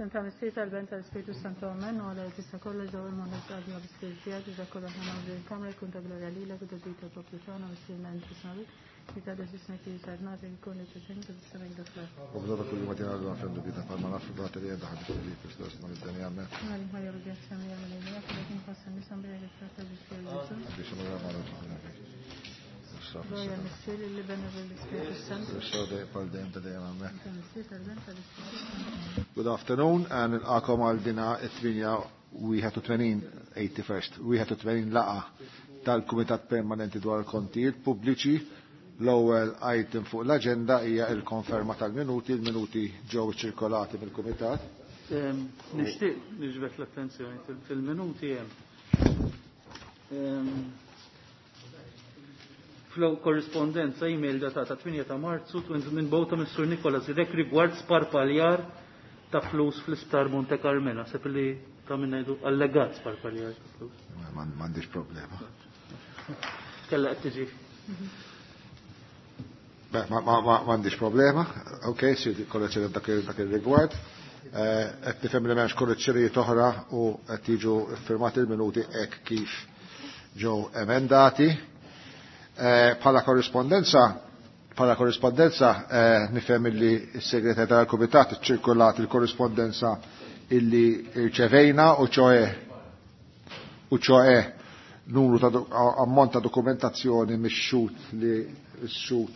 Fl-isem ta' Missier tal-Ben tal-Ispiritu Santu Amen u għala tista' kollox daw il-moħħ għadna bi-Spiritu tiegħek iżda kollha aħna nagħmlu il-kamra jkun ta' glorja lilek u ta' ġid tal-poplu tagħna Missierna inti smarik li ta' deċisna kif sar nagħti jkun li tisem ta' tisem dak l. U bżonn kull ma tingħadu nafendu bita palma nafu bata li għedha ħadd li Kristus ma nid-deni amen. Għal ħajja u grazzja mija mill-Mulej jekk inħoss nisam bi jekk ta' Ġesù. Biex ma nagħmlu Glorja Missier l-Iben u l-Ispiritu Santu. Good afternoon, and nilqakom għal dina 81, 81st, 81 laqa tal-Kumitat Permanenti dwar il-Kontijiet Pubbliċi. L-ewwel item fuq l-aġenda hija l-konferma tal-minuti, il-minuti ġew ċirkolati mill-Kumitat. Nixtieq niġbed l-attenzjoni fil-minuti hemm. Flow korrispondenza email datata 8 ta' Marzu minn bowta mis-Sur Nikola Zidek rigward sparpaljar ta' flus fl-isptar Monte Carmela. Sepp li ta' minna jdu allegat sparpaljar ta' flus. M'għandix problema. Kella qed tiġi. M'għandix problema. Ok, si korrezzjoni dak il-rigward. Qed nifhem li m'hemmx korrezzjonijiet oħra u qed jiġu firmati il-minuti hekk kif ġew emendati. Bħala korrispondenza, bħala korrispondenza nifhem illi s-segretarju tal-Kumitat iċċirkulat il-korrispondenza illi rċevejna u ċoe u ċoe numru ta' ammont ta' dokumentazzjoni mix-xut li x-xut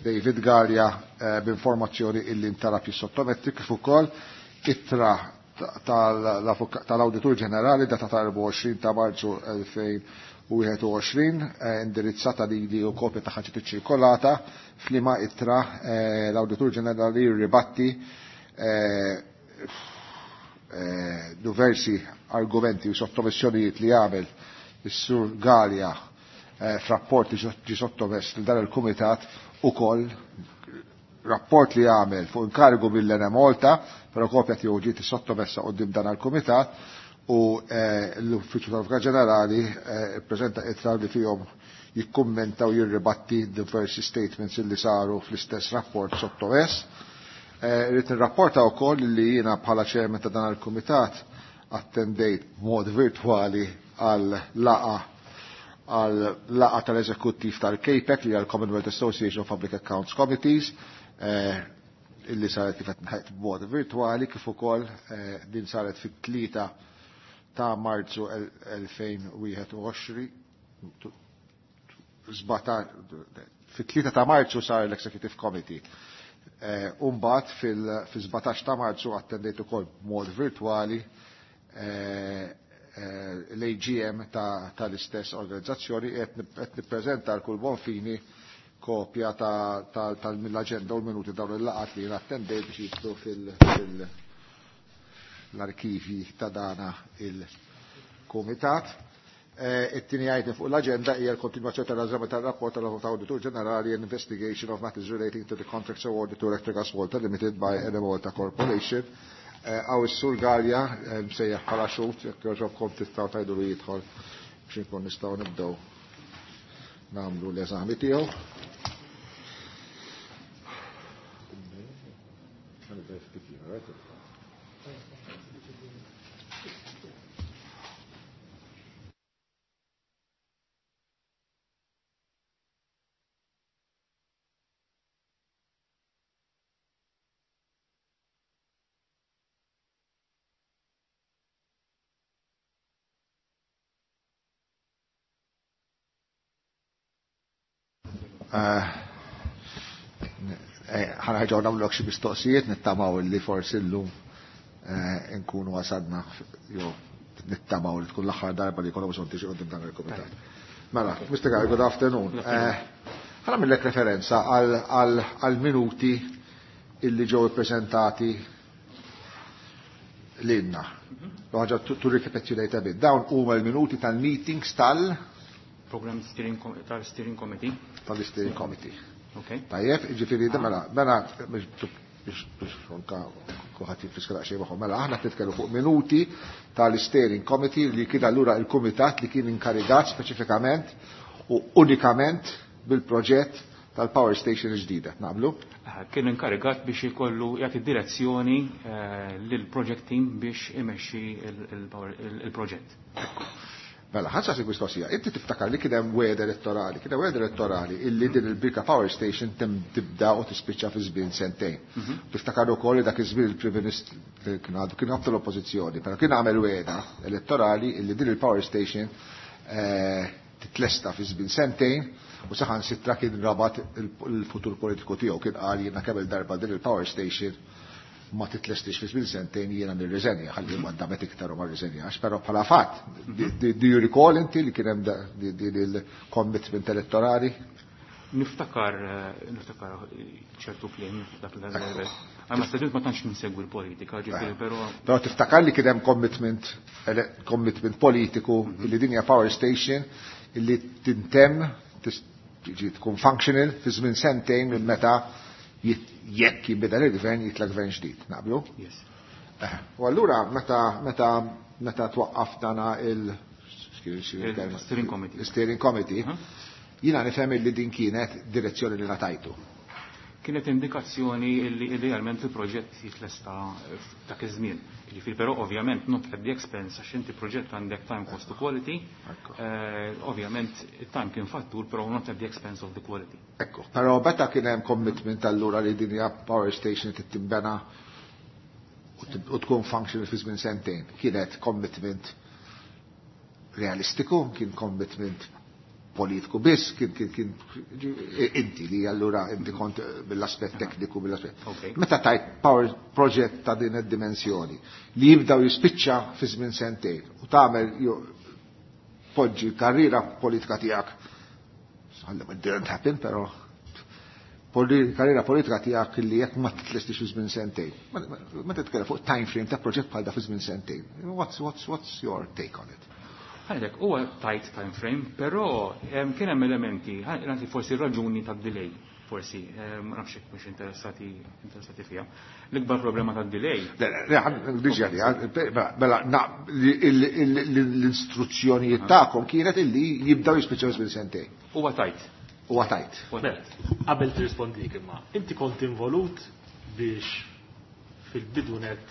David Galea b'informazzjoni illi ntalab jissottometti kif ukoll ittra tal-Awditur Ġenerali datata 24 ta' Marzu 2021 indirizzata lili u kopja ta' ħaġa ċirkolata f'liema ittra l-Awditur Ġenerali ribatti diversi argumenti u sottomissjonijiet li għamel is-Sur Galea f'rapport li ġi sottomess lil dan il-Kumitat ukoll rapport li għamel fuq inkarigu mill-Enemalta, però kopja tiegħu ġiet sottomessa quddiem dan il-Kumitat u l-Uffiċċju tal-Avukat Ġenerali ppreżenta ittra li fihom jikkummenta u jirribatti diversi statements li saru fl-istess rapport sottomess. Irrid nirrapporta wkoll li jiena bħala chairman ta' dan il-Kumitat attendejt b'mod virtwali għal laqa għal laqa tal-eżekuttiv tal-CAPAC li għal Commonwealth Association of Public Accounts Committees illi saret kif qed ngħid b'mod virtwali kif ukoll din saret fit-3 ta' Marzu 2021, fit-3 ta' Marzu sar l-Executive Committee. Umbagħad fil-17 ta' Marzu attendejt ukoll b'mod virtwali l-AGM tal-istess organizzazzjoni qed nippreżenta għal kull buon fini kopja tal-mill-aġenda u l-minuti dawn il-laqat li attendejt biex jidħlu fil-arkivi ta' dana il-Kumitat. It-tieni item fuq l-aġenda hija l-kontinwazzjoni tal-eżami tar-rapport tal-Awditur Ġenerali and Investigation of Matters Relating to the Contracts Awarded to Electrogas Malta Limited by Enemalta Corporation. Għaw is-Sur Galea msejjaħ bħala xhud, jekk jogħġobkom tistgħu tgħidu li jidħol biex inkun nistgħu nibdew nagħmlu l-eżami tiegħu. Ħanħarġaw nagħmlu xi mistoqsijiet, nittamaw li forsi llum nkunu wasadna jew nittamaw li tkun l-aħħar darba li jkollhom bżonn tiġi quddiem dan il-kumitat. Mela, Mr. Galea, good afternoon. Ħa nagħmellek referenza għal minuti illi ġew ippreżentati lilna. Ħaġa to recapitulate a bit. Dawn huma l-minuti tal-meetings tal- Program steering tal-Steering Committee. Tal-Steering Committee. Okay. Tajjeb, ġifieri, mela, mela, biex anka kulħadd jifriska daqsxejn magħhom. Mela, aħna qed nitkellmu fuq minuti tal-Steering Committee li kien allura il-kumitat li kien inkarigat speċifikament u unikament bil-proġett tal-power station ġdida, naqblu? Kien inkarigat biex ikollu jagħti direzzjoni lil project team biex imexxi il-proġett. Mela, ħa nsaqsik mistoqsija, inti tiftakar li kien hemm wegħda elettorali, kien hemm wegħda elettorali illi din il-Birka Power Station tibda u tispiċċa fi żmien sentejn. Tiftakar ukoll li dak iż-żmien il-Prim Ministru kien għadu kien għabtu l-oppożizzjoni, però kien għamel wegħda elettorali illi din il-Power Station titlesta fi żmien sentejn u saħansitra kien rabat il-futur politiku tiegħu, kien qal jiena kemm il-darba din il-Power Station ma titlestix fi żmien sentejn jiena nirriżenja, ħalli ma damet iktar u ma rriżenjax, però bħala fatt, do you recall inti li kien hemm din il-commitment elettorali? Niftakar ċertu kliem dak l-level. Għamma stedint ma tantx nsegwi l-politika, ġifieri, però Però tiftakar li kien hemm commitment politiku illi din hija power station illi tintemm, tiġi tkun functional fi żmien sentejn minn meta jekk jinbidel il-gvern jitla' gvern ġdid, naqblu? Yes. U allura meta twaqqaf dana il- Il- Steering Committee. Steering Committee, jiena nifhem li din kienet direzzjoni li ngħatajtu. Kienet indikazzjoni li idealment il-proġett jitlesta f'dak iż-żmien. Jiġifieri, però ovvjament not at the expense, għax inti proġett għandek time cost to quality. Ovvjament il-time kien fattur, però not at the expense of the quality. Ekku, però meta kien hemm commitment allura li din hija power station tinbena u tkun functional fi żmien sentejn, kienet commitment realistiku, kien commitment politiku biss, kien inti li allura inti kont mill-aspett tekniku, mill-aspett. Meta tajt power project ta' din id-dimensjoni li jibda u jispiċċa fi żmien sentejn u tagħmel poġġi karriera politika tiegħek, ħalli it didn't happen, però karriera politika tiegħek li jekk ma titlestix fi żmien sentejn. Ma titkellem fuq time frame ta' proġett bħal da fi żmien sentejn. What's your take on it? Għalhekk huwa tight time frame, però kien hemm elementi, nagħti forsi raġuni tad-delay, forsi, ma nafx jekk mhux interessati fiha. L-ikbar problema tad-delay. Le, le, le, diġà li, mela, na, l-istruzzjonijiet tagħkom kienet illi jibdew jispiċċaw żmien sentejn. Huwa tight. Huwa tight. Huwa tight. Qabel tirrispondik imma, inti kont involut biex fil-bidu net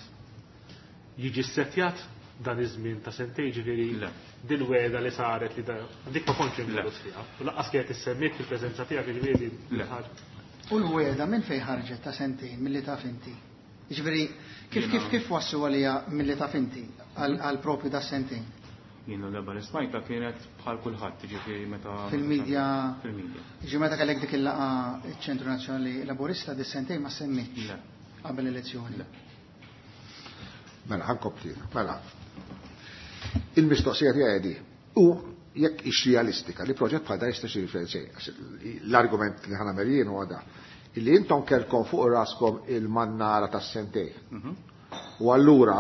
jiġi ssettjat dan iż-żmien ta' sentejn, ġifieri Le. dil-wegħda li saret li dik ma kontx involut Le. fiha. U lanqas kienet issemmiet fil-preżenza tiegħek, ġifieri Le. ħaġa. U l-wegħda minn fejn ħarġet ta' sentejn milli taf inti? Ġifieri kif wassu għalija milli taf inti għal propju da' sentejn? Jiena l-darba li smajta kienet bħal kulħadd, ġifieri meta Fil-medja. Fil-medja. Ġifieri meta kellek dik il-laqgħa ċ-Ċentru Nazzjonali Laburista dis sentejn ma semmitx Le. qabel l-elezzjoni. Le. Mela, ħankompli. Mela. Il-mistoqsija tiegħi di. U jekk hix realistika li proġett bħal dan jista' jsir fejn, għax l-argument li ħana jien huwa da, illi intom kellkom fuq raskom il-mannara tas-sentejn. U allura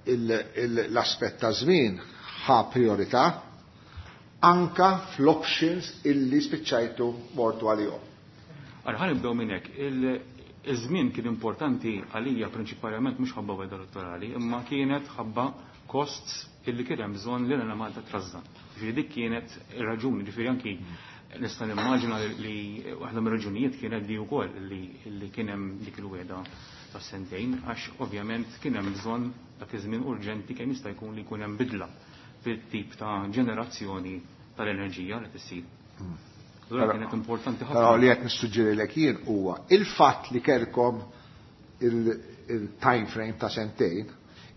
l-aspett ta' żmien ħa priorità anka fl-options illi spiċċajtu mortu għalihom. Ara, ħa nibdew minn hekk. Iż-żmien kien importanti għalija prinċipalment mhux ħabba wegħda elettorali, imma kienet ħabba costs illi kien hemm bżonn li Elena Malta trażżan. Ġifieri dik kienet ir-raġuni, ġifieri anki nista' nimmaġina li waħda mir-raġunijiet kienet di wkoll li kien hemm dik il-wegħda ta' sentejn, għax ovvjament kien hemm bżonn dak iż-żmien urġenti kemm jista' jkun li jkun hemm bidla fil-tip ta' ġenerazzjoni tal-enerġija li tissir. Allura kienet importanti ħafna. Però li qed nissuġġerilek jien huwa il-fatt li kellkom il-time frame ta' sentejn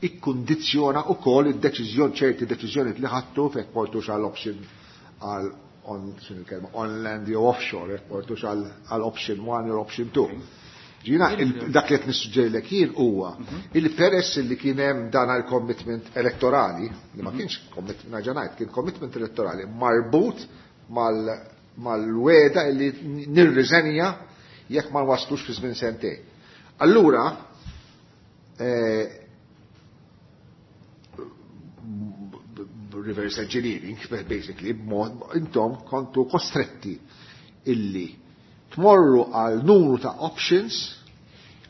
ikkundizzjona wkoll id-deċiżjoni, ċerti deċiżjonijiet li ħadtu fejn portux għal option għal on, x'inhi l-kelma, on land jew offshore, jekk portux għal option 1 jew option 2. Ġina, dak li qed nissuġġerilek jien huwa il peress li kien hemm dan għal commitment elettorali, li ma kienx commitment, nerġa' ngħid, kien commitment elettorali marbut mal-wegħda li nirriżenja jekk ma nwaslux fi żmien sentejn. Allura, reverse engineering, basically, b'mod, intom kontu kostretti illi tmorru għal numru ta' options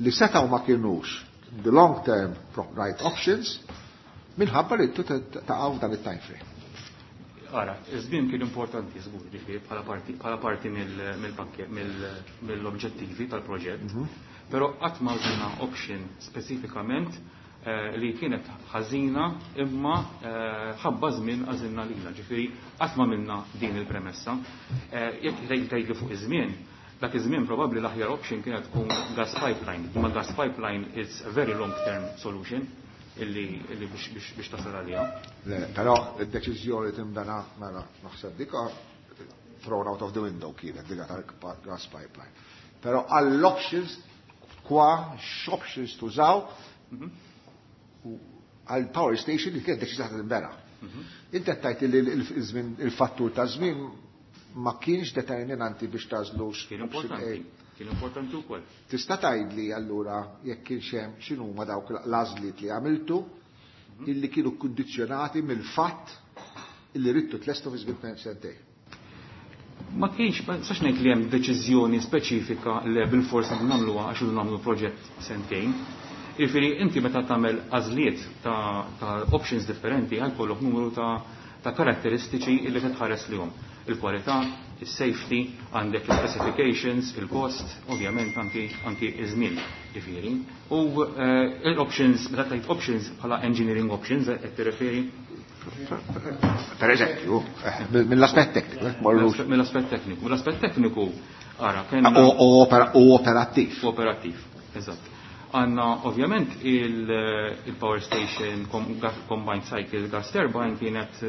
li setaw ma kienux the long term right options minħabba li taqgħu dan it-time frame. Ara, iż-żmien kien importanti żgur, ġifieri bħala parti mill-pakket mill-oġġettivi tal-proġett, però qatt ma użajna option speċifikament li kienet ħażina imma ħabba żmien għażilna lilha, ġifieri qatt ma minna din il-premessa. Jekk tgħidli fuq iż-żmien, dak iż-żmien probabbli l-aħjar option kienet tkun gas pipeline, imma gas pipeline is a very long term solution illi biex tasal għalija. Le, però id-deċiżjoni timbena mela naħseb dika thrown out of the window kienet dika tal-gas pipeline. Però għall-options kwa x'options tużaw għal power station li kienet deċiża timbena. Inti qed tgħid li il-fattur ta' żmien ma kienx determinanti biex tażlu Kien importanti. Kien importanti wkoll. Tista' tgħidli allura jekk kienx hemm x'inhuma dawk l-għażliet li għamiltu illi kienu kkundizzjonati mill-fatt illi ridtu tlestu fi żmien sentejn. Ma kienx, ma nistax ngħid li hemm deċiżjoni speċifika li bil-fors nagħmluha għax nagħmlu proġett sentejn. Jiġifieri inti meta tagħmel għażliet ta' options differenti għal numru ta' karatteristiċi illi titħares lihom. Il-kwalità, il-safety, għandek il-specifications, il-cost, ovvjament anki iż-żmien, ġifieri. U l-options, meta tgħid options bħala engineering options qed tirreferi? Per eżempju, mill-aspett tekniku, Mill-aspett tekniku. Mill-aspett tekniku, ara, kien. U operattiv. U operattiv, eżatt. Għanna, ovvjament, il-power station combined cycle gas turbine kienet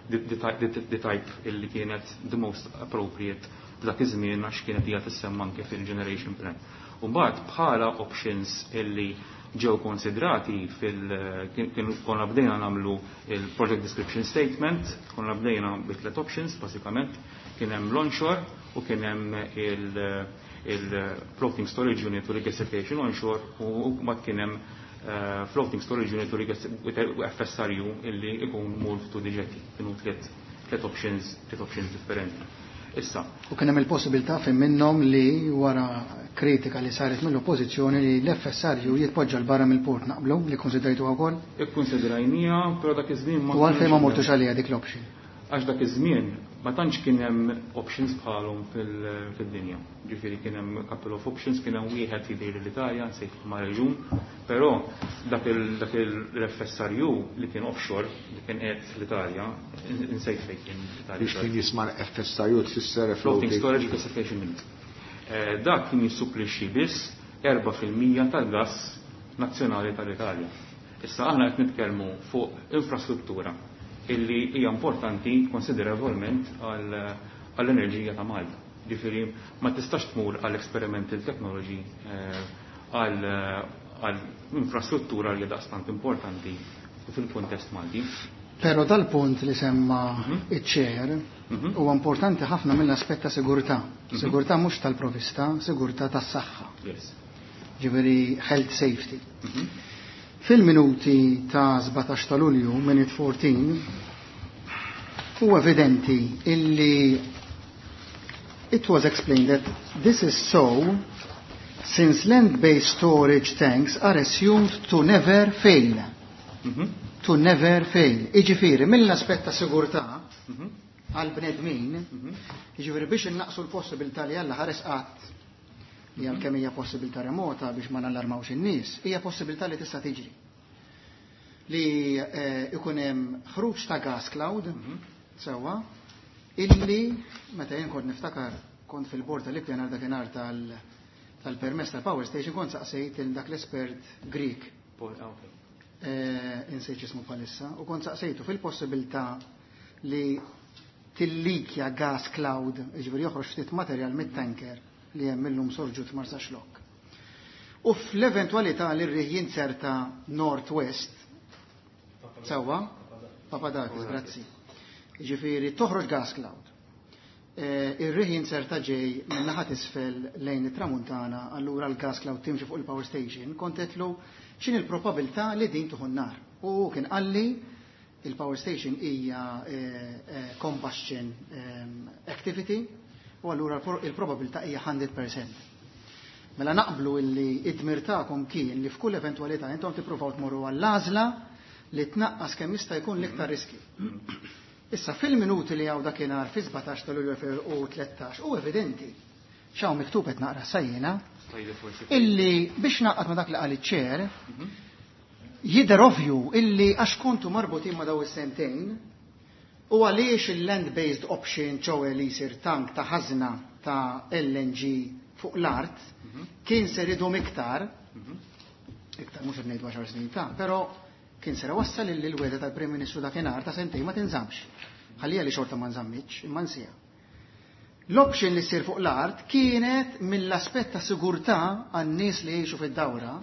the type illi kienet the most appropriate dak iż-żmien għax kienet hija tissemma anke fil-generation plan. U mbagħad bħala options illi ġew konsidrati fil kienu konna bdejna nagħmlu il-project description statement, konna bdejna bi tliet options basikament, kien hemm l-onshore u kien hemm il-floating storage unit u regasification onshore u mbagħad kien hemm floating storage unit u FSRU illi ikun moored to the jetty. Kienu tliet options differenti. Issa. U kien hemm il-possibilità fejn minnhom li wara kritika li saret mill-oppożizzjoni li l-FSRU jitpoġġa l barra mill-port, naqblu li konsidrajtu wkoll? Ikkonsidrajnija, però dak iż-żmien ma. U għalfejn ma mortux għalija dik l-option? Għax dak iż-żmien ma tantx kien hemm options bħalhom fid-dinja. Ġifieri kien hemm couple of options, kien hemm wieħed jidher l-Italja, nsejt ma reġun, però dak il-FSRU li kien offshore, li kien qed l-Italja, nsejt fejn kien l-Italja. Biex kien jisma' FSRU tfisser Floating Storage Regasification Unit. Dak kien jissupplixxi biss 4% tal-gas nazzjonali tal-Italja. Issa aħna qed nitkellmu fuq infrastruttura illi hija importanti konsiderevolment għall-enerġija ta' Malta. Ġifieri ma tistax tmur għall experimental technology għal infrastruttura li daqstant importanti fil-kuntest Malti. Pero dal-punt li semma iċ-chair huwa importanti ħafna mill-aspett ta' sigurtà. Sigurtà mhux tal-provista, sigurtà tas-saħħa. Ġifieri health safety. Fil-minuti ta' 17 ta' Lulju, minute 14, huwa evidenti illi it was explained that this is so since land-based storage tanks are assumed to never fail. To never fail. Iġifieri, mill-aspett ta' sigurtà għal-bnedmin, iġifieri biex innaqsu l-possibilità li Alla ħares qatt li għalkemm hija possibilità remota biex ma nallarmawx in-nies, hija possibilità li tista' tiġri. Li ikun hemm ħruġ ta' gas cloud, sewwa, illi meta jien kont niftakar kont fil-bord tal-ippjanar dakinhar tal-permess tal-power station kont saqsejt il dak l-espert Greek. Insejt ismu bħalissa, u kont saqsejtu fil-possibilità li tillikja gas cloud, ġifieri joħroġ ftit materjal mit-tanker li hemm illum sorġut Marsaxlokk. U fl-eventualità li r-riħ jinzerta north-west, sewwa, Papadakis, grazzi. Ġifieri toħroġ gas cloud. Ir-riħ jinzerta ġej minn naħa isfel lejn it-tramuntana, allura l-gas cloud timxi fuq il-power station, kont għedtlu x'inhi l-probabilità li din tuħu n-nar. U kien qalli il-power station hija combustion activity u allura il-probabilità hija 100%. Mela naqblu illi id-dmir tagħkom kien li f'kull eventualità intom tippruvaw tmorru għall-għażla li tnaqqas kemm jista' jkun l-iktar riski. Issa fil-minuti li hawn dakinhar fi 17 ta' Lulju 2013 u evidenti x'hawn miktub qed naqra sajjena illi biex naqgħod ma' dak li qal iċ-chair jidher ovvju illi għax kontu marbutin ma' daw is-sentejn u għaliex il-land-based option ċowe li jsir tank ta' ħażna ta' LNG fuq l-art kien ser idum iktar, iktar mhux qed ngħidu 10 snin ta', però kien ser wassal illi l-wegħda tal-Prim Ministru dakinhar ta' sentejn ma tinżammx. Ħallija li xorta ma nżammitx, imma nsija. L-option li ssir fuq l-art kienet mill-aspett ta' sigurtà għan-nies li jgħixu fid-dawra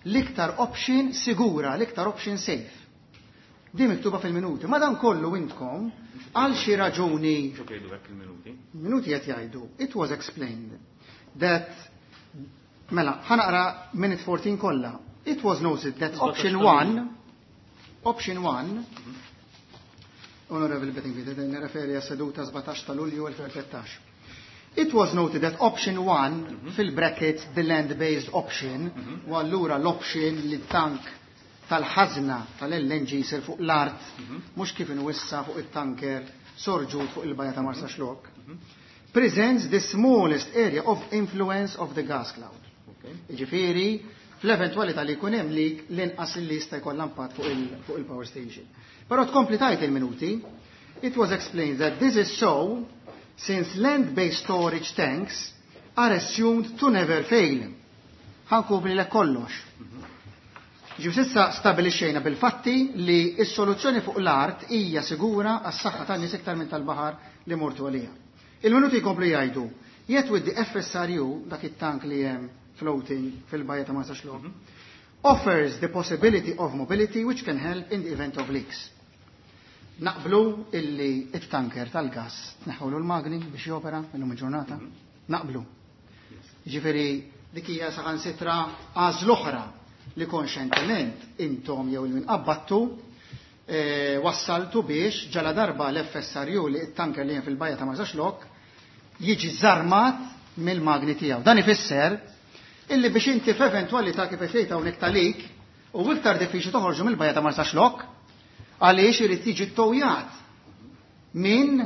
l-iktar option sigura, l-iktar option safe. Di miktuba fil-minuti. Ma dan kollu intkom għal xi raġuni Xo jgħidu hekk il-minuti? Minuti qed jgħidu. It was explained that mela, ħa naqra minute 14 kollha. It was noted that option 1 option 1 Honorable Bedingfield, nirreferi għas seduta 17 ta' Lulju 2013. It was noted that option 1, fil-brackets, the land-based option, u allura l-option li tank tal-ħazna tal-LNG sir fuq l-art, mhux kif inwissa fuq it-tanker sorġut fuq il-bajja ta' Marsaxlokk, presents the smallest area of influence of the gas cloud. Ġifieri, fl-eventualità li jkun hemm leak l-inqas li jista' jkollha impatt fuq il-power station. Però tkompli tajt il-minuti, it was explained that this is so since land-based storage tanks are assumed to never fail. Ħa nkopri lek kollox. Ġifieri s'issa stabilixxejna bil-fatti li s-soluzzjoni fuq l-art hija sigura għas-saħħa tan-nies iktar minn tal-baħar li mortu għalija. Il-minuti jkomplu jgħidu, yet with the FSRU, dak it-tank li hemm floating fil-bajja ta' Marsaxlokk, offers the possibility of mobility which can help in the event of leaks. Naqblu illi it-tanker tal-gas tneħħulu l-magni biex jopera illum il-ġurnata? Naqblu. Ġifieri dik hija saħansitra għażla oħra li konxentement intom jew il-min qabbattu wassaltu biex ġala darba l-FSRU li it-tanker li hemm fil-bajja ta' Marsaxlokk jiġi żarmat mill-magni tiegħu. Dan ifisser illi biex inti f'eventualità kif qed tgħid hawnhekk talik u iktar diffiċli toħorġu mill-bajja ta' Marsaxlokk għaliex irid jiġi ttowjat minn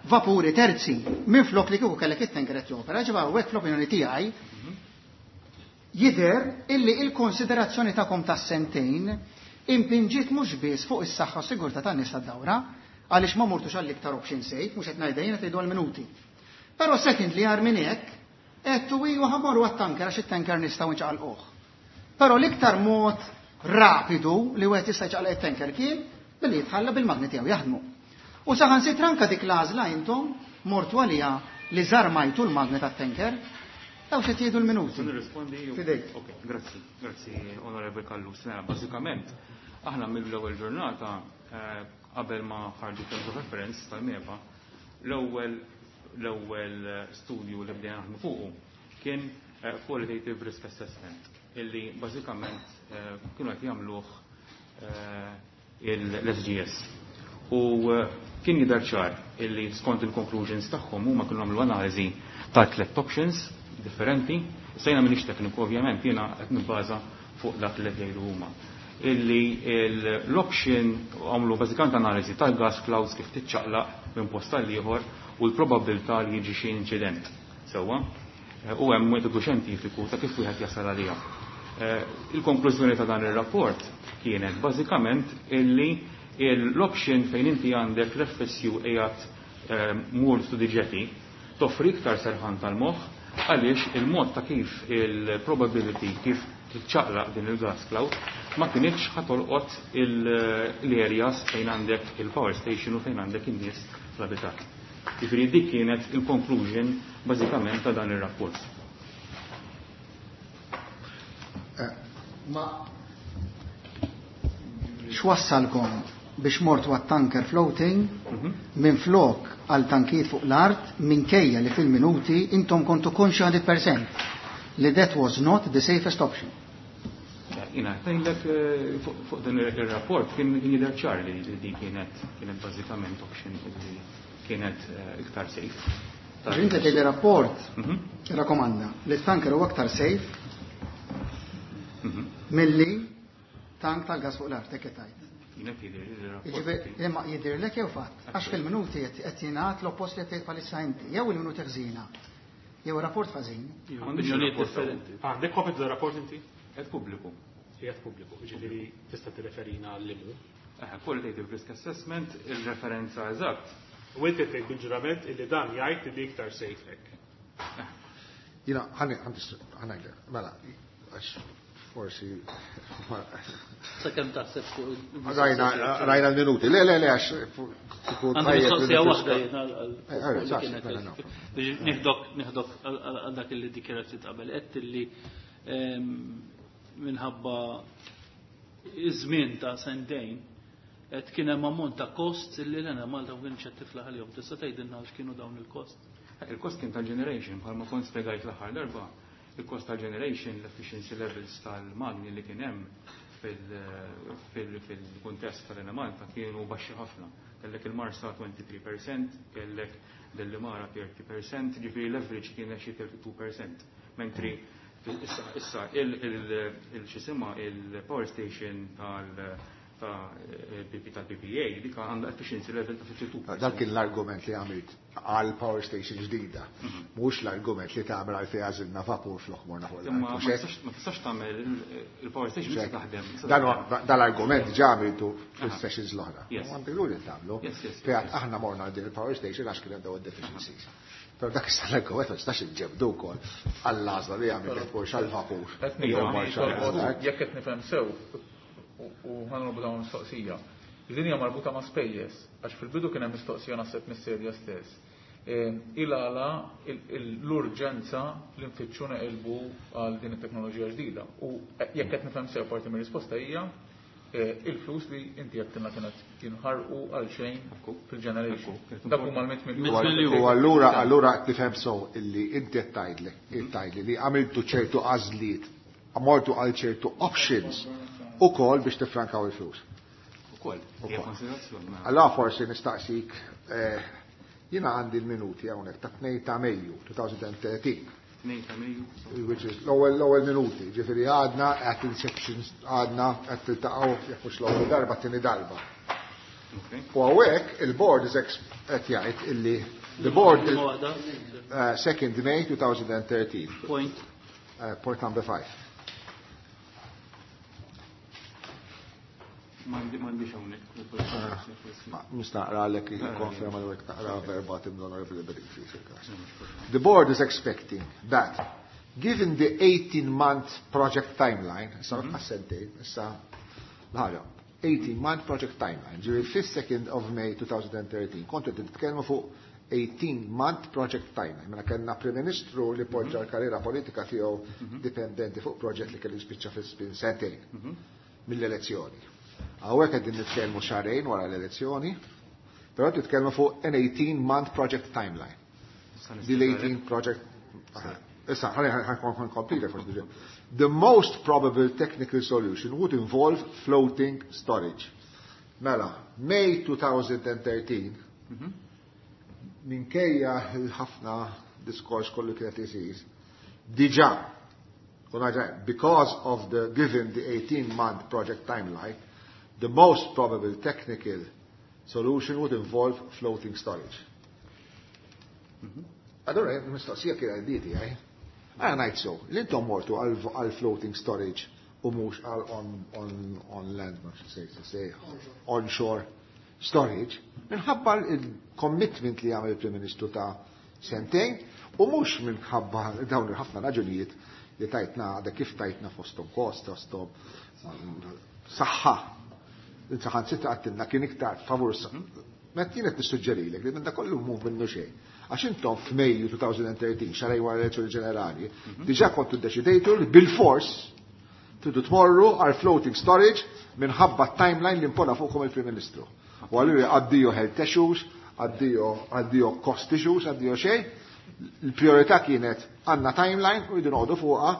vapuri terzi minn flok li kieku kellek it-tanker qed jopera. Ġiba hawnhekk fl-opinjoni tiegħi jidher illi il-konsiderazzjoni tagħkom tas-sentejn impinġiet mhux biss fuq is-saħħa u sigurtà tan-nies tad-dawra, għaliex ma mortux għall-iktar option safe, mhux qed ngħidha jiena tgħidu għall-minuti. Però secondly għar minn hekk, għedtu iva ħa mmorru għat-tanker għax it-tanker nistgħu nċaqalquh. Però l-iktar mod rapidu li wieħed jista' jċaqlaq it-tanker kien billi jitħalla bil-magni tiegħu jaħdmu. U saħansitra anke dik l-għażla intom mortu għalija li żarmajtu l-magni tat-tanker, daw xi tgħidu l-minuti. Nirrispondi. Fidejk. Ok, grazzi, grazzi, Onorevole Callus. Mela, bażikament, aħna mill-ewwel ġurnata qabel ma ħarġu terms of reference tal-MEPA, l-ewwel studju li bdejna naħdmu fuqu kien qualitative risk assessment, illi bażikament kienu qed jagħmluh l-SGS. U kien jidher ċar illi skont il-conclusions tagħhom huma kienu għamlu analiżi ta' tliet options differenti. Sejna m'iniex tekniku ovvjament, jiena qed nibbaża fuq dak li qed jgħidu huma. Illi l-option għamlu bażikament analiżi tal-gas clouds kif tiċċaqlaq minn post għal ieħor u l-probabilità li jiġi xi inċident. Sewwa? U hemm metodu xjentifiku ta' kif wieħed jasal għaliha. Il-konklużjoni ta' dan ir-rapport kienet bażikament illi l-option fejn inti għandek l-FSU qiegħed moored to the jetty toffri iktar serħan tal-moħħ għaliex il-mod ta' kif il-probability kif tiċċaqlaq din il-gas cloud ma kienx ħa tolqot l-areas fejn għandek il-power station u fejn għandek in-nies fl-abitat. Ġifieri dik kienet il-conclusion bażikament ta' dan ir-rapport. Ma x'wassalkom biex mortu għat-tanker floating minn flok għal tankijiet fuq l-art minkejja li fil-minuti intom kontu konxi 100% li that was not the safest option. Jina, ngħidlek fuq dan il-rapport kien jidher ċar li di kienet bażikament option li kienet iktar safe. Inti tgħid rapport rakkomanda li t-tanker huwa aktar safe milli tank tal-gas fuq l-art, hekk qed tgħid. Jien qed jidhirli li r-rapport Jiġifieri kien imma jidhirlek jew fatt? Għax fil-minuti qed jingħad l-oppost li qed tgħid bħalissa inti. Jew il-minuti ħżiena, jew ir-rapport ħażin. M'għandix Opinjonijiet ir-rapport hawn. differenti. Għandek kopja tar-rapport inti? Qed pubbliku. Qiegħed pubbliku, jiġifieri tista' tirreferina għal limu. Qualitative risk assessment, il-referenza eżatt. U inti tgħid bil-ġurament illi dan jgħid li iktar safe hekk. Jina, ħanajlek, mela, għax forsi. Sakemm taħseb fuq Rajna, rajna l-minuti. Le, le, le, għax tkun Għandi tajjeb li mistoqsija nifriska. waħda jiena Eh, għal sa, kienet mela, no. biex nieħdok nieħdok għal dak li dikjarazzjoni qabel qed li minħabba iż-żmien ta' sentejn qed kien hemm ammont ta' kost li l-Enemalta ma kienx qed tiflaħ għalihom. Tista' tgħidilna x'kienu dawn il-kost? Il-kost kien tal-generation, bħalma kont spjegajt l-aħħar darba, il-kost tal-generation, l-efficiency levels tal-magni li kien hemm fil-kuntest tal-Enemalta kienu baxxi ħafna. Kellek il-Marsa 23%, kellek Delimara 30%, ġifieri l-average kien xi 32%. Mentri issa il-xisima il-power station tal-PPA dik għandha efficiency level ta' 52%. Dak kien l-argument li għamilt għal power station ġdida. Mhux l-argument li tagħmel għal fejn għażilna vapur flok morna fuq Imma l-art. ma Mhux hekk? tistax ma tistax tagħmel il-power station tista' taħdem. tista' Dan taħdem. Dal-argument ġa għamiltu fil-sessions l-oħra. Yes. Għandek li tagħmlu. Yes, Fejn yes. aħna morna għal din il-power station għax kien hemm dawn id-deficiencies. Però dak issa l-argument ma tistax iġġebdu wkoll għall-għażla li għamilt mhux għall-vapur. Qed Jew nifhem mort għall-art. jekk qed nifhem sew u ħanrobu dawn mistoqsija. Din hija marbuta ma' spejjeż, għax fil-bidu kien hemm mistoqsija naħseb mis-serja stess. Il-għala l-urġenza li nfittxu neqilbu għal din it-teknoloġija ġdida. U jekk qed nifhem sew parti mir-risposta hija il-flus li inti għedtilna kienet jinħarqu għal xejn fil-generation. Ekku. Dak huma l-100 miljun. 100 miljun. U allura qed tifhem sew illi inti qed tgħidli li għamiltu ċertu għażliet, mortu għal ċertu options ukoll biex tifrankaw il-flus. Ukoll, hija konsiderazzjoni. mela. Allora forsi nistaqsik, jiena għandi l-minuti hawnhekk ta' 2 ta' Mejju 2013. 2 ta' Mejju. Which is l-ewwel minuti, ġifieri għadna at inception għadna qed tiltaqgħu jekk mhux l-ewwel darba tieni darba. Okay. U hawnhekk il-board is qed jgħid illi the board Liema waħda? 2nd May 2013. Point. Point number 5. M'għandix hawnhekk. Ma nista' naqra għalek konferma li naqra verbatim l-Honorable Bedingfield fil-każ. The board is expecting that, given the 18-month project timeline, issa sentejn, issa l-ħaġa, 18-month project timeline, ġifieri fis-2nd of May 2013, kontu qed titkellmu fuq 18-month project timeline. Mela kellna Prim Ministru li poġġa l-karriera politika tiegħu dipendenti fuq proġett li kellu jispiċċa fi żmien sentejn mill-elezzjoni. Hawnhekk qegħdin nitkellmu xahrejn wara l-elezzjoni, però titkellmu fuq an 18-month project timeline. Dil 18 project. Issa, ħalli complete forsi diġà. The most probable technical solution would involve floating storage. Mela, May 2013, minkejja l-ħafna diskors kollu kienet isir, diġà, u naġa, because of the given the 18-month project timeline, the most probable technical solution would involve floating storage. Allora, mistoqsija kien għanditi, għaj. Għana ngħid so, l-intom mortu għal floating storage u mhux għal on land, ma xi onshore storage, minħabba il-commitment li għamel il-Prim Ministru ta' sentejn u mhux minħabba dawn il-ħafna raġunijiet li tajtna, għadha kif tajtna fostom kost, fostom saħħa. Insaħan sitta għattilna kien iktar favur Met jien qed nissuġġerilek li minn da kollu mhu minnu xejn. Għax intom f'Mejju 2013, xahrejn wara l-elezzjoni ġenerali, diġà kontu ddeċidejtu li bil-fors tridu tmorru għal floating storage minħabba timeline li impona fuqkom il-Prim Ministru. U allura addio health issues, addio cost issues, addio xejn. Il-priorità kienet għandna timeline u rridu noqogħdu fuqha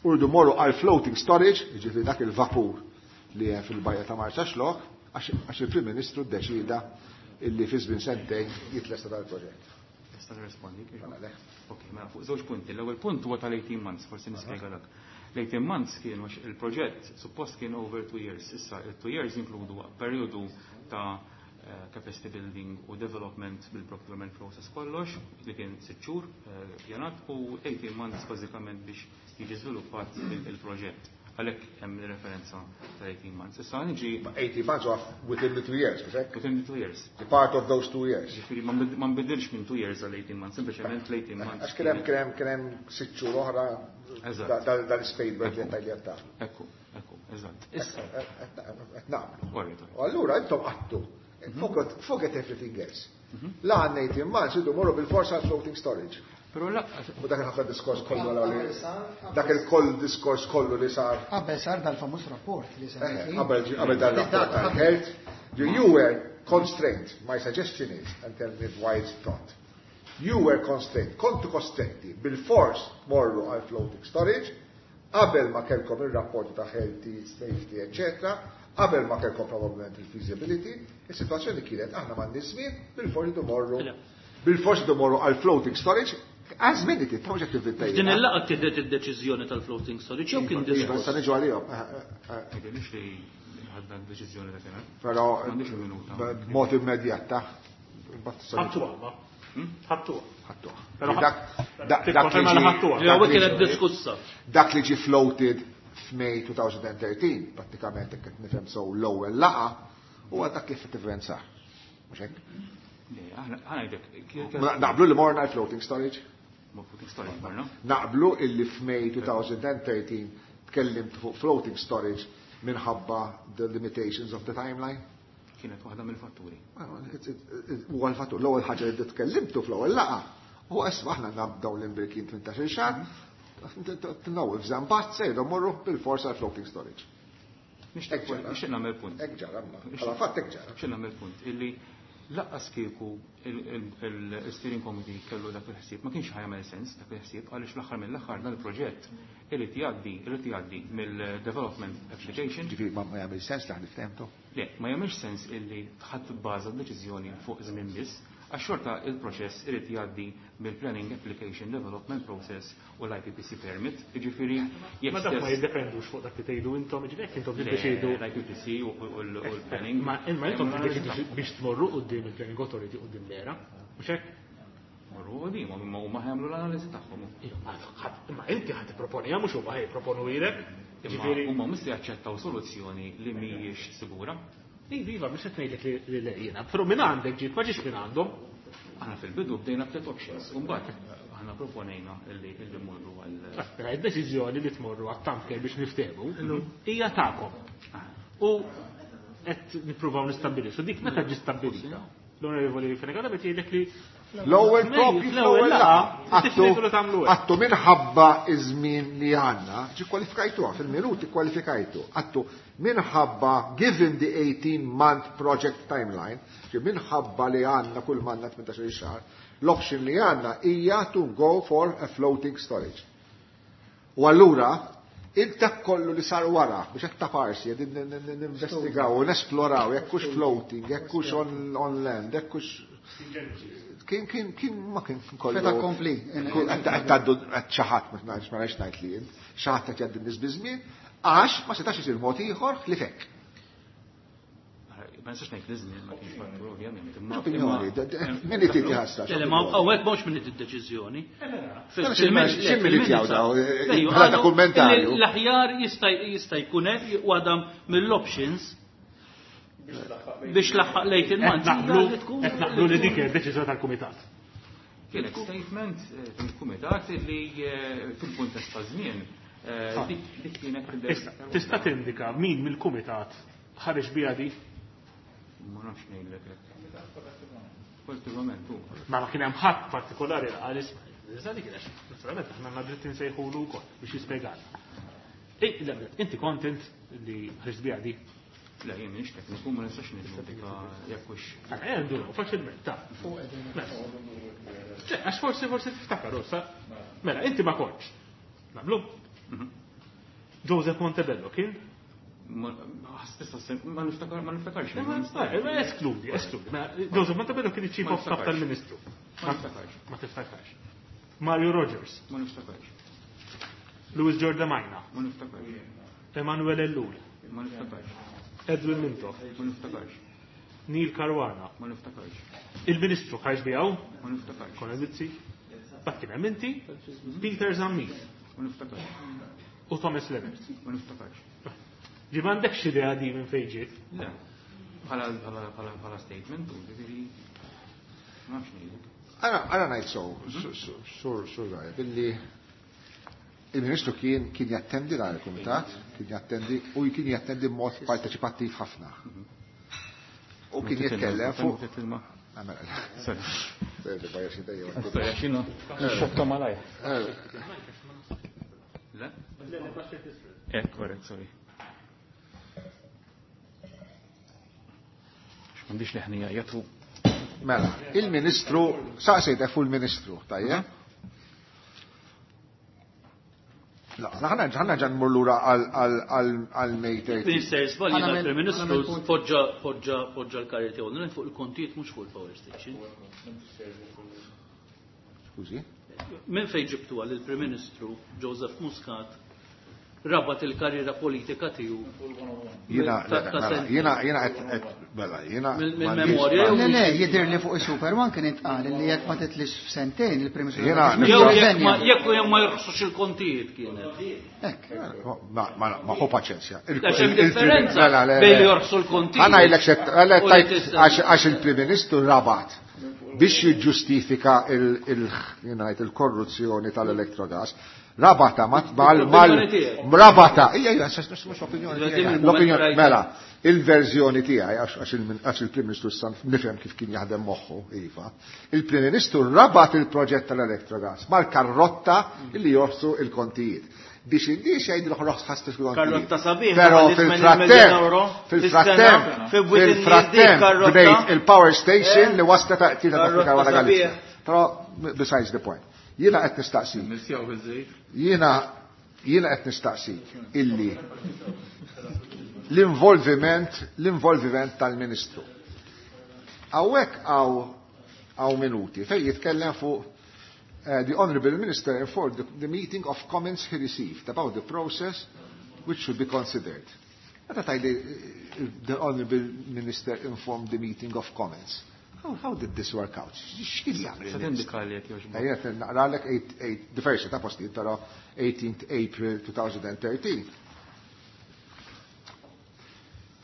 u rridu morru għal floating storage, jiġifieri dak il-vapur li hemm fil-bajja ta' Marsaxlokk, għax il-Prim Ministru ddeċida illi fi żmien sentejn jitlesta dal-proġett. Tista' tirrispondi? Mela le. Ok, mela fuq żewġ punti. L-ewwel punt huwa tal-18 months, forsi nispjega dak. L-18 months kienu għax il-proġett suppost kien over 2 years. Issa il-2 years inkludu periodu ta' capacity building u development bil-procurement process kollox, li kien 6 xhur pjanat u 18 months bażikament biex jiġi żviluppat il-proġett. Għalhekk hemm referenza ta' 18 months. Issa niġi 18 months off within the 2 years, mhux hekk? Within the 2 years. The part of those 2 years. Ġifieri ma nbidilx minn 2 years għal 18 months, sempliċement l-18 months. Għax kien hemm 6 xhur oħra dal-spade budget tal-jatta. Ekku, ekku, eżatt. Issa. Qed naqblu. U allura intom qattu. Forget everything else. La għandna 18 months idu morru bil-forsa għal floating storage. Pero la U dak il-ħafna diskors kollu li dak il-koll diskors kollu li sar. Qabel sar dal-famuż rapport li sar. Qabel dal-rapport tal-health, you were constrained. My suggestion is, and tell me why it's not. You were constrained, kontu kostretti bil-fors morru għal floating storage, qabel ma kellkom il-rapporti ta' health, safety, eccetera, qabel ma kellkom probablement il-feasibility, il-situazzjoni kienet aħna m'għandniex żmien bil-fors morru bil-fors morru għal floating storage. Għaż minni ti, ta' mhux qed tivvinta Din il-laqgħa tieħdet id-deċiżjoni tal-floating storage jew kien diskors. Sa niġu għalihom. Mhix li ħadna d-deċiżjoni dakinhar. Però m'għandix il-minuta. B'mod immedjat ta' Ħattuha, ma. Ħattuha. Ħattuha. Dak li diskussa. Dak li ġie floated f'May 2013, prattikament qed nifhem sew l-ewwel laqgħa, huwa dak li effettivament sar. Mhux hekk? Naqblu li morna floating storage? Floating storage morna. Naqblu illi f'May 2013 tkellimt fuq floating storage minħabba the limitations of the timeline? Kienet waħda mill-fatturi. Huwa l-fattur. L-ewwel ħaġa li tkellimtu fl-ewwel laqgħa u isma' aħna nabdaw l-imbrikin 18 xahar, tinnaw f'żambat sejdu morru bil-forsa floating storage. Nixtieq nagħmel punt. Hekk ġara, bħala fatt hekk ġara. Nixtieq nagħmel punt illi laqqas kieku il-steering committee kellu dak il-ħsieb, ma kienx ħajamel sens dak il-ħsieb għaliex l-aħħar mill-aħħar dan il-proġett irid jgħaddi mill-development application. Ġifieri ma jagħmel sens li ħniftehmtu? Le, ma jagħmilx sens illi ħadd bbaża d-deċiżjoni fuq żmien biss, għax xorta il-proċess irid jgħaddi mill-planning application development process u l-IPPC permit. Jiġifieri jekk Ma dak ma jiddependux fuq dak li tgħidu intom, jiġifieri jekk intom tiddeċidu l-IPPC u l-planning. Ma intom tiddeċidu biex tmorru quddiem il-planning authority quddiem l-era, mhux hekk? Morru quddiem, imma huma ħajamlu l-analiżi tagħhom. Imma inti ħadd tipproponiha mhux huma ħajproponu lilek. Jiġifieri huma mhux se jaċċettaw soluzzjoni li mhijiex sigura. Iva, mhux qed ngħidlek li le jiena, però minn għandek ġiet ma ġiex minn għandhom. Aħna fil-bidu bdejna tliet options, u mbagħad aħna proponejna illi mmorru għal. Mela id-deċiżjoni li tmorru għat-tanker biex niftehmu hija tagħkom. U qed nippruvaw nistabbilixxu dik meta ġi stabbilita. L-Onorevoli Fenech Adami jgħidlek li l-ewwel propju fl-ewwel laqgħa għattu minħabba iż-żmien li għandna, ġi kwalifikajtuha fil-minuti kwalifikajtu, għattu minħabba given the 18-month project timeline, ġi minħabba li għandna kull manna 18 xahar, l-option li għandna hija to go for a floating storage. U allura il-dak kollu li sar wara biex qed taparsi qegħdin ninvestigaw u nesploraw jekk hux floating, jekk hux on land, jekk hux kien ma kien kollu. Feta kompli. Qed tgħaddu qed xi ħadd ma nafx ma nafx ngħid li int, xi ħadd qed jgħaddi nies biż-żmien għax ma setax isir mod ieħor li fekk. Ma nistax ngħid li żmien ma kienx fattur ovvjament. Opinjoni, min irid jħassar? Le, ma hawnhekk mhux min irid id-deċiżjoni. X'in min irid jawdaw? Bħala kummentarju. L-aħjar jista' jkun hekk waħda mill-options biex laħħaq lejt il-manzi. Qed naqblu li dik id-deċiżjoni tal-kumitat. Kienet statement fil-kumitat li fil-kuntest ta' żmien dik kienet Issa, tista' tindika min mill-kumitat ħareġ biha di? Ma nafx ngħidlek hekk. Kollettivament hu. Ma kien hemm ħadd partikolari li qal isma' issa dik għax naturalment aħna għandna dritt insejħulu wkoll biex jispjegalna. Inti kontent li ħriġt biha di? Le, jien m'iniex tekniku, ma nistax niġġudika jekk hux. Nduru, faċilment, ta'. Għax forsi tiftakar, sa. Mela, inti ma kontx. Naqblu? Joseph Montebello kien? Ma niftakarx. Eskludi, eskludi. Joseph Montebello kien iċ-chief of staff tal-Ministru. Ma niftakarx. Ma tiftakarx. Mario Rogers. Ma niftakarx. Louis Giordamajna. Ma niftakarx. Emanuel Ellul. Ma niftakarx. Edwin Mintoff. Ma niftakarx. Neil Caruana. Ma niftakarx. Il-Ministru Kajx Bijaw. Ma niftakarx. Konrad Mizzi. Bat kien hemm inti, Peter Zammit. Ma niftakarx. U Thomas Lennart. Ma niftakarx. Ġi m'għandekx idea di minn fejn ġiet? Le. Bħala statement, u ġifieri ma nafx ngħidlek. Għana ngħid so, sur sur billi il-Ministru kien kien jattendi dan il-Kumitat, kien jattendi u kien jattendi b'mod parteċipattiv ħafna. U kien jitkellem fuq. Xokka malaj. Le? Korrett, sorry. M'għandix leħnija jatu. Mela, il-Ministru, saqsejt fuq il-Ministru, tajjeb? La, ħana ħana ġan mur lura għal May 30. Minister, żbalji tal-Prim Ministru poġġa poġġa poġġa l-karriera tiegħu fuq il-kontijiet mhux fuq il-power station. Skużi? Minn fejn ġibtu għal il-Prim Ministru Joseph Muscat rabat il-karriera politika tiegħu. Jiena jiena jiena qed mela jiena mill-memorja. Le le, jidher li fuq is-Super One kien intqal li jekk ma titlix f'sentejn il-Prim Ministru. Jiena jekk ma jorħsux il-kontijiet kienet. Hekk. Ma ħu paċenzja. Għax hemm differenza bejn li jorħsu l-kontijiet. Ħa ngħidlek għax il-Prim Ministru rabat biex jiġġustifika il-korruzzjoni tal-Electrogas. Rabata mal rabata. Ija, ija, mhux opinjoni. L-opinjoni mela, il-verżjoni tiegħi għax il-Prim Ministru san nifhem kif kien jaħdem moħħu, iva. Il-Prim Ministru rabat il-proġett tal-Electrogas mal-karrotta li jorsu il-kontijiet. Biex indi xejn l-oħroħ ħastis il-kontijiet. Karrotta sabiħ. Però fil-frattemp, fil-frattemp, bnejt il-power station li waslet ta' tita ta' Caruana Galizia. Però besides the point. Jiena qed nistaqsik. Jiena jiena qed nistaqsik illi l-involviment tal-Ministru. Hawnhekk hawn minuti fejn jitkellem fuq the Honorable Minister informed the meeting of comments he received about the process which should be considered. Meta tgħidli the Honorable Minister informed the meeting of comments. How did this work out? X'kien jagħmel? Se tindika li jekk jogħġbok. Ejja, naqralek the first ta' postijiet, però 18th April 2013.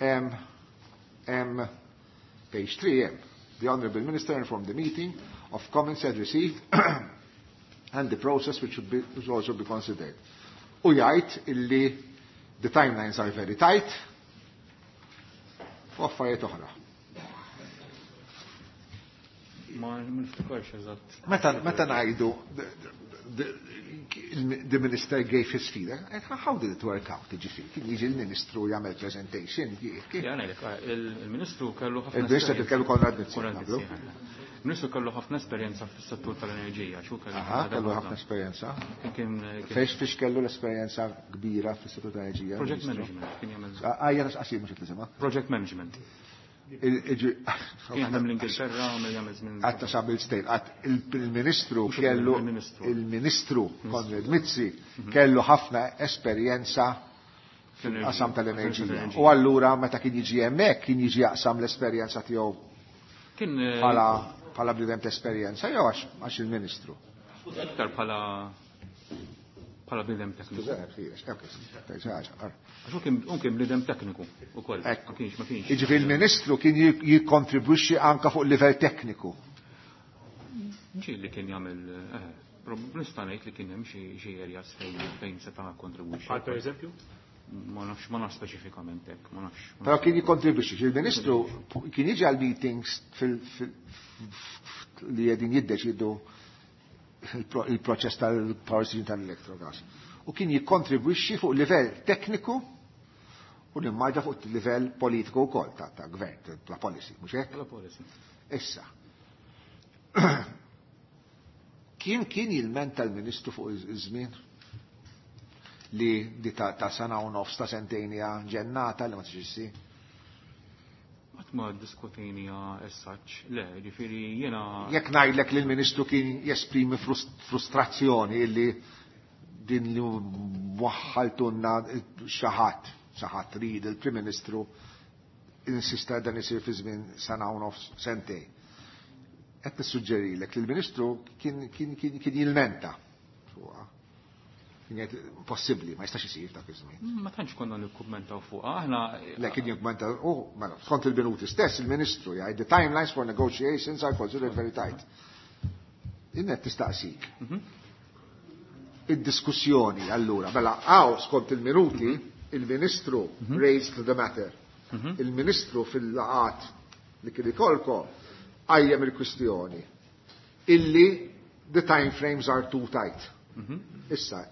M, M, page 3, M. The Honorable Minister informed the meeting of comments had received and the process which should, be, which also be considered. U jgħid illi the timelines are very tight u affarijiet oħra. Ma niftakarx eżatt. Meta ngħidu the minister gave his feedback, how did it work out? Ġifieri, kien jiġi l-ministru jagħmel presentation, Ja, ngħidlek, il-ministru kellu ħafna. Il-ministru kellu Konrad Mizzi. Il-ministru kellu ħafna esperjenza fis-settur tal-enerġija, xu kellu. Aha, kellu ħafna esperjenza. Fejx fiex kellu l-esperjenza kbira fis-settur tal-enerġija? Project management kien jagħmel. Għajja qasir mhux qed nisimha. Project management. Kien jaħdem l-Ingilterra, għamel jagħmel żmien. Għatta xabil stejn, għat il-ministru kellu il-ministru Konrad Mizzi kellu ħafna esperjenza fil-qasam tal-enerġija. U allura meta kien jiġi hemmhekk kien jiġi jaqsam l-esperjenza tiegħu Kien bħala bniedem ta' esperjenza jew għax il-ministru. Iktar bħala bniedem tekniku. Għax hu kien bniedem tekniku ukoll. Ma kienx, ma kienx. Jiġifieri il-ministru kien jikkontribwixxi anke fuq livell tekniku. Ġieli kien jagħmel, nista' ngħid li kien hemm xi areas fejn seta' kontribwixxi. Bħal pereżempju? Ma nafx, ma nafx speċifikament hekk, ma nafx. Però kien jikkontribwixxi, il-ministru kien jiġi għal meetings li qegħdin jiddeċidu il-proċess tal-power station tal-Electrogas. U kien jikkontribwixxi fuq livell tekniku u nimmaġa fuq livell politiku wkoll ta' gvern, ta' policy, mhux hekk? Ta' policy. Issa. Kien jilmenta l-ministru fuq iż-żmien li di ta' sena u nofs ta' sentejn hija ġennata li ma tiġix issir? Qatt ma ddiskutejniha as such, le, ġifieri jiena Jekk ngħidlek li l-ministru kien jesprimi frustrazzjoni illi din li waħħaltunna xi ħadd, xi ħadd rid il-Prim Ministru insista dan isir fi żmien sena u nofs sentej. Qed nissuġġerilek li l-Ministru kien kien kien kien jilmenta fuqha. Kien jgħid impossibbli, ma jistax isir dak iż-żmien. Ma tantx konna nikkummentaw fuqha, aħna Le kien jikkummenta u mela skont il-minuti stess il-Ministru jgħid the timelines for negotiations are considered very tight. Jien qed nistaqsik. Id-diskussjoni allura, mela hawn skont il-minuti il-Ministru raised the matter. Il-Ministru fil-laqat li kien ikolkom qajjem il-kwistjoni illi the time frames are too tight. Issa,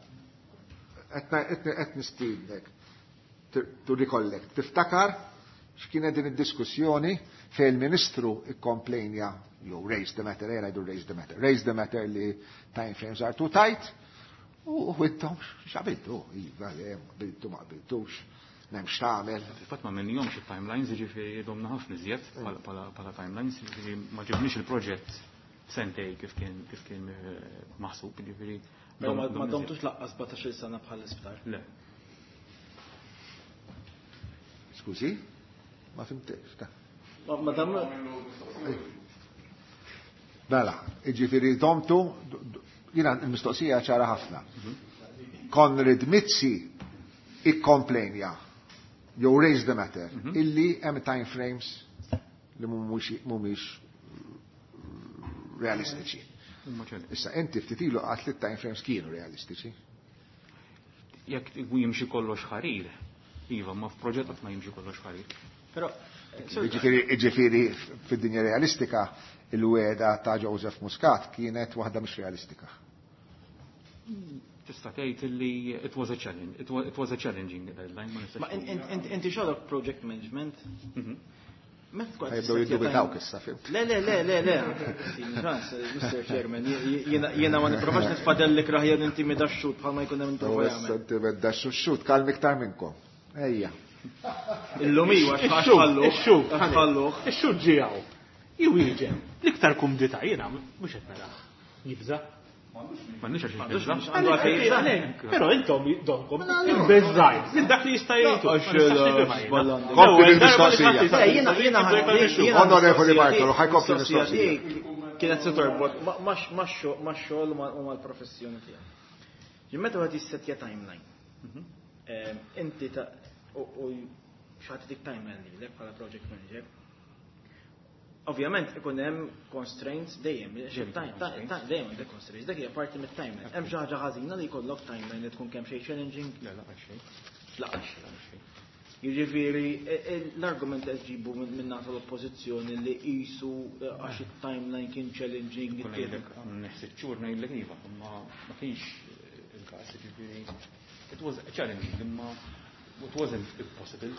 qed nistiednek to recollect. Tiftakar x'kienet din id-diskussjoni fejn il-Ministru ikkomplejnja jew raise the matter, ejja ngħidu raise the matter, raise the matter li time frames are too tight u intom x'qabiltu, iva, le, qbiltu ma qbiltux, m'hemmx tagħmel. Fil-fatt ma minnihomx it-timelines, jiġifieri domna ħafna iżjed bħala timelines, jiġifieri ma ġibniex il-proġett sentej kif kien kif kien maħsub, jiġifieri. Però ma domtux laqqas 17-il sena bħal isptar. Le. Skużi? Ma fimtex, ta. Ma dam Mela, jiġifieri domtu, jiena l-mistoqsija ċara ħafna. Konrad Mizzi ikkomplejnja jew raise the matter illi hemm time frames li mhumiex realistiċi. Issa inti ftit ilu qatt li time frames kienu realistiċi. Jekk jimxi kollox ħarir, iva, ma f'proġett qatt ma jimxi kollox ħarir. Però Ġifieri fid-dinja realistika il-wegħda ta' Joseph Muscat kienet waħda mhux realistika. Tista' tgħid li it was a challenge, it was a challenging deadline. Ma nistax Ma inti xogħlok project management? Meta tkun Ħa jibdew jiddubitawk issa, fhimt. Le, le, le, le, le. Ċans, Mr. Chairman, jiena ma nipprovax nitfadellek raħja intimida x-xhud bħalma jkun hemm prova jagħmel. Intimida x-xhud, kalmi iktar minnkom. Ejja. Illum iwa, x'ħalluh. Ix-xhud, X'ħalluh. Ix-xhud ġiegħu. Iwieġeb, l-iktar kumdità jiena mhux qed narah. Jibża. M'għandniex għax jibża. Però intom donkom imbeżżajt minn dak li jista' jgħidu. Kompli bil-mistoqsija. Onorevoli Bartolo, ħa jkompli mistoqsija. Kienet se torbot ma' xogħol u mal-professjoni tiegħek. Jien meta wieħed jissetja timeline. Inti ta' u xi ħadd dik timeline lilek bħala project manager. Ovvjament ikun hemm constraints dejjem, dejjem għandek constraints, dak hija parti mit-timeline. Hemm xi ħaġa ħażina li jkollok timeline li tkun kemm xejn challenging? Le, laqas xejn. Laqas xejn. Jiġifieri l-argument qed ġibu minn naħa l-oppożizzjoni li qisu għax it-timeline kien challenging. Kun ngħidlek sitt xhur ngħidlek iva, imma ma kienx il-każ, jiġifieri it was challenging, imma it wasn't impossible.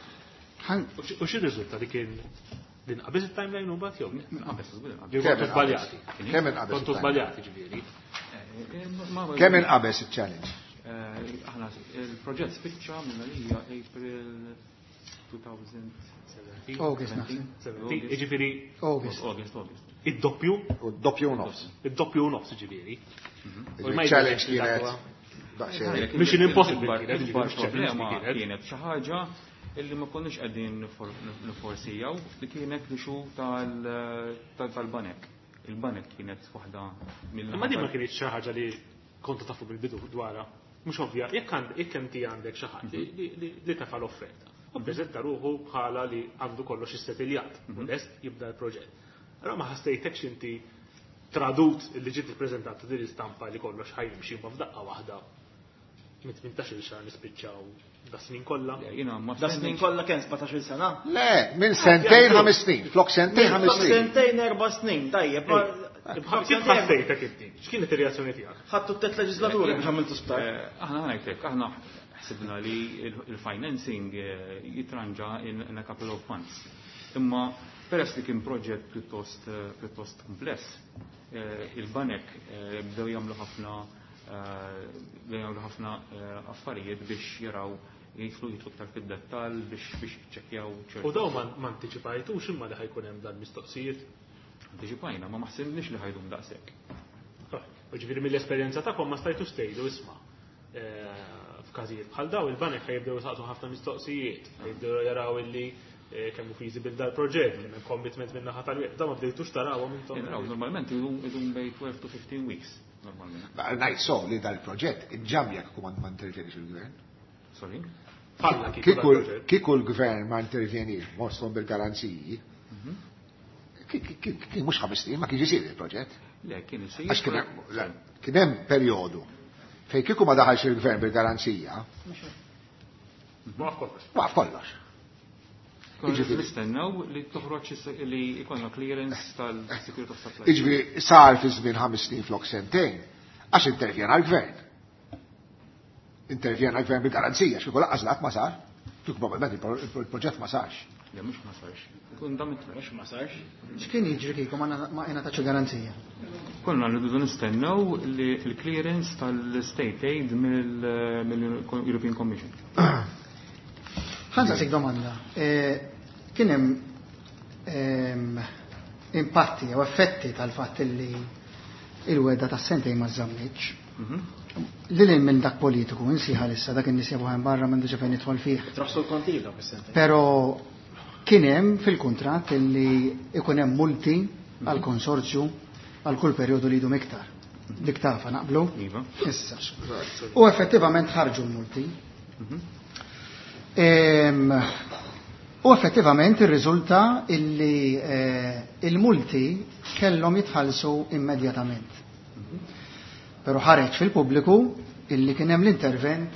U xi riżulta li kien din qabeż it-timeline u mbagħad jew? Qabeż, żgur inqabeż. Jew kontu żbaljati. Kemm inqabeż? Kontu żbaljati ġifieri. Kemm inqabeż il-challenge? Aħna il-proġett spiċċa minn għalija April 2017. August, naħseb. Jiġifieri August. August, August. Id-doppju? U d-doppju u nofs. Id-doppju u nofs ġifieri. Il-challenge kienet daqsxejn. Mission impossible kienet, Il-bar ġifieri, problema kienet. kienet xi ħaġa illi ma konniex qegħdin niforsijaw li kienet l-issue tal-banek. Il-banek kienet waħda mill Imma din ma kienet xi ħaġa li kontu tafu bil-bidu dwarha. Mhux ovvja, jekk inti għandek xi ħadd li tafa l-offerta. U ppreżenta ruħu bħala li għandu kollox issettiljat u lest jibda l-proġett. Allora ma ħassejtekx inti tradut li ġiet ippreżentata din l-istampa li kollox ħa jimxi ma f'daqqa waħda mit 18 xahar nispiċċaw da snin kollha. Jiena ma Da snin kollha kemm 17 sena? Le, minn sentejn 5 snin, flok sentejn 5 snin. Sentejn 4 snin, tajjeb. Kif ħassejtek inti? X'kienet ir-reazzjoni tiegħek? Ħadtu t-tet leġislaturi biex għamiltu sptar. Aħna ngħidlek, aħna ħsibna li il-financing jitranġa in a couple of months. Imma peress li kien proġett pjuttost kumpless, il-banek bdew jagħmlu ħafna affarijiet biex jaraw jidħlu iktar fid-dettall biex jiċċekkjaw ċertu. U daw ma antiċipajtux imma li ħa jkun hemm dan mistoqsijiet. Antiċipajna, ma maħsibniex li ħa jdum daqshekk. U ġifieri mill-esperjenza tagħkom ma stajtux tgħidu isma'. F'każijiet bħal daw il-banek ħa jibdew jisaqsu ħafna mistoqsijiet, ħa jibdew jaraw illi kemm hu feasible dal-proġett, kemm hemm commitment minn naħa tal-wieħed. Da ma bdejtux tarawhom intom. Naraw, normalment idum bejn 12 to 15 weeks, normalment. Ngħid so li dal-proġett inġam jekk ma intervjenix il-gvern. Sorry? Falla kieku dal-proġett. Kieku l-gvern ma intervjenix mosthom bil-garanziji, kien mhux 5 snin ma kienx isir il-proġett. Le, kien isir. Għax kien hemm perjodu fejn kieku ma daħalx il-gvern bil-garanzija. Waqaf kollox. Waqaf kollox. Jiġifieri nistennew li toħroġ li jkollna clearance tal-Security of Supply. Jiġifieri sar fi żmien 5 snin flok sentejn, għax intervjena l-gvern. Intervjena l-gvern bil-garanzija, xi lanqas dak ma sar. Kieku probabbilment il-proġett ma sarx. Le, mhux ma sarx. Ikun dam Mhux ma sarx. X'kien jiġri kieku ma ngħatax garanzija? Konna rridu nistennew li l-clearance tal-state aid mill-European Commission. Ħa nsaqsik domanda. Kien hemm impatti jew effetti tal-fatt li il-wegħda tas-sentejn ma żammitx. Lil minn dak politiku, insiħa issa dak in-nies jafu barra m'għandux fejn nidħol fih. Traħsu l-kontijiet dawk is-sentejn. Però kien hemm fil-kuntratt illi ikun hemm multi għal konsorzju għal kull perjodu li jdum iktar. Dik tafa naqblu? Iva. Issa. U effettivament ħarġu l-multi. U effettivament irriżulta illi il-multi kellhom jitħallsu immedjatament. Però ħareġ fil-pubbliku illi kien hemm l-intervent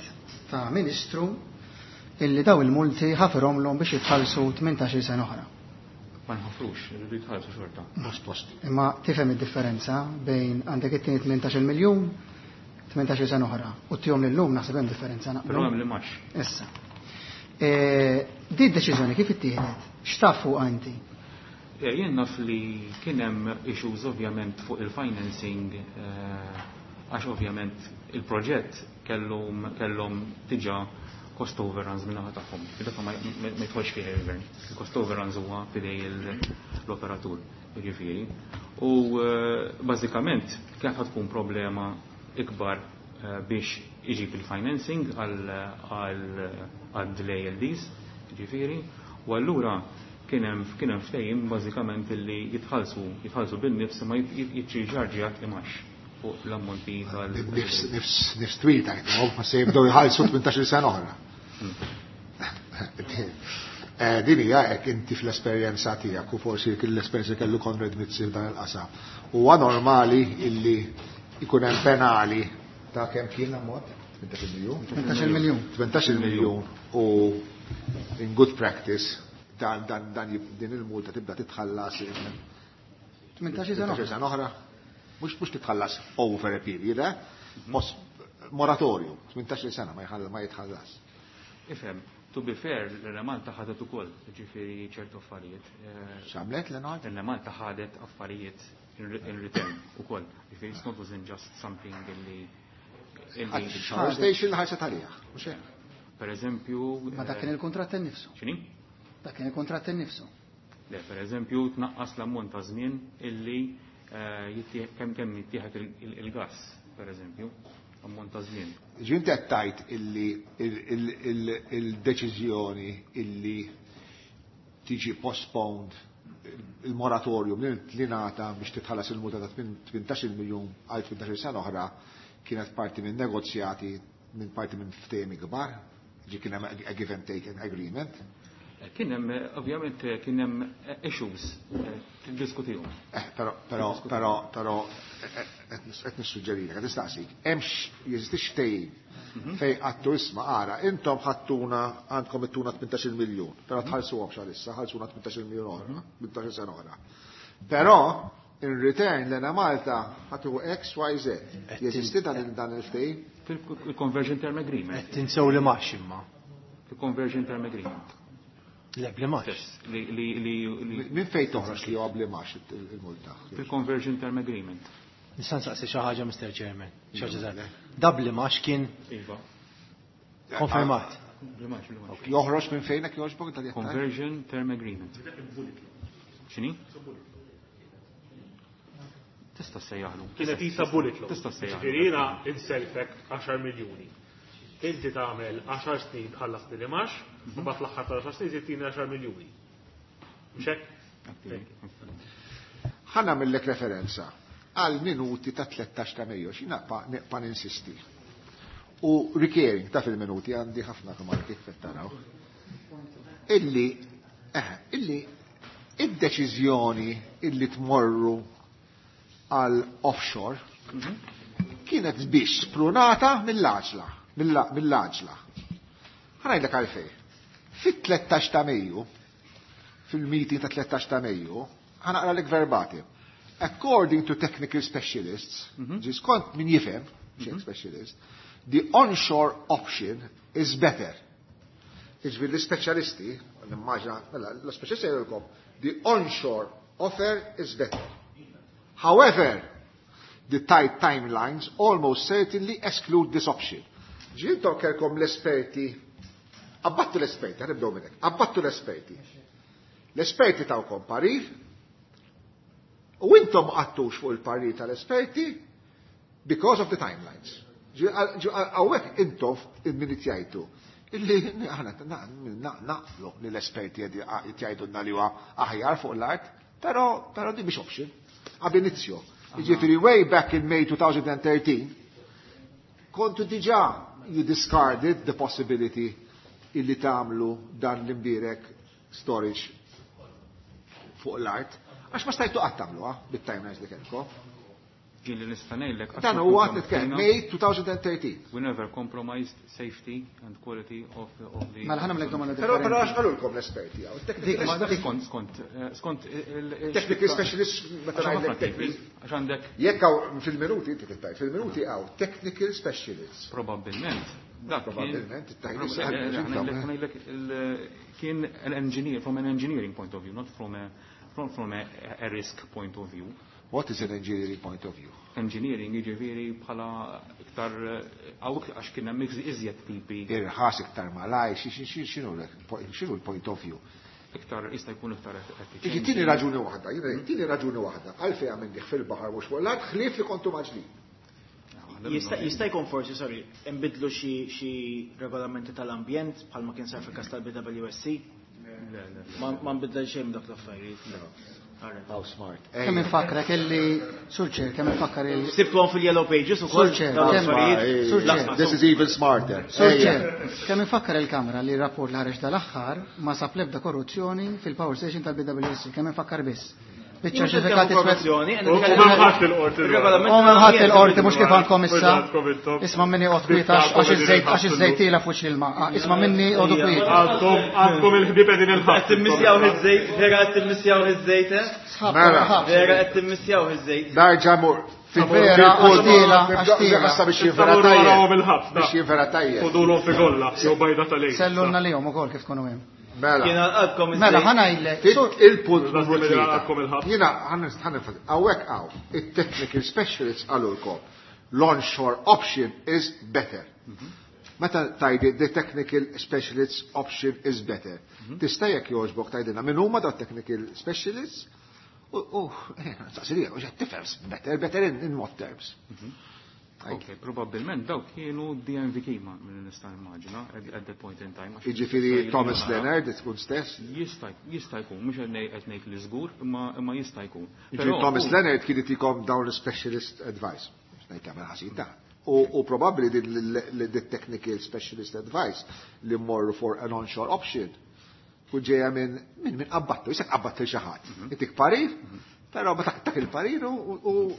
ta' ministru illi daw il-multi ħafirhomlhom biex jitħallsu 18 sena oħra. Ma nħafrux, irridu jitħallsu xorta. Mhux post. Imma tifhem id-differenza bejn għandek it-tieni 18 miljun 18 sena oħra u ttihom lillum naħseb hemm differenza naqblu. Però hemm li max. Issa. Di d-deċiżjoni kif ittieħdet? X'taf fuqha inti? Jien naf li kien hemm issues ovvjament fuq il-financing, għax ovvjament il-proġett kellhom diġà cost overruns minn naħa tagħhom. Dak ma jidħolx fih il-gvern. Il-cost overruns huwa f'idej l-operatur, jiġifieri. U bażikament kienet ħa tkun problema ikbar biex iġib il-financing għal delay LDs, jiġifieri. U allura kien hemm ftehim bażikament illi jitħallsu bin-nifs ma jiċċarġjat imgħax fuq l-ammonti tal- Nifs twil ta' ma se jibdew jħallsu 18 sena oħra. Din hija hekk inti fl-esperjenza tiegħek u forsi l-esperjenza kellu Konrad Mizzi f'dan il-qasam. Huwa normali illi jkun hemm penali ta' kemm kien ammont? 18 miljun? 18 miljun. 18 miljun u in good practice dan din il-multa tibda titħallas 18 sena oħra. sena oħra. Mhux titħallas over a period, eh? Moratorium, 18 sena ma jitħallas. Ifhem, to be fair, l-Enemalta ħadet ukoll, ġifieri ċertu affarijiet. X'għamlet l-Enemalta? L-Enemalta ħadet affarijiet in return ukoll. Ġifieri it's not wasn't just something illi Power station ħarset għalija, mhux hekk? Per eżempju, Ma dak kien il-kuntratt innifsu. X'inhi? Dak kien il-kuntratt innifsu. Le, per eżempju, tnaqqas l-ammont ta' żmien illi kemm jittieħed il-gas, per eżempju, ammont ta' żmien. Ġi inti qed tgħid illi il-deċiżjoni illi tiġi postponed il-moratorium li ngħata biex titħallas il-multa ta' 18 miljun għal 18 sena oħra kienet parti minn negozjati minn parti minn ftehim kbar, ġi kien hemm a give and take an agreement. Kien hemm, ovvjament, kien hemm issues tiddiskutihom. Però qed nissuġġerilek, qed nistaqsik, hemmx jeżistix ftehim fejn għedtu isma' ara, intom ħadtuna għandkom ittuna 18 miljun, però tħallsuhomx għalissa, ħallsuna 18 miljun oħra, 18 sena oħra. Però in return l-Enemalta ħatu X, Y, Z. Jeżisti dan il-ftehim? Fil-conversion term agreement. Qed tinsew li max imma. Fil-conversion term agreement. Le, bli max. Li Minn fejn toħroġ li huwa bli max il-multa? Fil-conversion term agreement. Nista' nsaqsi xi ħaġa, Mr. Chairman. Xi ħaġa żgħira. Dabli max kien Iva. konfermat. Bli max, bli max. Joħroġ minn fejn hekk jogħġbok tal Conversion term agreement. X'inhi? Tista' sejjaħlu. Kienet isa bullet loan. Tista' sejjaħlu. Ġifieri jiena inselfek 10 miljuni. Inti tagħmel 10 snin tħallas li imax, u mbagħad fl-aħħar tal-10 snin titini 10 miljuni. Mhux hekk? Ħa nagħmillek referenza għal minuti ta' 13 ta' Mejju, xi naqpa ninsisti. U recurring ta' fil-minuti għandi ħafna kamar kif qed taraw. Illi illi id-deċiżjoni illi tmorru għal offshore kienet biex sprunata mill-għaġla, mill-għaġla. Ħa ngħidlek għalfejn. Fit-13 ta' Mejju, fil-meeting ta' 13 ta' Mejju, ħa naqralek verbatim. According to technical specialists, ġi skont min jifhem, xejn specialist, the onshore option is better. Iġviri l-speċjalisti, nimmaġina, mela, l-speċjalisti jgħidulkom, the onshore offer is better. However, the tight timelines almost certainly exclude this option. Ġintom kelkom l-esperti, abbattu l-esperti, ħa nibdew minnek, abbattu l-esperti. L-esperti tawkom parir, u intom qattux fuq il-parir tal-esperti because of the timelines. Hawnhekk intom il-minit jgħidu. Illi aħna naqblu li l-esperti jgħidulna li huwa aħjar fuq l-art, però di mhix option. Ab initio. Jiġifieri way back in May 2013, kontu diġà you discarded the possibility illi tagħmlu dan l-imbirek storage fuq l-art, għax ma stajtu qatt tagħmluha bit-timelines li kellkom. Ġien li nista' ngħidlek. Dan huwa nitkellem May 2013. We never compromised safety and quality of the. Mela ħa nagħmlek domanda Però għax qalulkom l-esperti hawn. Skont skont skont Technical specialist meta ngħidlek technical. Għax għandek. Jekk hawn fil-minuti inti tittajt, fil-minuti hawn technical specialists. Probabbilment. Probabbilment, ngħidlek kien an engineer from an engineering point of view, not from a risk point of view. What is an engineering point of view? Engineering jiġifieri bħala iktar hawn għax kien hemm iżjed tipi. Irħas iktar malaj, x'inhu l-point of view? Iktar jista' jkun iktar effiċjenti. Tini raġuni waħda, tini raġuni waħda, għalfejn għamilnieh fil-baħar mhux fuq l-art, ħlief li kontu mgħaġġlin. Jista' jkun forsi, sorry, inbidlu xi regolamenti tal-ambjent bħalma kien sar fil-każ tal-BWSC? Ma nbidel xejn dak l-affarijiet. How smart. Kemm infakkra kelli Sur Chair, kemm infakkar il. Sibtuhom fil-Yellow Pages ukoll. Sur Chair. This is even smarter. Sur Chair, kemm infakkar il-Kamra li r-rapport li ħareġ dal-aħħar ma sab l-ebda korruzzjoni fil-power station tal-BWSC, kemm infakkar biss. Biċċa ċertifikati. Korruzzjoni. U m'hemmx il-qorti. U m'hemmx il-qorti mhux kif għandkom issa. Isma' minni oqgħod kwiet għax iż-żejt tiela fuq l-ilma. Isma' minni oqgħodu kwiet. Għandkom il-ħbieb qegħdin il-ħadd. Qed timmissjaw iż-żejt, vera qed timmissjaw iż-żejt, eh? Mela. Vera qed timmissjaw iż-żejt. Nerġa' mur. Vera, għax tiela, għax tiela. Biex jivera tajjeb. Biex jivera tajjeb. Ħudulhom fi golla, jew bajda tal-għid. Sellulna lihom ukoll kif tkunu hemm. Mela. Jiena għalqkom Mela, ħa ngħidlek. Il-punt numru 3. Jiena ħa hawnhekk hawn, it-technical specialists qalulkom l-onshore option is better. Meta tgħidi the technical specialists option is better. Tista' jekk jogħġbok tgħidilna min huma da technical specialists? U saqsirija, u tifhem better, better in what terms? Ok, probabbilment dawk kienu DNV Kima minn nista' immaġina at that point in time. Jiġifieri Thomas Leonard tkun stess? Jista' jkun, mhux qed ngħid li żgur, imma jista' jkun. Jiġifieri Thomas Leonard kien itikom dawn l-specialist advice. Ngħid tagħmel ħażin ta' U probabbli din technical specialist advice li mmorru for an onshore option u ġeja minn qabbattu, jisek qabbattu xi ħadd. Itik parir, però ma tak il-parir u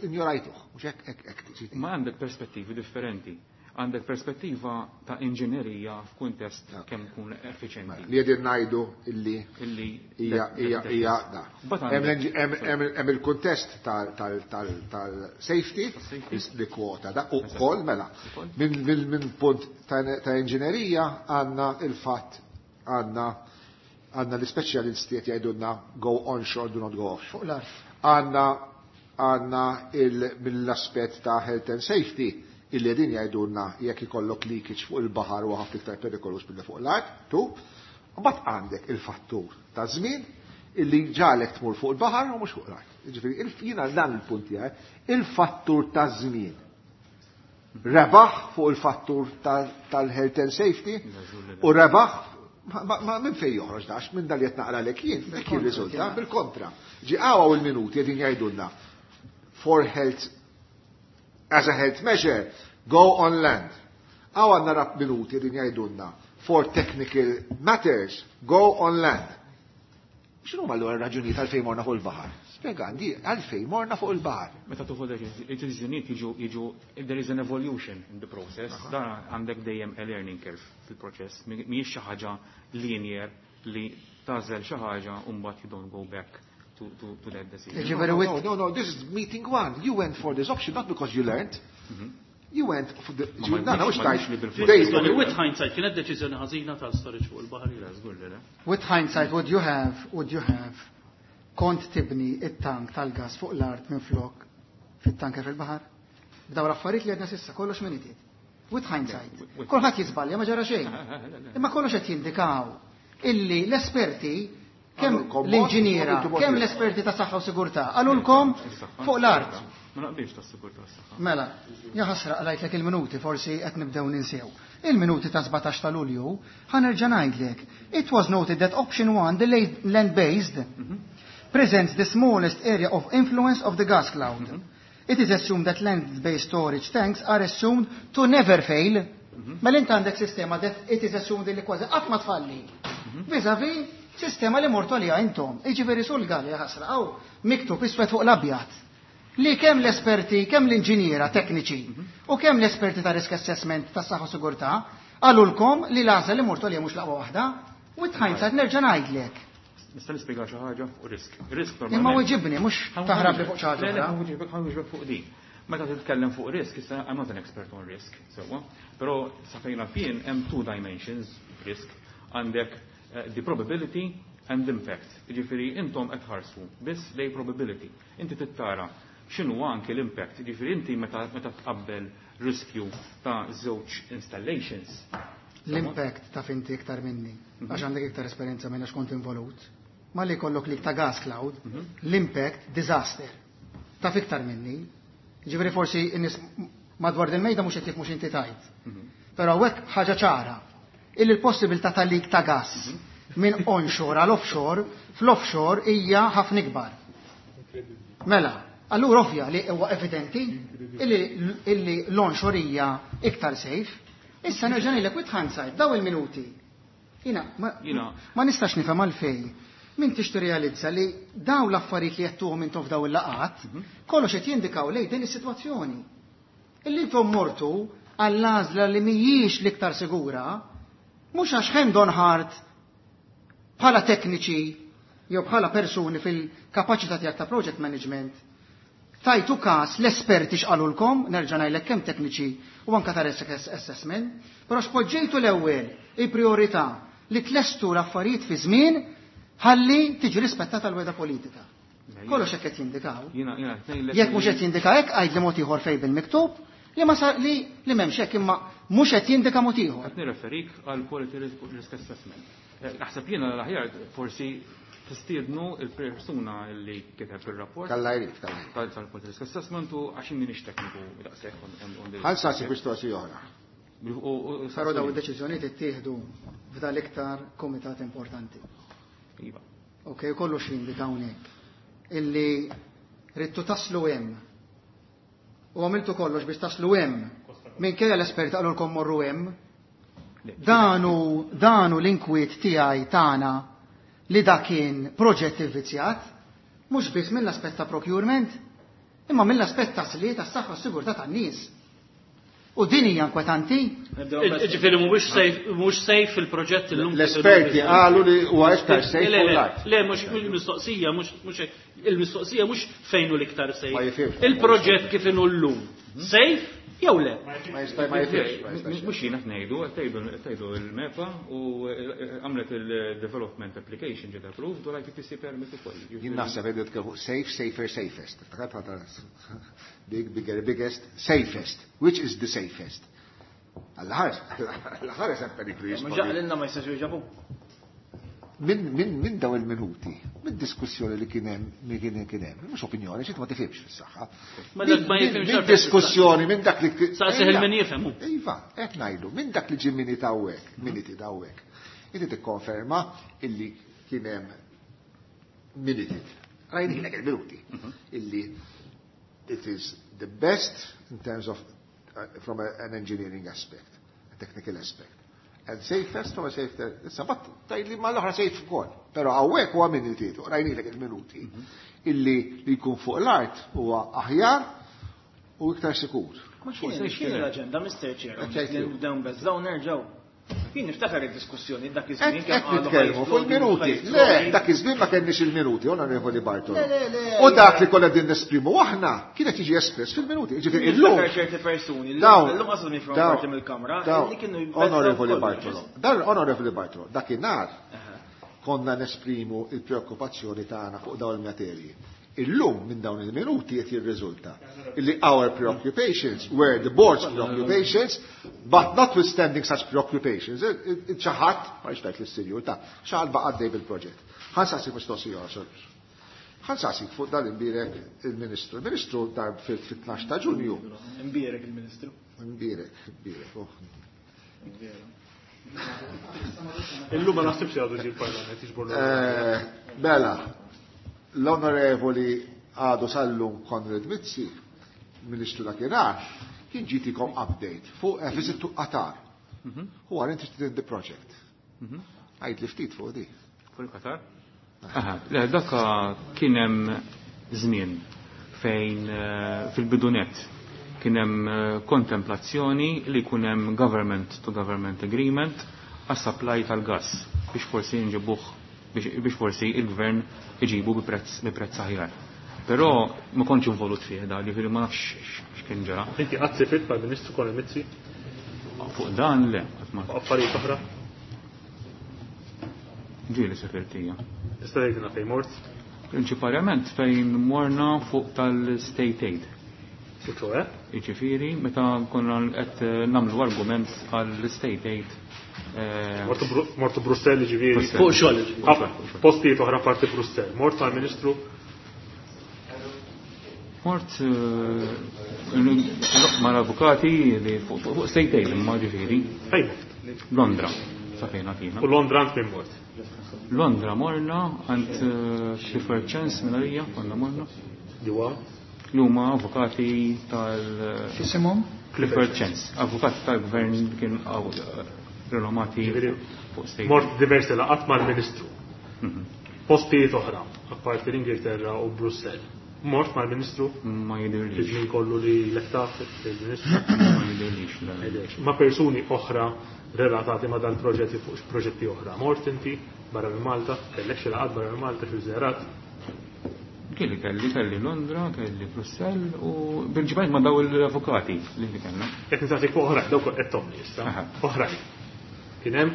injorajtuh. Mhux hekk hekk. Ma għandek perspettivi differenti. Għandek perspettiva ta' inġinerija f'kuntest kemm kun effiċjenti. Li qegħdin ngħidu illi illi hija hija hija da. Hemm il-kuntest tal-safety li kwota da ukoll mela. Minn punt ta' inġinerija għandna il-fatt għandna l-ispeċjalisti qed jgħidulna go onshore, do not go offshore. Fuq l-art. Għandna mill-aspett ta' health and safety illi din jgħidulna jekk ikollok leakage fuq il-baħar u ħafna iktar perikolus billi fuq l-art, tu. Mbagħad għandek il-fattur ta' żmien illi ġalek tmur fuq il-baħar u mhux fuq l-art. Jiġifieri jiena dan il-punt tiegħi, il-fattur ta' żmien. Rebaħ fuq il-fattur tal-health and safety u rebaħ ma minn fejn joħroġ dax minn dal qed naqra lek jien, dak jirriżulta bil-kontra. Ġi hawn il-minuti qegħdin jgħidulna for health as a health measure go on land. Hawn għandna rap minuti qegħdin jgħidulna for technical matters go on land. X'inhu ma l raġunijiet għalfejn morna fuq il-baħar? Spjega għandi għalfejn morna fuq il-baħar. Meta tuħu deċiżjonijiet jiġu there is an evolution in the process. Dan għandek dejjem a learning curve fil-proċess. Mhijiex xi ħaġa linear li tagħżel xi ħaġa u mbagħad you don't go back to that decision. No, this is meeting one. You went for this option not because you learned. You went for the... No, mhux tajt. With hindsight, kienet deċiżjoni ħażina tal-storage fuq il-baħar. With hindsight, would you have kont tibni it-tank tal-gas fuq l-art minn flok fit-tanker fil-baħar? B'daw l-affarijiet li għedna s'issa, kollox minn itiet. With hindsight. Kulħadd jiżbalja ma ġara xejn. Imma kollox qed jindikaw illi l-esperti kemm l-inġiniera, kemm l-esperti ta' saħħa u sigurtà, qalulkom fuq l-art. Ma naqbilx ta' sigurtà s-saħħa. Mela, jaħasra qrajtlek il-minuti, forsi qed nibdew ninsew. Il-minuti ta' 17 ta' Lulju, ħa nerġa' ngħidlek. It was noted that option 1, the land-based, presents the smallest area of influence of the gas cloud. It is assumed that land-based storage tanks are assumed to never fail. Mela inti għandek sistema that it is assumed li kważi qatt ma tfalli. Vis-a-vis sistema li mortu għaliha intom. Jiġifieri sul gali ħasra hawn miktub iswed fuq l-abjad. Li kemm l-esperti, kemm l-inġiniera tekniċi u kemm l-esperti ta' risk assessment ta' saħħa u sigurtà qalulkom li l-għażla li mortu għaliha mhux l-aqwa waħda. With hindsight nerġa' ngħidlek. Nista' nispjega xi ħaġa fuq risk. Risk Imma normalment. weġibni mhux taħrab li fuq xi ħaġa Le, oħra. ħa nwieġbek fuq din. Meta titkellem fuq risk, issa I'm not an expert on risk, sewwa, però sa fejn naf jien hemm two dimensions risk. Għandek the probability and impact. Jiġifieri intom qed ħarsu biss lej probability. Inti tittara x'inhu anke l-impact. Jiġifieri inti meta tqabbel riskju ta' żewġ installations. L-impact ta' finti iktar minni, għax għandek iktar esperjenza minn għax kont involut. Ma li kollok li ta' gas cloud, l-impact disaster. Taf iktar minni. Ġifieri forsi n-nies madwar del-mejda mhux qed jifhmu x'inti tajt. Però hekk ħaġa ċara. Illi l-possibilità ta' leak ta' gas minn onshore għal offshore, fl-offshore hija ħafna ikbar. Mela, allura ovvja li huwa evidenti illi l-onshore hija iktar safe. Issa nerġa' ngħidlek with hindsight daw il-minuti. Jiena ma nistax nifhem għalfejn. Min tix tirrealizza li daw l-affarijiet li jettuhom intom f'daw il-laqat, kollox qed jindikaw lejn din is-sitwazzjoni. Illi intom mortu għall-għażla li mhijiex l-iktar sigura, mhux għax hand on heart bħala tekniċi jew bħala persuni fil-kapaċità tiegħek ta' project management, tajtu każ l-esperti x'qalulkom, nerġa' ngħidlek kemm tekniċi u anke ta' risk assessment, però x'poġġejtu l-ewwel il-priorità li tlestu l-affarijiet fi żmien ħalli tiġi rispettata l-weda politika. Kollox hekk qed jindikaw. Jiena ngħidlek Jekk mhux qed jindika hekk għid li mod ieħor fejn bil-miktub li ma sar li li m'hemmx hekk imma mhux qed jindika mod ieħor. Qed nirreferik għal quality risk assessment. Naħseb jiena l-aħjar forsi tistiednu il-persuna li kiteb il-rapport. Kalla jrid, kalla jrid. Tal-quality risk assessment u għax minix tekniku daqshekk on the Ħa nsaqsi mistoqsija oħra. Però daw id-deċiżjonijiet ittieħdu f'dal iktar komitat importanti. Iva. Ok, kollox jindika hawnhekk. Illi ridtu taslu hemm. U għamiltu kollox biex taslu hemm. Minkejja l-esperti qalulkom morru hemm. Danu l-inkwiet tiegħi tagħna li dak kien proġett ivvizzjat, mhux biss mill-aspett ta' procurement, imma mill-aspett ta' sliet tas-saħħa u s-sigurtà tan-nies. U din hija inkwetanti? Ġifieri mhuwiex safe il-proġett illum. L-esperti qalu li huwa iktar safe Le, fuq le, l-art. le, mhux il-mistoqsija, mhux hekk. Il-mistoqsija mhux fejn hu l-iktar safe. Ma jifhimx. Il-proġett kif inhu llum. Safe jew le? Ma jista' ma jifhimx, ma jistax. Mhux jiena qed ngħidu, qed tgħidu il-MEPA u għamlet il-development application ġiet approved u l-IPPC permit ukoll. Jien naħseb qed nitkellmu safe, safer, safest. Big, bigger, biggest, safest. Which is the safest? Għall-ħares, għall-ħares hemm periklu Ma jispondi. ġaqlilna ma jistax jġabu. Minn daw il-minuti, minn diskussjoni li kien hemm, li kien hemm, mhux opinjoni, xi ma tifhimx fis-saħħa. Ma dak ma jifhimx Minn diskussjoni, minn dak li. Saqsih il-min jifhem hu. Iva, qed ngħidu, minn dak li ġie miniti hawnhekk, miniti hawnhekk. Inti tikkonferma illi kien hemm minuted. Rajnilek il-minuti. Illi it is the best in terms of from an engineering aspect, a technical aspect. And safest from a safety, issa bat tgħidli ma l-oħra safe ukoll. Però hawnhekk huwa minuti, rajnilek il-minuti. Illi li jkun fuq l-art huwa aħjar u iktar sikur. Ma x'inhi l-aġenda, Mr. Chair? Nibdew nbeżżgħu nerġgħu. Jien niftakar id-diskussjoni dak iż-żmien kemm qalu nitkellmu fuq il-minuti. Le, dak iż-żmien ma kenniex il-minuti, Onorevoli Bartolo. U dak li kollha din nesprimu aħna kienet jiġi espress fil-minuti. Ġifieri illum. ċerti persuni, illum qasdu minn parti mill-Kamra li kienu Onorevoli Bartolo. Dan Onorevoli Bartolo, dakinhar konna nesprimu il-preokkupazzjoni tagħna fuq dawn il-materji. Illum minn dawn il-minuti qed jirriżulta illi our preoccupations were the board's preoccupations, but notwithstanding such preoccupations, xi ħadd, ma xtajt l-sinjur ta' xi ħadd baqa' għaddej bil-proġett. Ħa nsaqsik mistoqsija, sir. Ħa nsaqsik fuq dan imbierek il-Ministru. Il-Ministru dar fil-12 ta' Ġunju. Imbierek il-Ministru. Imbierek, imbierek. Oh. Illum ma naħsibx li għadu ġie l-Parlament jiġbor. Mela, l-Onorevoli għadu sal-lum Konrad Mizzi, Ministru dakinhar, kien ġietikom update fuq a visit to Qatar. Who are interested in the project. Għid li ftit fuq di. Fuq il-Qatar? Aha, le, daka kien hemm żmien fejn fil-bidunet kien hemm kontemplazzjoni li jkun hemm government to government agreement għas-supply tal-gas biex forsi nġibuh biex forsi il-gvern iġibu bi prezz aħjar. Però ma kontx involut fih da, ġifieri ma nafx x'kien ġara. Inti qatt sifirt mal-Ministru Konrad Mizzi? Fuq dan le, qatt ma. Affarijiet oħra? Ġieli sifirt hija. Tista' tgħidilna fejn mort? Prinċipalment fejn morna fuq tal-state aid. U ċoe? Jiġifieri meta konna qed nagħmlu argument għall-state aid. Mortu Brussell ġifieri. Fuq xogħol ġifieri. Postijiet oħra parti Brussell. Mort mal-Ministru? Mort mal-avukati li fuq state aid imma ġifieri. Fejn mort? Londra, sa fejn għatina. U Londra għand min mort? Londra morna għand Clifford Chance minn għalija, konna morna. Li huwa? Li huma avukati tal X'isimhom? Clifford Chance, avukat tal-gvern kien renomati fuq state. Mort diversi laqgħat mal-Ministru. Postijiet oħra, apparti l-Ingilterra u Brussell. Mort mal-Ministru? Ma jidirlix. Fi żmien kollu li l-ektaf il-Ministru? Ma jidirlix, le. Jidirlix. Ma persuni oħra relatati ma dal-proġetti fuq proġetti oħra. Mort inti barra minn Malta, kellek xi laqgħat barra minn Malta xi żjarat? Kelli, kelli, kelli Londra, kelli Brussell u prinċipalment ma daw l-avukati li kellna. Qed nistaqsik fuq oħrajn, dawk qed tomni issa. Oħrajn. Kien hemm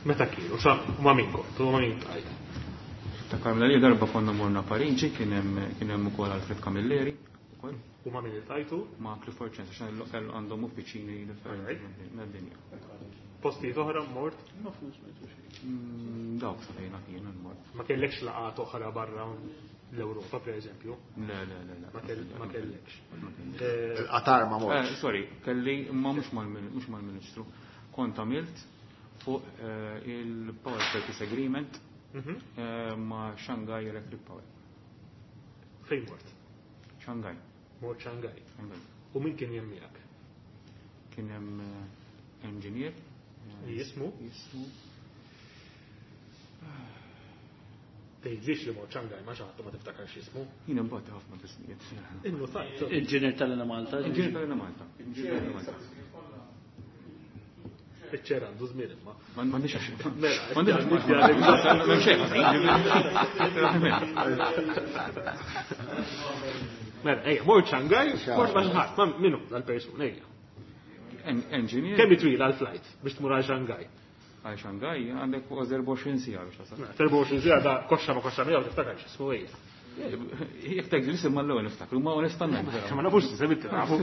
meta kienu, sa ma' min kont, u ma' min tajt. Ta' Karmela li darba konna morna Pariġi, kien hemm ukoll Alfred Camilleri. U ma' min iltqajtu? Ma' Clifford Chance, għax kellu għandhom uffiċini differenti mad-dinja. Postijiet oħra mort? Ma flus ma jtux. Dawk sa fejn kien mort. Ma kellekx laqgħat oħra barra l-Ewropa, per eżempju? Le, le, le, le. Ma kellekx. Ma kellekx. Il-Qatar ma mortx. Sorry, kelli imma mhux mal-Ministru. Kont għamilt fuq il-Power Purchase Agreement ma' Shanghai Electric Power. Fejn mort? Shanghai. Mort Shanghai. Shanghai. U min kien hemm miegħek? Kien hemm engineer. Jismu? Jismu. Tgħidlix li mort Shanghai ma xi ħadd ma tiftakarx jismu. Jien imbagħad ħafna bismijiet. Innu tajt. Inġinier tal-Enemalta. Inġinier tal-Enemalta. Inġinier tal-Enemalta. Iċ-ċera għandu żmien imma. M'għandix għax. Mela, M'għandix għax. m'għandix xejn. Mela, ejja, mort Shanghai, mort ma' xi ħadd, ma' minnu dal-persuna, ejja. Engineer. Kemm twila l-flight biex tmur għal Shanghai? Għal Shanghai għandek kważi 24 siegħa biex tasal. Mela, 24 siegħa da koxxa ma' koxxa miegħu tiftakar x'ismu ejja. Jekk tgħid l-isem mal-ewwel niftakru, ma onestament. Ma nafux l-isem inti nafu.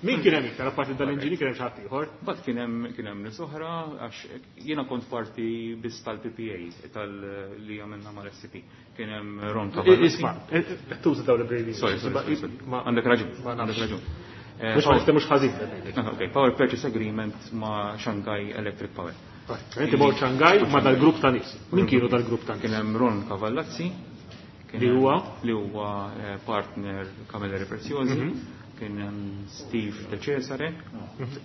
Min kien hemm iktar apparti dal-inġinier kien hemm xi ħadd ieħor? Mbagħad kien hemm kien hemm nies oħra għax jiena kont parti biss tal-PPA tal li għamilna mal-SCP. Kien hemm Ron Cavalli. Isma', qed tuża dawn l-abbreviations. Sorry, sorry, sorry. Għandek raġun, għandek raġun. Mhux ma niftehmux ħażin. Ok, Power Purchase Agreement ma' Shanghai Electric Power. Inti mort Shanghai ma' dal-grupp ta' nies. Min kienu dal-grupp ta' nies? Kien hemm Ron Cavallazzi. Li huwa? Li huwa partner Camilleri Preziosi. Kien hemm Steve De Cesare.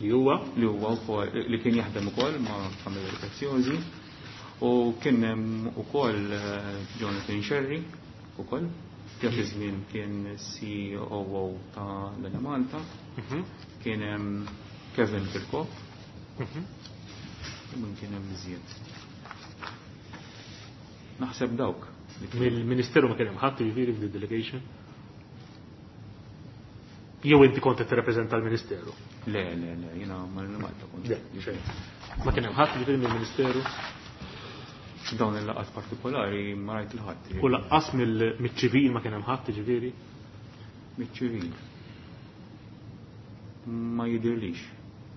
Li huwa? Li huwa wkoll li kien jaħdem ukoll ma' Camilleri Preziosi. U kien hemm ukoll Jonathan Scerri ukoll. Dak iż-żmien kien COO ta' l-Enemalta. Kien hemm Kevin Kirkop. U min kien hemm iżjed? Naħseb dawk. Mill-Ministeru ma kien hemm ħadd jiġifieri f'di delegation? Jew inti kont qed tirrappreżenta l-Ministeru? Le, le, le, jiena mal-Malta kont. Le, xejn. Ma kien hemm ħadd jiġifieri mill-Ministeru? Dawn il-laqgħat partikolari ma rajt il-ħadd. U laqqas mill-ċivil ma kien hemm ħadd jiġifieri? Miċ-ċivil. Ma jidhirlix.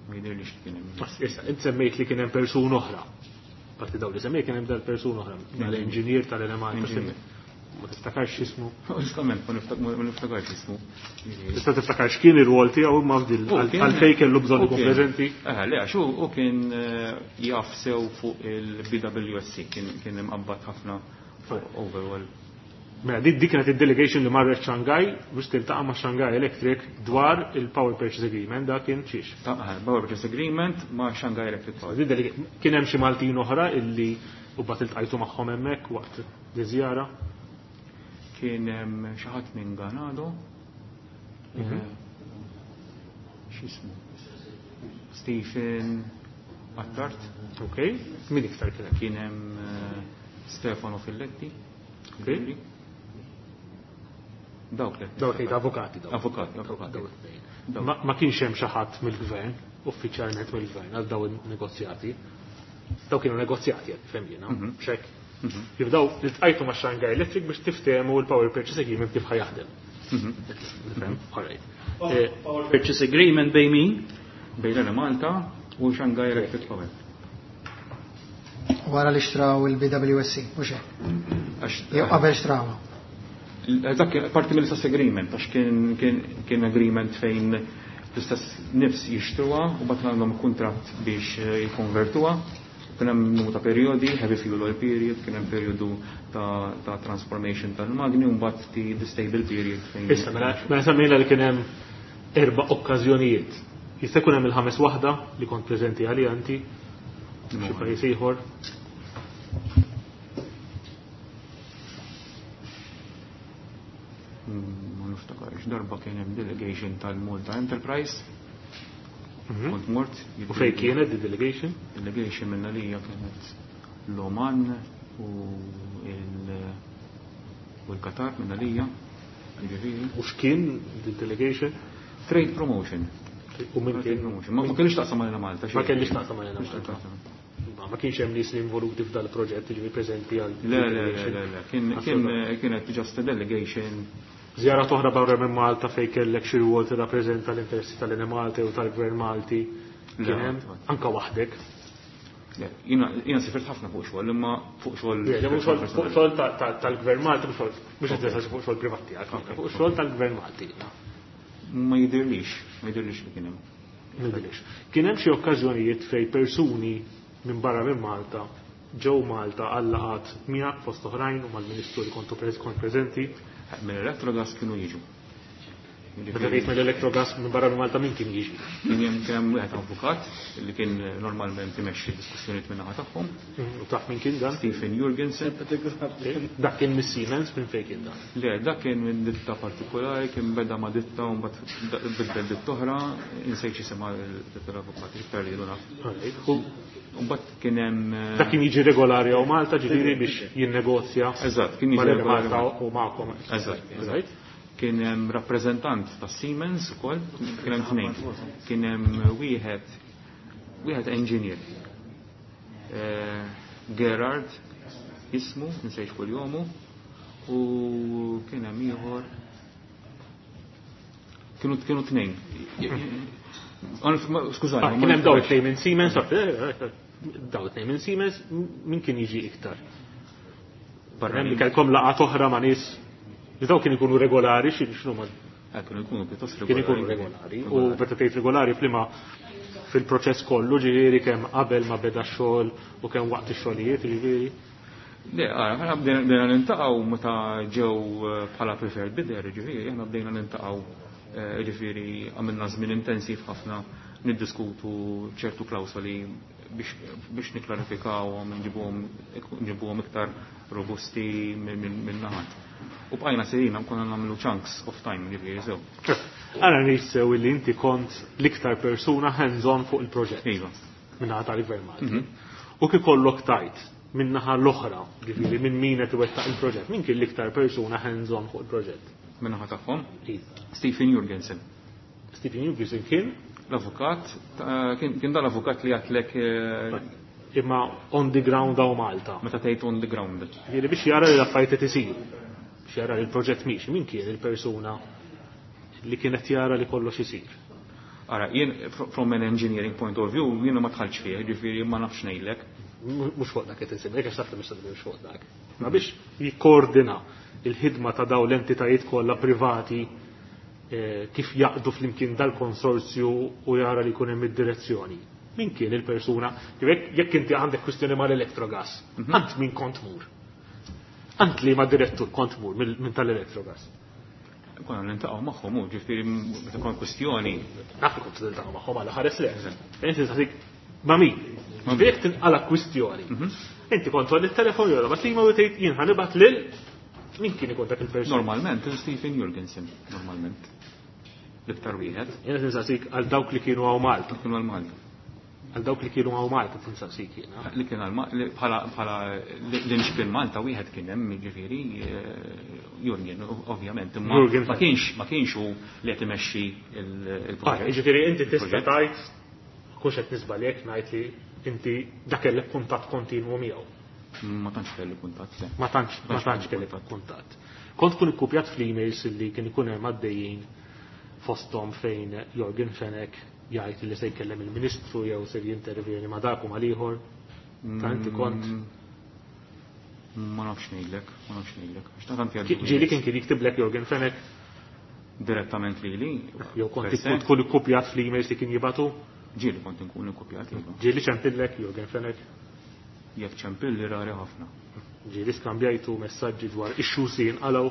Ma jidhirlix li kien hemm. Issa, int semmejt li kien hemm persuna oħra. Parti dawn li semmejt kien hemm dal-persuna oħra, dal-inġinier tal-Enemalta. Ma tiftakarx x'ismu? Onestament, ma niftakarx x'ismu. Tista' tiftakar x'kien ir-rwol tiegħu imma f'dil għalfejn kellu bżonn ikun preżenti? Eh, le, għax hu kien jaf sew fuq il-BWSC, kien imqabbad ħafna fuq overall. Mela, dik kienet id-delegation li marret Shanghai biex tiltaqa' ma' Shanghai Electric dwar il-Power Purchase Agreement, dak kien xiex? Power Purchase Agreement ma' Shanghai Electric Power. Kien hemm xi Maltin oħra illi u bat iltqajtu magħhom hemmhekk waqt di żjara? Kien hemm xi ħadd minn Ganado. X'ismu? Stephen Attard. Ok, min iktar kien hemm? Kien hemm Stefano Filletti. Ok. Dawk li. Dawk li avukati dawk. Avukati, avukati. Dawk. Ma kienx hemm xi ħadd mill-gvern, uffiċjalment mill-gvern għal dawn in-negozjati. Dawk kienu negozjati qed nifhem jiena, x'hekk. Jibdaw li tqajtu ma' Shanghai Electric biex tiftehmu l-Power Purchase Agreement kif ħajaħdem. Nifhem, all right. Power Purchase Agreement bejn min? Bejn l-Enemalta u Shanghai Electric Power. Wara li xtraw il-BWSC, u xek? Jew qabel xtrawha. Dak kien parti mill-istess agreement, għax kien agreement fejn l-istess nifs jixtruha u bat għandhom kuntratt biex jikkonvertuha. Kien hemm numru ta' perjodi, heavy fuel oil period, kien hemm perjodu ta' transformation tal-magni u mbagħad the stable period fejn. Issa, mela semmejna li kien hemm 4 okkażjonijiet. Jista' jkun hemm il-ħames waħda li kont preżenti għalija inti xi pajjiż ieħor. Ma niftakarx, darba kien hemm delegation tal-Malta Enterprise. Kont mort. U fejn kienet di delegation? Delegation minna lija kienet l-Oman u l-Qatar minna lija. Ġifieri. U x'kien di delegation? Trade promotion. U min Trade kien? promotion. Ma kellix taqsam mal Malta, xejn. Ma kellix taqsam mal Kellix Malta. taqsam. Ma kienx hemm nies li involuti f'dal proġett, ġifieri preżenti għal Le, le, le, le, le. Assolutament. Kienet just a delegation. Żjara oħra barra minn Malta fejn kellek xi rwol tirrappreżenta l-interessi tal-Enemalta jew tal-Gvern Malti. Le, Kien hemm qatt, qatt. anka waħdek. Le, jiena sifirt ħafna fuq xogħol, imma fuq xogħol Le, le, mhux xogħol, fuq xogħol tal-Gvern Malti, mhux xogħol, mhux qed nistaqsi fuq xogħol privat tiegħek, fuq xogħol tal-Gvern Malti. Ma jidhirlix, ma jidhirlix li kien hemm. Ma jidhirlix. Kien hemm xi okkażjonijiet fejn persuni minn barra minn Malta ġew Malta għal laqgħat miegħek fost oħrajn u mal-Ministru li kontu kont preżenti? Minn Electrogas kienu jiġu. Meta tgħid mill-Electrogas minn barra minn Malta min kien jiġi? Kien hemm kien hemm wieħed avukat li kien normalment imexxi diskussjonijiet minn naħa tagħhom. U taf min kien dan? Stephen Jurgensen. Dak kien mis-Siemens minn fejn kien dan? Le, dak kien minn ditta partikolari, kien beda ma' ditta u mbagħad bidel ditta oħra, insejt x'isimha l-avukat, iktar li naf. U mbagħad kien hemm Dak kien jiġi regolari hawn Malta, ġifieri biex jinnegozja. Eżatt, kien jiġi mal-Malta regolari. u magħkom. Eżatt, eżatt. Kien hemm rappreżentant ta' Siemens ukoll, kien hemm tnejn. Kien hemm wieħed engineer. Gerard ismu, nsejx kull jomu, u kien hemm ieħor kienu tnejn. Skużani. Ah, kien hemm daw it-tnejn minn Siemens, daw it-tnejn minn Siemens, min kien jiġi iktar? Barra li kellkom laqgħat oħra ma' nies li daw kien ikunu regolari xi x'nu ma Kienu jkunu pjuttost regolari. Kien ikunu regolari. U meta tgħid regolari f'liema fil-proċess kollu ġifieri kemm qabel ma beda x-xogħol u kemm waqt ix-xogħlijiet ġifieri. Le, aħna bdejna niltaqgħu meta ġew bħala preferred bidder, ġifieri, aħna bdejna niltaqgħu ġifieri għamilna żmien intensiv ħafna niddiskutu ċertu klawsoli biex niklarifikawhom, nġibuhom iktar robusti minn naħat. U bqajna sejrin konna nagħmlu chunks of time ġifieri sew. Ara nissew li inti kont l-iktar persuna hands-on fuq il-proġett. Iva. Minnaħa tal-Gvern Malti. U kif kollok tajt minnaħa l-oħra, ġifieri minn min qed iwettaq il-proġett, min kien l-iktar persuna hands-on fuq il-proġett? Minnaħa tagħhom? Iva. Stephen Jurgensen. Stephen Jurgensen kien? L-avukat, kien dal-avukat li għatlek Imma on the ground hawn Malta. Meta tgħid on the ground. Ġifieri biex jara li l-affarijiet qed isiru. Biex jara li l-proġett miexi, min kien il-persuna li kienet jara li kollox isir? Ara, jien from an engineering point of view, jien ma dħaltx fih, ġifieri ma nafx ngħidlek. Mhux fuq dak qed insemmilek għax taf li mhux fuq dak. Ma biex jikkoordina il-ħidma ta' daw l-entitajiet kollha privati kif jaqdu flimkien dal-konsorzju u jara li jkun hemm id-direzzjoni. Min kien il-persuna? Jekk inti għandek kwistjoni mal-Electrogas, għand min kont mur? Għand li ma direttur kont mur minn tal-Electrogas? Konna niltaqgħu magħhom, u ġifieri meta kont kwistjoni. Naf li kont niltaqgħu magħhom għal ħares le. Inti tagħtik ma' min? Ġifieri jekk tinqala kwistjoni. Inti kont tolli t-telefon jew ma tima u tgħid jien ħanibgħat lil min kien ikun dak il-persuna? Normalment, Stephen Jurgensen, normalment. L-iktar wieħed. Jiena tinsaqsik għal dawk li kienu hawn Malta. Kienu għal Malta. Għal dawk li kienu hawn Malta tinsaqsik jiena. Li kien għal bħala l-inxpin Malta wieħed kien hemm jiġifieri Jurgen, ovvjament, imma Jurgen. ma kienx hu li qed imexxi il-proġett. Jiġifieri inti tista' tgħid kux qed nisbalek ngħid li inti dak kellek kuntatt kontinwu miegħu. Ma tantx kelli kuntatt, le. Ma tantx kelli kuntatt. Kont tkun ikkupjat fl-emails li kien ikun hemm għaddejjin fosthom fejn Yorgen Fenech jgħid li se jkellem il-Ministru jew se jintervjeni ma' dak u mal-ieħor. Ta' inti kont Ma nafx ngħidlek, ma nafx ngħidlek. Għax ta' tant jgħaddu Ġieli kien jiktiblek Yorgen Fenech direttament lili? Jew kont Per se? tkun ikkupjat fl-emails li kien jibatu? Ġieli kont inkun ikkupjat, iva. Ġieli ċempillek Yorgen Fenech? Jekk ċempilli rari ħafna. Ġieli skambjajtu messaġġi dwar issues li jinqalgħu?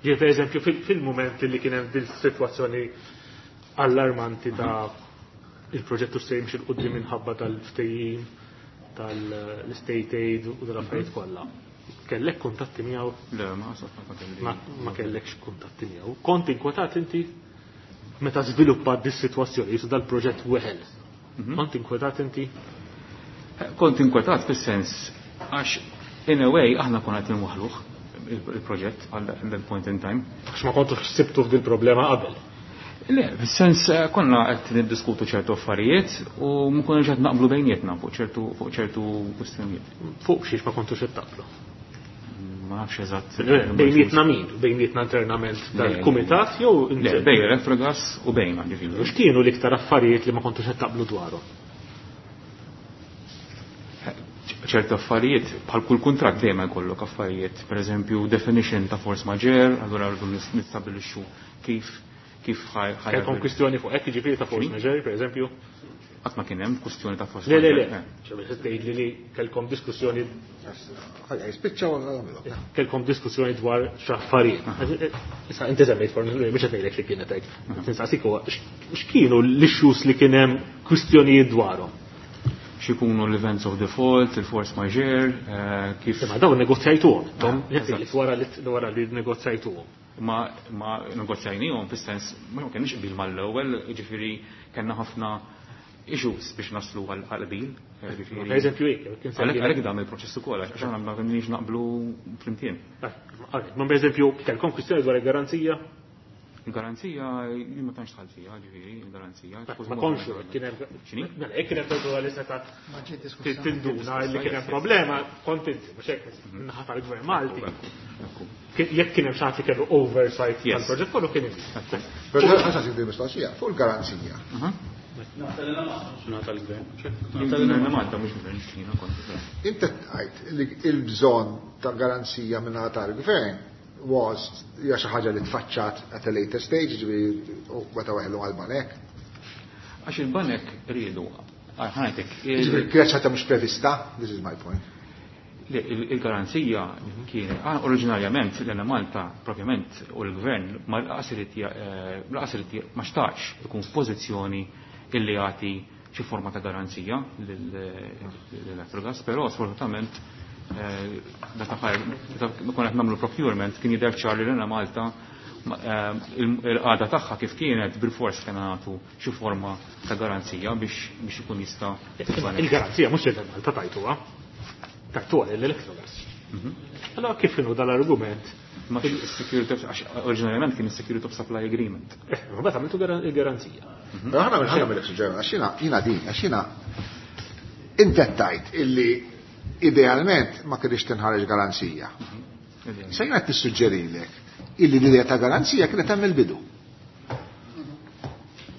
Ġieli per eżempju fil-mument li kien hemm din sitwazzjoni allarmanti ta' il-proġett se jimxi 'l quddiem minħabba tal-ftehim tal-state aid u tal-affarijiet kollha. Kellek kuntatti miegħu? Le, ma ħasab ma kelli. Ma kellekx kuntatti miegħu. Kont inkwetat inti meta żviluppat dis-sitwazzjoni, jisu dal-proġett weħel. Kont inkwetat inti? Kont inkwetat fis-sens għax in a way aħna konna qed inwaħħluh il-proġett għal that point in time. Għax ma kontux ħsibtu f'dil problema qabel. Le, fis-sens konna qed niddiskutu ċertu affarijiet u ma konniex qed naqblu bejnietna fuq ċertu kwistjonijiet. Fuq xiex ma kontux qed taqblu? Ma nafx eżatt. Bejnietna min? Bejnietna internament dal-kumitat jew Le, bejn Electrogas u bejna, ġifieri. X'kienu l-iktar affarijiet li ma kontux qed taqblu dwarhom? Ċertu affarijiet, bħal kull kuntratt dejjem jkollok affarijiet, per eżempju definition ta' force majeure, allura rridu nistabbilixxu kif ħaj Kellkom kwistjoni fuq hekk, jiġifieri ta' force majeure, per eżempju? Qatt ma kien hemm kwistjoni ta' force Le, le, le. majeure. Ċe, biex tgħidli li kellkom diskussjoni Ħajja, jispiċċaw għal għamlu. Kellkom diskussjoni dwar x'affarijiet. Issa inti semmejt force majeure, biex qed ngħidlek li kienet hekk. Tinsaqsik huwa x'kienu l-issues li kien hemm kwistjonijiet dwarhom? X'ikunu l-events of default, il-force majeure, kif Imma dawn negozjajtuhom, intom, wara li negozjajtuhom. Ma negozjajnihom fis-sens, ma kienx qbil mal-ewwel, jiġifieri kellna ħafna issues biex naslu għal qbil. Jiġifieri Per eżempju, jekk, kien semmejt Għalhekk dam il-proċess ukoll, għax aħna ma kinniex naqblu flimkien. Ma per eżempju, kellkom kwistjoni dwar il-garanzija? Il-garanzija jien ma tantx dħalt fiha, ġifieri, il-garanzija. Ma konxu, kien hemm mela jekk kien hemm persuna li seta' tinduna li kien hemm problema, kont inti, mhux hekk min-naħa tal-Gvern Malti. Jekk kien hemm xi ħadd li kellu oversight tal-proġett kollu kien inti. Però ħa nsaqsik din mistoqsija fuq il-garanzija. Malta mhux gvern jiena kont. Inti tgħid li l-bżonn ta' garanzija minn tal-gvern was hija xi ħaġa li tfaċċat at a later stage, ġifieri u meta weħlu għall-banek. Għax il-banek riedu, ħa ngħidlek. Ġifieri kienet ħaġa mhux prevista, this is my point. Il-garanzija kien oriġinarjament l-Enemalta propjament u l-gvern ma lanqas irid ma xtaqx ikun f'pożizzjoni illi jagħti xi forma ta' garanzija l-Electrogas, però sfortunatament meta konna qed nagħmlu procurement kien jidher ċar li l-Enemalta il-qagħda tagħha kif kienet bil-fors kien nagħtu xi forma ta' garanzija biex ikun jista' Il-garanzija mhux l-Enemalta tajtuha. Tajtuha l-Electrogas. Allora kif kienu dal-argument? Ma security of, oriġinarjament kien security of supply agreement. Ma mbagħad għamiltu il-garanzija. Però ħana mill-ħana mill-suġġer, għax jiena din, għax jiena inti tajt illi idealment ma kienx tinħareġ garanzija. Se jiena tissuġġerilek illi l-idea ta' garanzija kienet hemm il-bidu.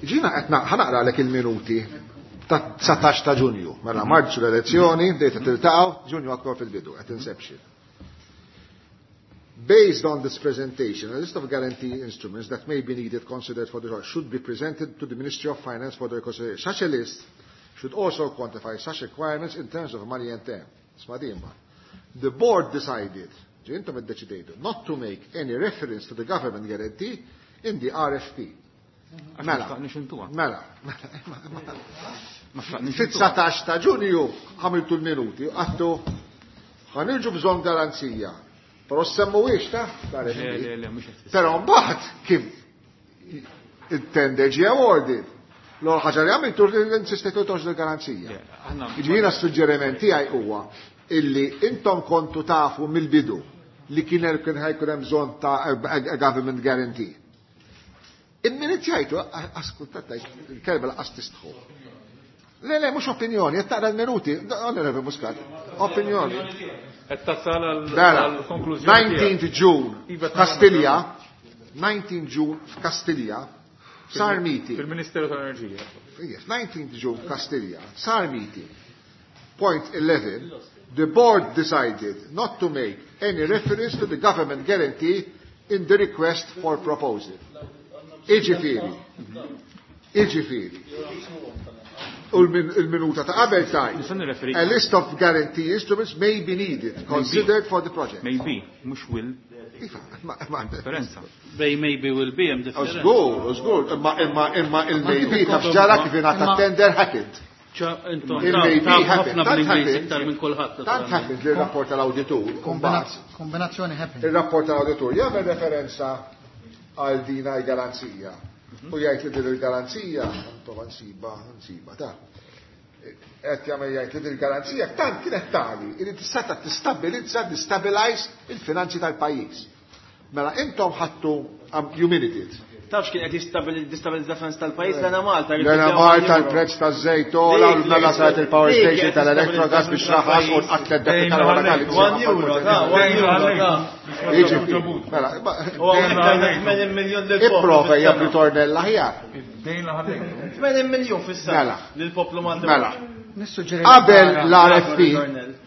Ġina qed ħa naqralek il-minuti ta' 19 ta' Ġunju. Mela Marzu l-elezzjoni, bdejt tiltaqgħu, Ġunju aktar fil-bidu, qed inception. Based on this presentation, a list of guarantee instruments that may be needed considered for the project should be presented to the Ministry of Finance for their consideration. Such a list should also quantify such requirements in terms of money and time. Smadimba. The board decided, intom iddeċidejtu, not to make any reference to the government guarantee in the RFP. Mela, mela, fit-19 ta' Ġunju għamiltu l-minuti, għedtu ħa nirġu bżonn garanzija. Però semmuwiex ta' Però mbagħad kif il-tender ġie awarded. L ħaġa li għamiltu insistejtu toħroġ l-garanzija. Jiġifieri suġġeriment tiegħi huwa illi intom kontu tafu mill-bidu li kien kien ħa jkun hemm bżonn ta' a government guarantee. Il-minit jgħidu, askultat il-kelba lanqas tistħu. Le, le, mhux opinjoni, qed taqra l-minuti, Onorevole Muscat, opinjoni. Qed tasal għal-konklużjoni. 19th June, f'Kastilja, 19 June f'Kastilja, sar meeting. Fil-Ministeru tal-Enerġija. Yes, 19th June f'Kastilja, sar meeting. Point 11, the board decided not to make any reference to the government guarantee in the request for proposal. Iġifieri, iġifieri. U l-minuta ta' qabel tajt. A list of guarantee instruments may be needed, considered for the project. Maybe, mhux will. Iva, ma differenza. Bej maybe will be hemm differenza. Żgur, żgur, imma imma imma il-maybe taf ġara kif ingħata tender happened. Il-maybe ħafna bl-Ingliż iktar minn kulħadd. Tant happened li r-rapport tal-awditur. Kombinazzjoni happened. Il-rapport tal-awditur jagħmel referenza għal dina l-garanzija. U jgħid li din il-garanzija, prova nsiba, nsiba, ta' qed jagħmel jgħid li din il-garanzija tant kienet tali li tista' tistabilizza, destabilize il-finanzi tal-pajjiż. Mela intom ħadtu you minuted. Tafx kien qed jistabilizza finanzi tal-pajjiż l-Enemalta. L-Enemalta l-prezz taż-żejt ola, mela saret il-power station tal-Electrogas biex raħas u nqatlet dak il-wara tal 1 euro, ta' 1 euro, ta' Jiġifieri, mela, Ipprova hija ritornell aħjar. 80 miljun fis-sena Mela. lill-poplu Malti. Mela. Nissuġġeri Qabel l-RFP,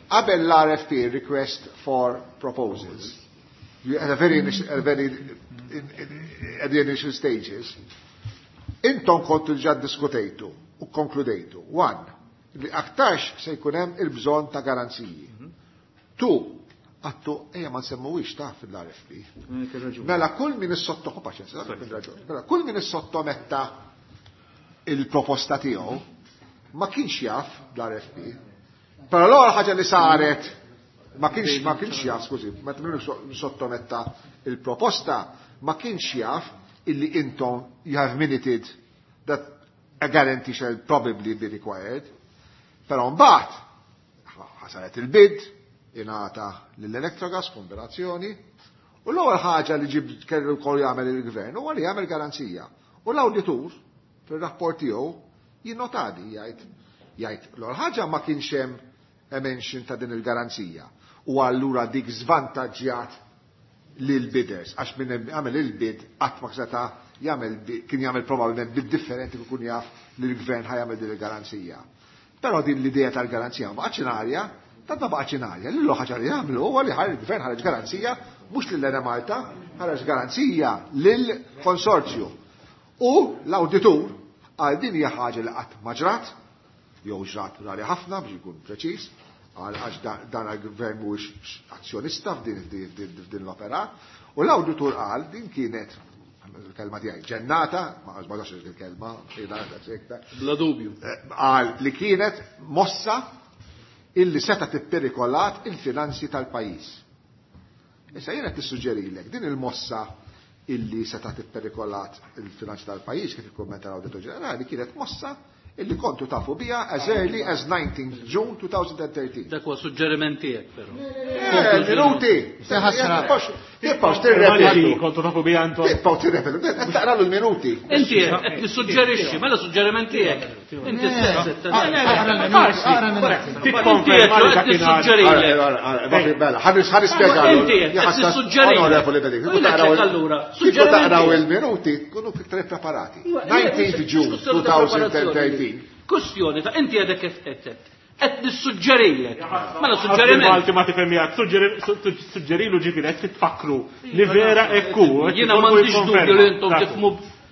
qabel l-RFP, request for proposals, you at a very, initial, at a very at the initial stages, intom kontu ġa diskutejtu u konkludejtu. One, li aktarx se jkun hemm il-bżonn ta' garanziji. Two, għedtu, ejja ma nsemmuwix ta' fil-RFP. Mela kull min is-sotto, paċenza, mela kull min is-sottometta il-proposta tiegħu ma kienx jaf l-RFP. Però l-ewwel ħaġa li saret ma kienx jaf, skużi, meta min sottometta il-proposta ma kienx jaf illi intom you have minuted that a guarantee shall probably be required. Però mbagħad ħasaret il-bid, ingħata lill-Electrogas kombinazzjoni, U l-ewwel ħaġa li ġib kellu wkoll jagħmel il-gvern huwa li jagħmel garanzija. U l-awditur fir-rapport tiegħu jinnotadi jgħid jgħid l-ewwel ħaġa ma kienx hemm mention ta' din il-garanzija. U allura dik żvantaġġjat lil bidders għax minn għamel il-bid qatt ma seta' jagħmel kien jagħmel probabbilment bid differenti kien jaf li l-gvern ħa jagħmel din il-garanzija. Però din l-idea tal-garanzija ma baqgħetx in arja, tant ma baqgħetx in arja. Lil ħaġa li jagħmlu huwa li il-gvern ħareġ garanzija mhux lil Malta, ħareġ garanzija lil konsorzju. U l-awditur għal din hija ħaġa li qatt ma ġrat, jew ġrat rari ħafna biex ikun preċiż, għax dan il-gvern mhuwiex azzjonista f'din l-opera, u l-awditur qal din kienet il-kelma tiegħi ġennata, ma għax il-kelma, Bla dubju. Qal li kienet mossa illi seta tipperikolat il-finanzi tal-pajjiż. Issa jiena tissuġġerilek din il-mossa illi seta tipperikolat il-finanzi tal-pajjiż kif ikkummenta l-Awditur Ġenerali kienet mossa illi kontu tafu biha as early as 19 June 2013. Dak huwa suġġeriment tiegħek però. Minuti! Tibqgħux tirrepetu. Kontu tafu biha intom. Tibqgħu tirrepetu. Qed taqralu l-minuti. Inti qed tissuġġerixxi, mela suġġeriment tiegħek. Inti stess. Tikkonferma li dakinhar. Mela, ħa nispjegalu. Inti qed tissuġġerixxi. Onorevoli Beding, allura. Kieku taqraw il-minuti, tkunu iktar preparati. 19 June 2013. Kustjoni ta' inti għedek kif qed qed nissuġġerilek. Mela suġġeriment. Malti ma tifhem jgħid, suġġerilu ġifieri qed titfakru li vera ekku. Jiena m'għandix dubju li intom tifhmu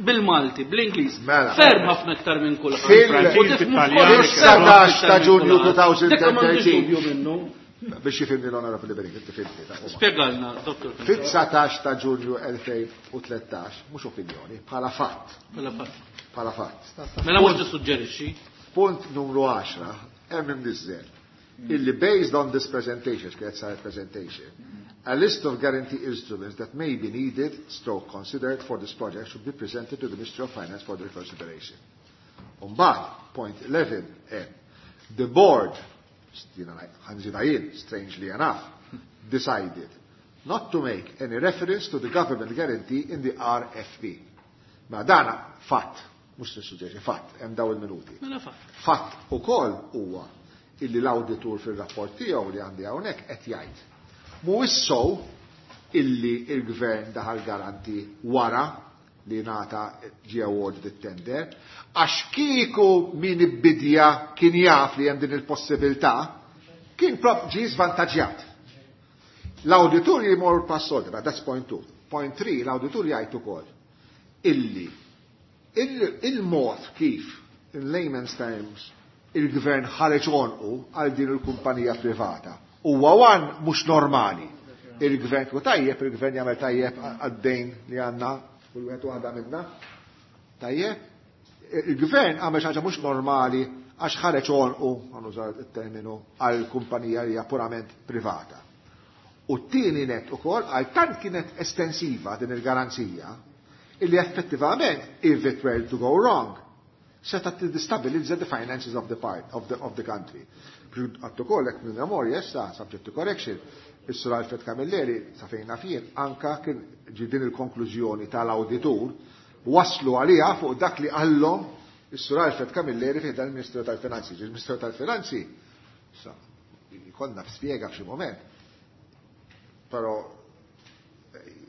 bil-Malti, bl-Ingliż. Mela. Ferm ħafna iktar minn kulħadd. Fil-19 ta' Ġunju Dik m'għandix 2013. dubju minnu. Biex jifhimni l-Onorevoli Beding, inti fhimtni. Spjegalna, dottor. Fit-19 ta' Ġunju 2013, mhux opinjoni, bħala fatt. Mela fatt. Bħala fatt. Mela mhux tissuġġerixxi. Punt numru 10, hemm imniżżel illi based on this presentation, kienet saret presentation, a list of guarantee instruments that may be needed, stroke considered for this project should be presented to the Ministry of Finance for their consideration. Umbagħad, point 11, M, the board, ħa nżidha jien, strangely enough, decided not to make any reference to the government guarantee in the RFP. Ma dana fatt, mhux nissuġġeri, fatt, hemm daw il-minuti. Mela fatt. Fatt ukoll huwa illi l-awditur fil-rapport tiegħu li għandi hawnhekk qed jgħid. Mhuwiex sow illi il-gvern daħal garanti wara li ngħata ġie awarded it-tender, għax kieku min ibbidja kien jaf li hemm din il-possibilità, kien prop ġie żvantaġġjat. L-awditur jimur pass oltre, that's point two. Point three, l-awditur jgħid ukoll illi il-mod kif, in layman's terms, il-gvern ħareġ għonqu għal din il-kumpanija privata. Huwa wan mhux normali. Il-gvern ku tajjeb, il-gvern jagħmel tajjeb għad-dejn li għandna kull wieħed waħda minna. Tajjeb, il-gvern għamel xi ħaġa mhux normali għax ħareġ għonqu, ħa nuża il-terminu, għal kumpanija li hija purament privata. U t-tieni net ukoll għal tant kienet estensiva din il-garanzija illi effettivament, if it were to go wrong, seta tidistabilizza the finances of the part of the country. Għattu kollek minn memorja issa, subject to correction, is-Sur Alfred Camilleri, sa fejna fien, anka kien ġi din il-konklużjoni tal-awditur, waslu għalija fuq dak li qallhom is-Sur Alfred Camilleri fi dan il-Ministeru tal-Finanzi. Il-Ministeru tal-Finanzi, sa, konna spjega f'xi moment, però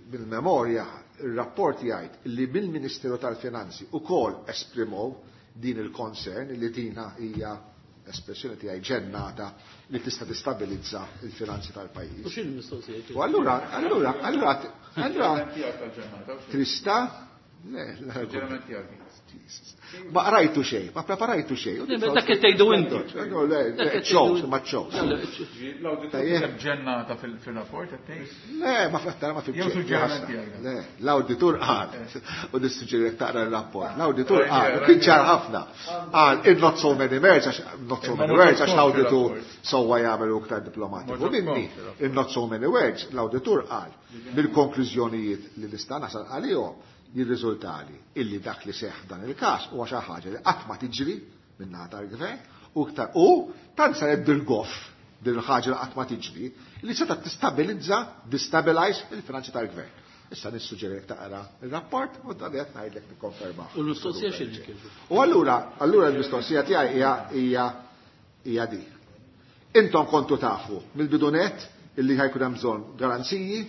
bil-memorja il-rapport jgħid li mill-Ministeru tal-Finanzi ukoll esprimow din il-concern li dina hija espressjoni tiegħi ġennata li tista' tistabilizza il-finanzi tal-pajjiż. U x'in mistoqsija? U allura trista le, ma qrajtu xejn, ma preparajtu xejn. Dak qed tgħidu inti. Le, ċows, ma ċows. L-awditur ġennata fil-rapport qed tgħid? Le, ma fatta ma Jew suġġeriment tiegħek. Le, l-awditur qal, u nissuġġerek taqra l-rapport. L-awditur qal, kien ċar ħafna. Qal, in not so many words, għax not so many words, għax l-awditur sewwa jagħmel iktar diplomatiku minni. In not so many words, l-awditur qal, bil-konklużjonijiet li nista' nasal għalihom jirriżultali illi dak li seħ dan il-każ huwa xi ħaġa li qatt ma tiġri minn naħa tal-gvern u iktar u tant saret bil-goff. din il-ħaġa li qatt ma tiġri, li seta' tistabilizza, destabilize il-finanzi tal-gvern. Issa nissuġġerik taqra il-rapport u dan qed ngħidlek nikkonferma. U l-mistoqsija x'inhi? U allura, allura l-mistoqsija tiegħi hija hija hija di. Intom kontu tafu mill-bidu nett illi ħa jkun hemm bżonn garanziji,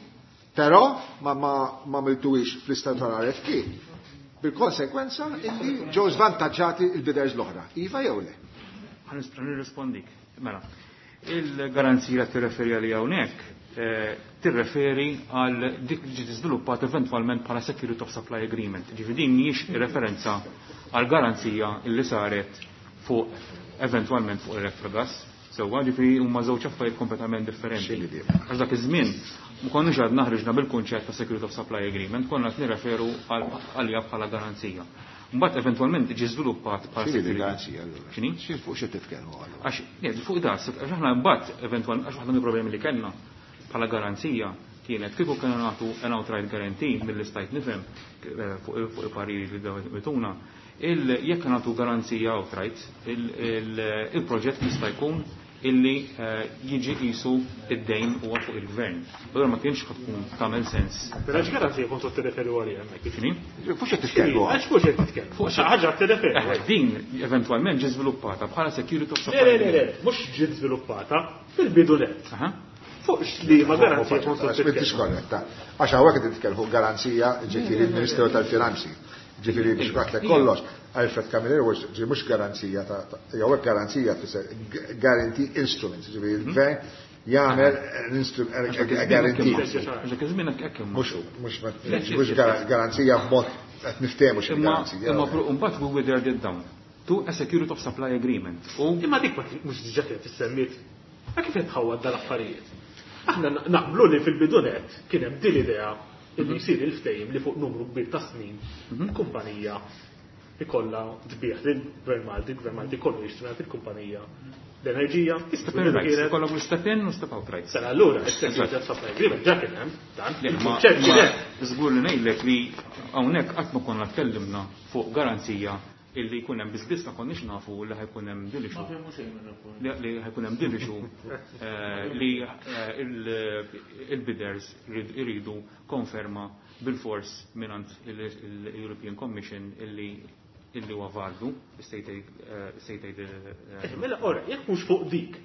però ma miltuwix fl-istat tal-RFP. Bil-konsekwenza illi ġew żvantaġġati il-bidders l-oħra. Iva jew le? Ħa nirrispondik. Mela, il-garanzija tirreferi għalija hawnhekk tirreferi għal dik li ġiet iżviluppat eventwalment bħala Security of Supply Agreement. Ġifieri din mhijiex referenza għal garanzija illi saret fuq eventwalment fuq Electrogas. Sewwa, ġifieri huma żewġ affarijiet kompletament differenti. Għax dak iż-żmien ma konniex għadna ħriġna bil-kunċett ta' Security of Supply Agreement, konna qed nirreferu għalija bħala garanzija. Mbagħad eventwalment ġie żviluppat bħala X'inhi garanzija allura? X'inhi? Xi fuq xi titkellmu allura? Għax fuq das, għax aħna mbagħad eventwalment għax waħda mill-problemi li kellna bħala garanzija kienet kieku kellna nagħtu an outright guarantee mill-istajt nifhem fuq il-pariri li bituna, jekk nagħtu garanzija outright, il-proġett jista' jkun illi jiġi qisu id-dejn huwa fuq il-gvern. Allura ma kienx tkun tagħmel sens. Però x'garanzija kontu tirreferu għaliha hemmhekk? X'inhi? Fuq xi titkellmu? Għax fuq xi titkellmu? Fuq xi ħaġa tirreferu. Din eventwalment ġi żviluppata bħala security of supply. Le, le, le, mhux ġiet żviluppata fil-bidu nett. Fuq li ma garanzija kontu titkellmu. M'intix korretta. Għax hawnhekk qed titkellmu fuq garanzija ġifieri il-Ministeru tal-Finanzi. Ġifieri biex ngħidlek kollox, Alfred Camilleri ġi mhux garanzija ta' jew hekk garanzija tfisser guarantee instruments, ġifieri il-gvern jagħmel guarantee. Dak iż-żmien hekk hemm. Mhux garanzija b'mod qed niftehmu xi garanzija. Imma mbagħad we withered it down to a security of supply agreement. Imma dik mhux diġà kienet issemmiet. Ma kif qed tħawwad dal-affarijiet? Aħna naqblu li fil-bidu nett kien hemm din l-idea illi jsir il-ftehim li fuq numru kbir ta' snin kumpanija ikollha tbigħ lill-Gvern Malti, il-Gvern Malti kollu jixtri mingħand il-kumpanija l-enerġija. Step in rights, ikollhom l-step in u step out rights. Sena allura, is-security of supply agreement ġa kien hemm dan. Il-kunċett kien hemm. Żgur li ngħidlek li hawnhekk qatt ma konna tkellimna fuq garanzija illi jkun hemm biss ma konniex nafu li ħa jkun hemm din issue. Li ħa jkun hemm din issue li il-bidders iridu konferma bil-fors mingħand il-European Commission illi huwa validu, state aid. Mela, ora, jekk mhux fuq dik,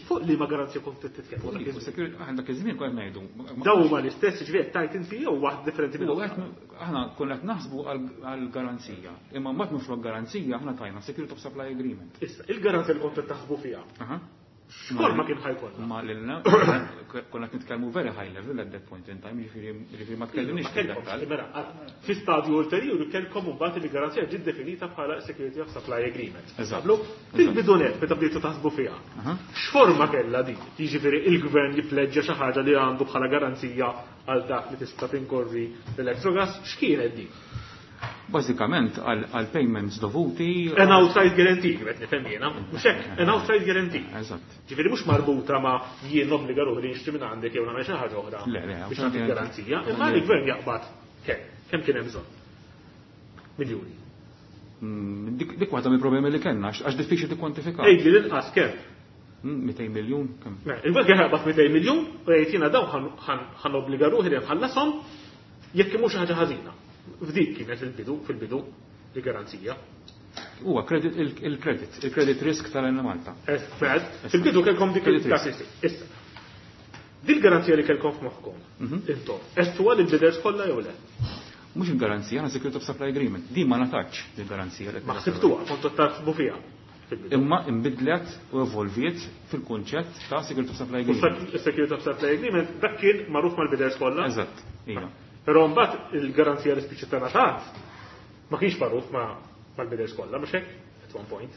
fuq li ma garanzija kont titkellmu. Aħna dak iż-żmien konna ngħidu. Daw huma l-istess, ġifieri tajt inti jew waħd differenti minn Aħna konna qed naħsbu għal garanzija. Imma mbagħad minflok garanzija aħna tajna Security of Supply Agreement. Issa, il-garanzija li kont taħsbu fiha. X'kol ma kien ħa jkollna? Ma lilna konna qed nitkellmu very high level at that point in time, ġifieri ma tkellimniex fid-dettall. Mela, fi stadju ulterjuri kellkom imbagħad li garanzija ġiet definita bħala Security of Supply Agreement. Eżatt. Fil-bidu nett meta bdejtu taħsbu fiha. X'forma kellha din? Jiġifieri il-gvern jippleġġja xi ħaġa li għandu bħala garanzija għal dak li tista' tinkorri l-Electrogas, x'kienet din? Bażikament għal payments dovuti. An outright guarantee, qed nifhem jiena, mhux hekk, an outright guarantee. Eżatt. Ġifieri mhux marbuta ma' jien obbliga ruħi li nixtri minn għandek jew nagħmel xi ħaġa oħra. Le, le, biex nagħti garanzija, imma l-gvern jaqbad kemm kien hemm bżonn? Miljuni. Dik waħda mill-problemi li kellna, għax diffiċli tikkwantifika. Ejdi l-inqas kemm? 200 miljun kemm? Il-gvern kien jaqbad 200 miljun u jgħid jiena dawn ħa nobbliga ruħi li nħallashom jekk mhux ħaġa ħażina. F'dik kienet il-bidu, fil-bidu, il-garanzija. Huwa il-credit risk tal-Enemalta. Fil-bidu kellkom dik il-garanzija. Issa, dil-garanzija li kellkom f'moħħkom, intom, għedtuha lill-bidders kollha jew le? Mhux il-garanzija, għandna Security of Supply Agreement. Din ma ngħatatx il-garanzija li Ma ħsibtuha, kontu taħsbu fiha. Imma imbidlet u evolviet fil-kunċett ta' Security of Supply Agreement. Security of Supply Agreement dak kien magħruf mal-bidders kollha? Eżatt, iva. Però mbagħad il-garanzija li spiċċa ngħatat ma kienx magħruf mal-bidders kollha, mhux hekk? At one point.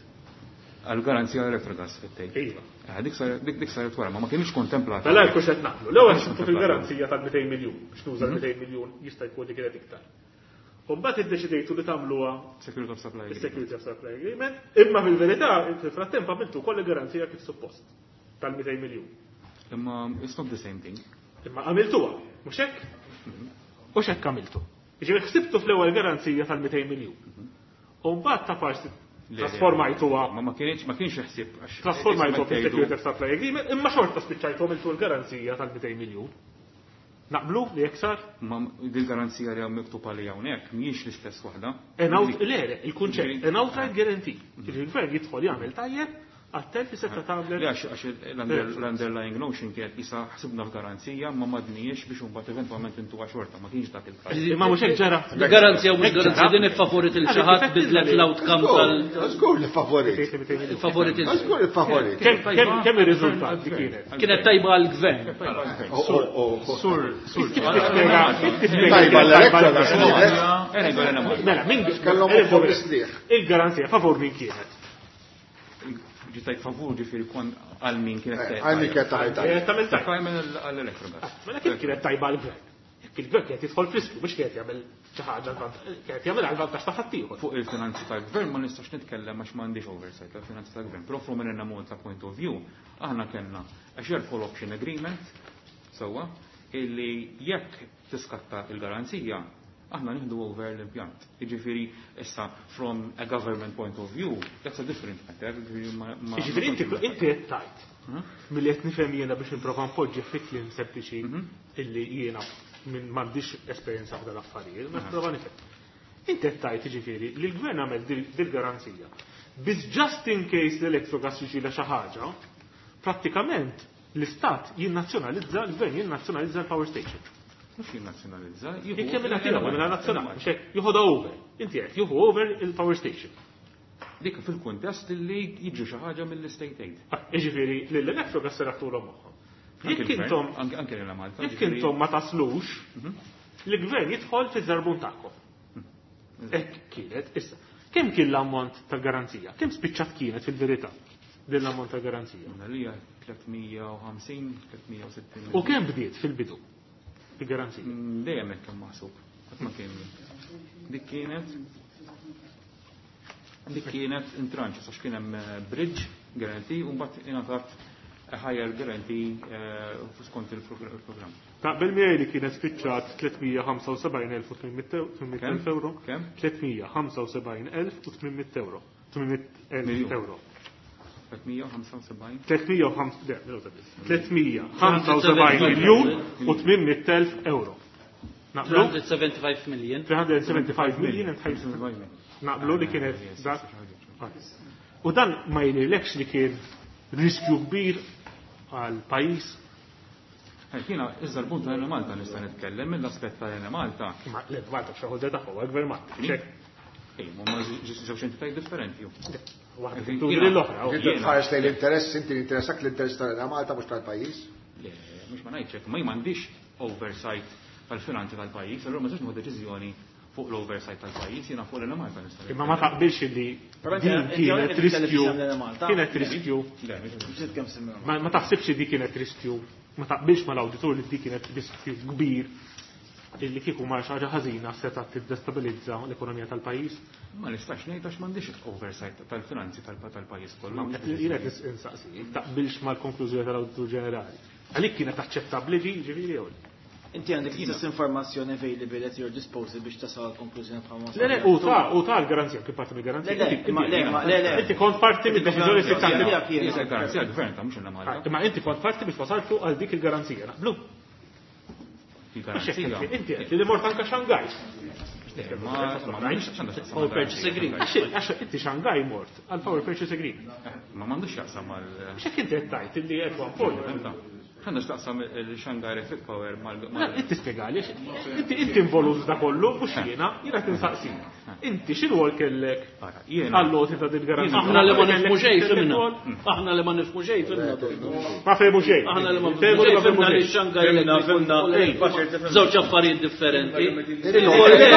Għal-garanzija Electrogas fit-tejn. Iva. Dik saret wara, ma kienx kontemplata. Mela jekk qed naqblu. L-ewwel x'intu fil-garanzija tal-200 miljun, biex nuża l-200 miljun jista' jkun li kienet iktar. U mbagħad iddeċidejtu li tagħmluha Security of Supply Agreement. Security of Supply Agreement, imma fil-verità fil-frattemp għamiltu koll garanzija kif suppost tal-200 miljun. Imma it's not the same thing. Imma għamiltuha, mhux hekk? U x'hekk għamiltu? Jiġifieri ħsibtu fl-ewwel garanzija tal-200 miljun. U mbagħad ta' parsi Trasformajtuha. Ma kienx ma kienx ħsieb. Trasformajtuha fi Security of Supply Agreement, imma xorta spiċċajtu għamiltu l-garanzija tal-200 miljun. Naqblu li jekk sar? Ma dil-garanzija li hawn miktub għalija hawnhekk mhijiex l-istess waħda. Le, il-kunċett, an outright guarantee. Il-gvern jidħol jagħmel tajjeb għat-telf li seta' tagħmel. Le, għax l-underlying notion kienet isa ħsibna f'garanzija ma madnijiex biex imbagħad eventwalment intuha xorta, ma kienx dak il-każ. Imma mhux hekk ġara. Garanzija u mhux garanzija din iffavorit il xi ħadd bidlet l-outcome tal. Żgur li favorit. Favorit il. Żgur li favorit. Kemm ir-riżultat di kienet? Kienet tajba għall-gvern. Sur, sur. Tajba l-elettorata. Mela, min kellhom ukoll mistrieħ. Il-garanzija favur min kienet? Ġitajt favur ġifieri kon għal min kienet tajba. Għal min kienet tajba. Tajba għall-Electrogas. Mela kif kienet tajba għall-gvern? Jekk il-gvern kienet jidħol f'riskju mhux kienet jagħmel xi ħaġa kienet jagħmel għal vantaġġ ta' ħaddieħor. Fuq il-finanzi tal-gvern ma nistax nitkellem għax m'għandix oversight tal-finanzi tal-gvern. Però from an Malta point of view, aħna kellna a share call option agreement sewwa illi jekk tiskatta il-garanzija aħna nieħdu over l-impjant. Jiġifieri issa from a government point of view, that's a different matter. Jiġifieri inti qed tgħid milli qed nifhem jiena biex nipprova npoġġi fi kliem sempliċi illi jiena minn m'għandix esperjenza f'dan l-affarijiet, ma nipprova nifhem. Inti qed tgħid jiġifieri li l-gvern għamel dil-garanzija. Biss just in case l-Electrogas jiġilha xi ħaġa, prattikament l-istat jinnazzjonalizza, l-gvern jinnazzjonalizza l-power station. Mhux jinnazzjonalizza, jieħu. Jekk jagħmilha tiegħu, jagħmilha nazzjonali, mhux hekk, jieħodha over. Inti qed jieħu over il-power station. Dik fil-kuntest li jiġu xi ħaġa mill-state aid. Jiġifieri lill-Electrogas se raħtulhom moħħhom. Jekk intom anke lil Malta, jekk intom ma taslux, l-gvern jidħol fiż-żarbun tagħkom. Hekk kienet issa. Kemm kien l-ammont tal-garanzija? Kemm spiċċat kienet fil-verità din l-ammont tal-garanzija? Għalija 350, 360. U kemm bdiet fil-bidu? Il-garanzija. Dejjem hekk kemm maħsub. Qatt ma kien. Dik kienet dik kienet in tranche, għax kien hemm bridge guarantee u mbagħad ingħatat higher guarantee skont il-programm. Taqbel miegħi li kienet spiċċat 375,800 euro. Kemm? 375,800 euro. 800,000 euro. 375. 375 miljun u 800,000 euro. Naqblu? 375 million. 375 million and Naqblu li kienet dak. U dan ma jidhirlekx li kien riskju kbir għal pajjiż. Jiena iżda l-punt ta' Malta nista' nitkellem mill-aspett ta' Malta. Ma le Malta xi tagħhom għall-gvern Malta. Ej, ma żewġ entitajiet differenti. Waħda tinkludi l-oħra. Inti tħares lejn l-interess, inti l-interessak l-interess tal Malta mhux tal-pajjiż. Le, mhux ma ngħidx hekk, ma jien m'għandix oversight tal-finanzi tal-pajjiż, allura ma nistax nieħu deċiżjoni fuq l-oversight tal-pajjiż, jiena fuq l-Malta nista'. Imma ma taqbilx li din kienet riskju. Kienet riskju. Ma taħsibx li di kienet riskju. Ma taqbilx mal-awditur li di kienet riskju kbir illi kieku ma xi ħaġa ħażina seta' tiddestabilizza l-ekonomija tal-pajjiż? Ma nistax ngħid għax m'għandix oversight tal-finanzi tal-pajjiż kollu. Jiena qed insaqsi, taqbilx mal-konklużjoni tal-Awditur Ġenerali. Għalik kienet aċċettabbli di ġifieri jew le? Inti għandek l-istess informazzjoni available at your disposal biex tasal għal konklużjoni bħal ma Le, le, u ta' l-garanzija, kien parti mill-garanzija. Le, le, ma, le, ma, le, le. Inti kont parti mid-deċiżjoni Garanzija sittanta. tiegħek jiena. Garanzija gvern ta' mhux il Malta. Imma inti kont parti biex wasaltu għal dik il-garanzija, naqblu. Il-garanzija. Inti qed li mort anka Shanghai. Ma m'għandix x'għandha x'taqsam Power purchase agreement. Għax inti Shanghai mort għal power purchase agreement. Ma m'għandux x'jaqsam mal X'hekk inti qed tgħid illi qed one point. Għandha x'taqsam il-Shanghai Electric Power mal Inti spjegali, inti involut da kollu, mhux jiena, jiena qed insaqsik. Inti x'irwol kellek għall-loti ta' din garanzija? Aħna li ma nifhmu xejn fimna. Aħna li ma nifhmu xejn fimna. Ma fehmu xejn. Aħna li ma Fehmu nifhmu li xejn ma fehmu fimna li xejn. Shanghai Fimna, Electric fimna. Power żewġ affarijiet differenti. Il-kollega,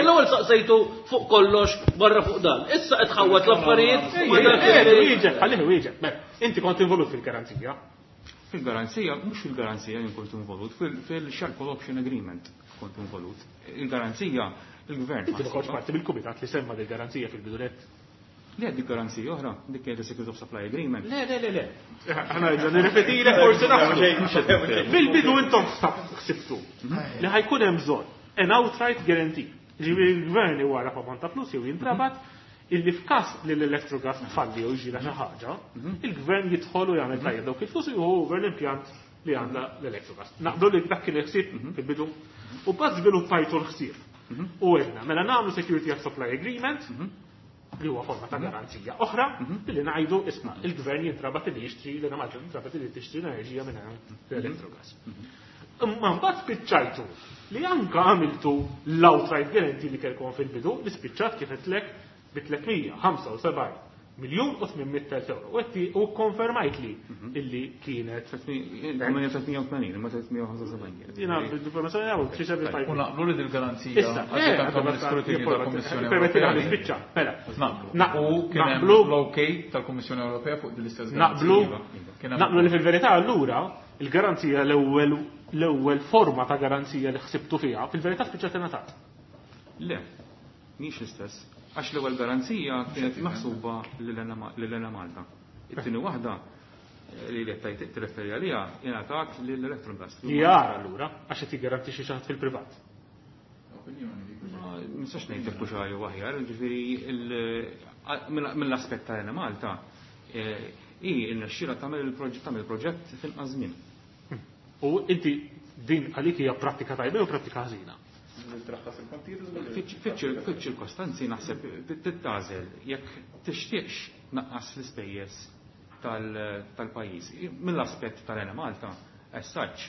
l-ewwel saqsejtu fuq kollox barra fuq dan. Issa qed ħawwat l-affarijiet ma dak li- Wieġeb, ħallih wieġeb. Mela, inti kont involut fil-garanzija. Fil-garanzija, mhux fil-garanzija jien kont involut, fil-Share Call Option Agreement kont involut. Il-garanzija, il-gvern. Inti ma kontx parti mill-kumitat li semma dil-garanzija fil-bidunet. Le, dik garanzija oħra, dik kienet Security of Supply Agreement. Le, le, le, le. Aħna rridu nirrepetile forsi naħsbu. Fil-bidu intom ħsibtu li ħajkun hemm bżonn an outright guarantee. Ġifieri l-gvern iwara ammont ta' flus jew jintrabat Illi f'każ li l-Electrogas tfalli jew jiġrilha xi ħaġa, il-gvern jidħol u jagħmel tajjeb dawk il-flus u jieħu over l-impjant li għandha l-Electrogas. Naqblu li dak kien il-ħsieb fil-bidu. U mbagħad żviluppajtu l-ħsieb. U għedna, mela nagħmlu Security of Supply Agreement, li huwa forma ta' garanzija oħra, billi ngħidu isma' il-gvern jintrabat li jixtri l Malta jintrabat li tixtri l-enerġija minn l-Electrogas. Imma mbagħad spiċċajtu li anka għamiltu l-outright guarantee li kellkom fil-bidu li spiċċat kif qedlek bi 375 miljun u 800 euro. U konfermajt li illi kienet. 380, imma 375. Jiena bl-informazzjoni għaw, 375. U naqblu li dil-garanzija għaddiet anke mill-iskrutinju tal-Kummissjoni Permetti Ewropea. li nispiċċa, mela. Naqblu. U kien hemm Naqblu. l-OK tal-Kummissjoni Ewropea fuq din l-istess Naqblu, garanzija. Kien hemm naqblu li fil-verità allura il-garanzija l-ewwel forma ta' garanzija li ħsibtu fiha, fil-verità spiċċat ingħatat. Le, mhix l-istess. Għax l-ewwel garanzija kienet maħsuba lil Malta. It-tieni waħda li qed tajt tirreferi għaliha ingħatat lill-Electrogas. Li jara allura għax qed jiggarantixxi xi ħadd fil-privat. Ma nistax ngħidlek hux jew aħjar, ġifieri mill-aspett ta' Malta hi rnexxielha tagħmel il-proġett tagħmel il-proġett f'inqas żmien. U inti din għalik hija prattika tajba jew prattika ħażina? Fiċ-ċirkostanzi naħseb tittażel jekk tixtieqx naqqas l-ispejjeż tal-pajjiż. Mill-aspett tal-Enemalta, as such,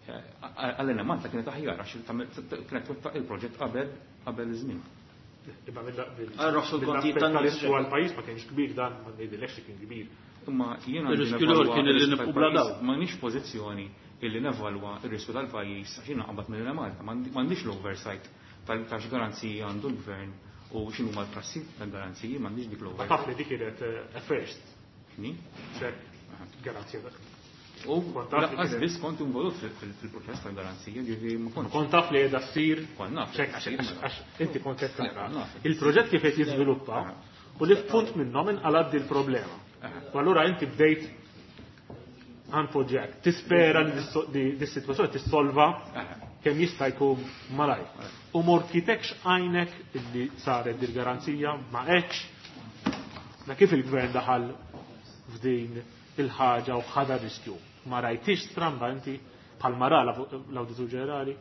għall-Enemalta kienet aħjar għax kienet twettaq il-proġett qabel iż-żmien. Imma Għal roħsu l-kontijiet tan-nies. mill-aspett għal-pajjiż ma kienx kbir dan, ma ngħidilekx li kien kbir. Imma jiena Ir-riskju l-ieħor kien li nibqgħu bla dawl. M'għandix pożizzjoni illi nevalwa r-riskju tal-pajjiż għax jiena qabad mill-Malta, m'għandix l-oversight ta' x'garanziji għandu l-gvern u x'inhu huma l-prassi tal-garanziji, m'għandix dik Ma l-oversight. taf li dik kienet first, X'inhi? ċek garanzija dak. U Kont taf li lanqas kienet- biss kont involut fil-proċess tal-garanzija, ġifieri ma kontx. Kont taf li qiegħda ssir Kont naf. ċek għax inti kont qed tara. Naf. Il-proġett kif qed jiżviluppa u li f'punt minnhom inqalad di l-problema. U allura inti bdejt għanpoġġek, tispera li dis-sitwazzjoni tissolva kemm jista' jkun malajr. U morkitekx għajnek illi saret dil-garanzija ma hekx. Na kif il-gvern daħal f'din il-ħaġa u ħada riskju. Ma rajtix stramba inti bħalma ra l-Awditur Ġenerali.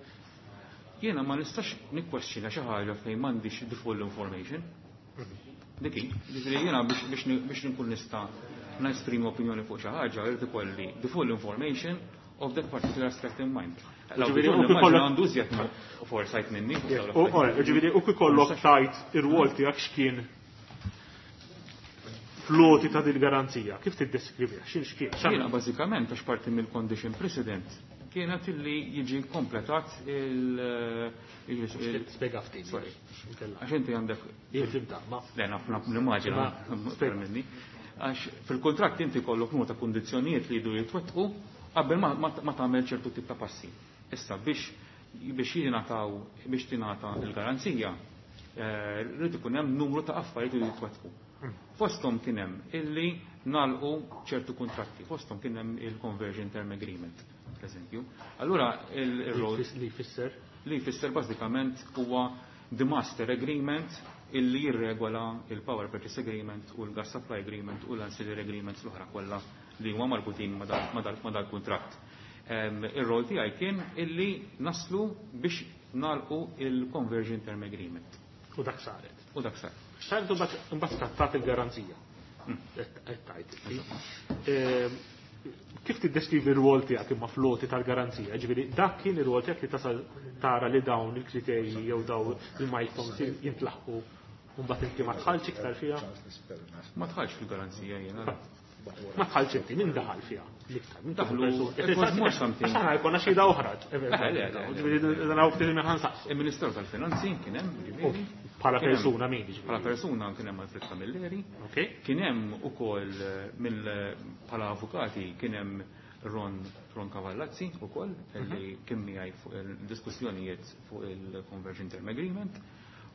Jiena ma nistax nikkwestjona xi ħaġa fejn m'għandix the full information. Dik hi, ġifieri jiena biex nkun nista' nesprimi opinjoni fuq xi ħaġa, irid ikolli the full information of that particular aspect in mind. Ġifieri, L-awditur u kif nimmaġina kollok- għandu iżjed foresight minni. fuq dawn U l-affarijiet. ġifieri u kif kollok tajt ir-rwol tiegħek x'kien floti ta' dil-garanzija, kif tiddeskriviha? X'in x'kien? Jiena bażikament għax parti mill-condition precedent kienet illi jiġi kompletat il- Spjega ftit. Sorry. Għax inti għandek Jien fimta, ma Le, naf naf nimmaġina, Ma, spjega. minni. Għax fil-kontratt inti kollok numru ta' kundizzjonijiet li jdu jitwettqu qabel ma tagħmel ċertu tip ta' passi. Issa biex jingħataw biex tingħata l-garanzija, rrid ikun hemm numru ta' affarijiet li jitwettqu. Fosthom kien hemm illi nagħlqu ċertu kuntratti, fosthom kien hemm il-conversion term agreement, per eżempju. Allura il-rol li jfisser li jfisser bażikament huwa the master agreement illi jirregola il-power purchase agreement u l-gas supply agreement u l-ancillary agreements l-oħra kollha li huma marbutin ma dal-kuntratt. Ir-rol tiegħi kien illi naslu biex nagħlqu il-conversion term agreement. U dak saret. U dak saret. Saret u mbagħad skattat il-garanzija. Qed tajt. Kif tiddeskrivi r-rwol tiegħek imma floti tal-garanzija? Ġifieri dak kien ir-rwol tiegħek li tasal tara li dawn il-kriterji jew dawn il-milestones jintlaħqu u mbagħad inti ma tħallx iktar fiha? Ma tħallx fil-garanzija jiena. Ma tħallx inti, min daħal fiha? L-iktar, min Daħlu, daħlu it was more something. Għax aħna jkollna xhieda oħra. Le, le, le. Ġifieri dan hawn ftit minn ħansaqsu. Il-Ministeru tal-Finanzi kien hemm, ġifieri. Bħala Kien hemm- persuna min, ġifieri? Bħala persuna kien hemm Alfred Camilleri. Ok. Kien hemm ukoll mill bħala avukati kien hemm Ron Cavallazzi ukoll li kien miegħi fuq il-diskussjonijiet fuq il-Conversion Term Agreement.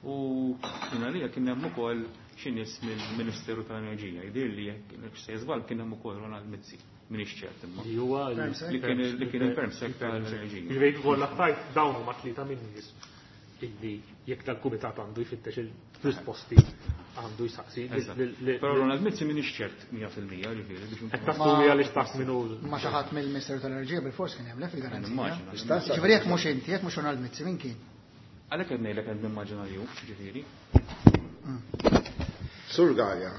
U kien għalija kien hemm ukoll xi nies mill-Ministeru tal-Enerġija. Jidhirli jekk se żball kien hemm ukoll Ronald Mizzi, m'iniex ċert imma. Li huwa Li kien il-Permsec tal-Enerġija. Ġifieri kollha tajt dawn huma tlieta minn nies illi jekk dal-kumitat għandu jfittex il-risposti għandu jsaqsi. Però Ronald Mizzi m'iniex ċert 100% ġifieri biex Qed tassumi għaliex taf min hu. Ma xi ħadd mill-Ministeru tal-Enerġija bilfors kien hemm le fil-garanzija. Ġifieri jekk mhux inti, jekk mhux Ronald Mizzi min kien? Għalhekk qed ngħidlek qed nimmaġina li hu, ġifieri. Sur Galea,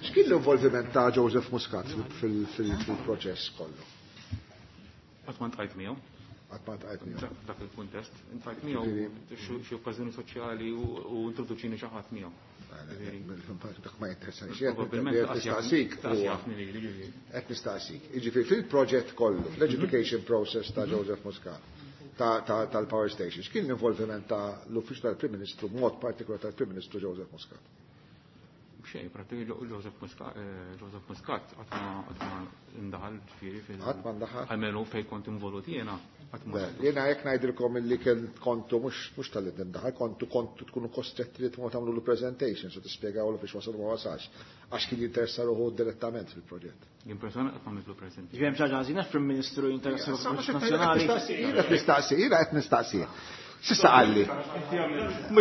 x'kien l-involviment ta' Joseph Muscat fil-proċess kollu? Qatt ma ntqajt miegħu. Qatt ma ntqajt miegħu. Dak il-kuntest, ntqajt miegħu xi okkażjoni soċjali u introduċini xi ħadd miegħu. Dak ma jinteressani xejn. Nistaqsik. Qed nistaqsik. Jiġifieri fil-proġett kollu, fl-education process ta' Joseph Muscat tal-power station, x'kien l-involviment ta' l-Uffiċċju tal-Prim Ministru, b'mod partikolari tal-Prim Ministru Joseph Muscat? Xejn, pratikament Joseph Muscat Joseph Muscat qatt ma ndaħal ġifieri fil. Qatt ma ndaħal? Almenu fejn kont involut jiena. Jiena jekk ngħidilkom illi kien kontu mhux tal-li ndaħal, kontu tkunu kostretti li tmur tagħmlu presentation so tispjegawlu fiex wasal ma wasalx, għax kien jinteressa ruħu direttament fil-proġett. Jien persona qatt ma għamiltlu presentation. Ġifieri hemm xi ħaġa ħażina Prim Ministru jinteressa ruħu nazzjonali. Jiena qed nistaqsi, jiena qed nistaqsi. Sissa qalli.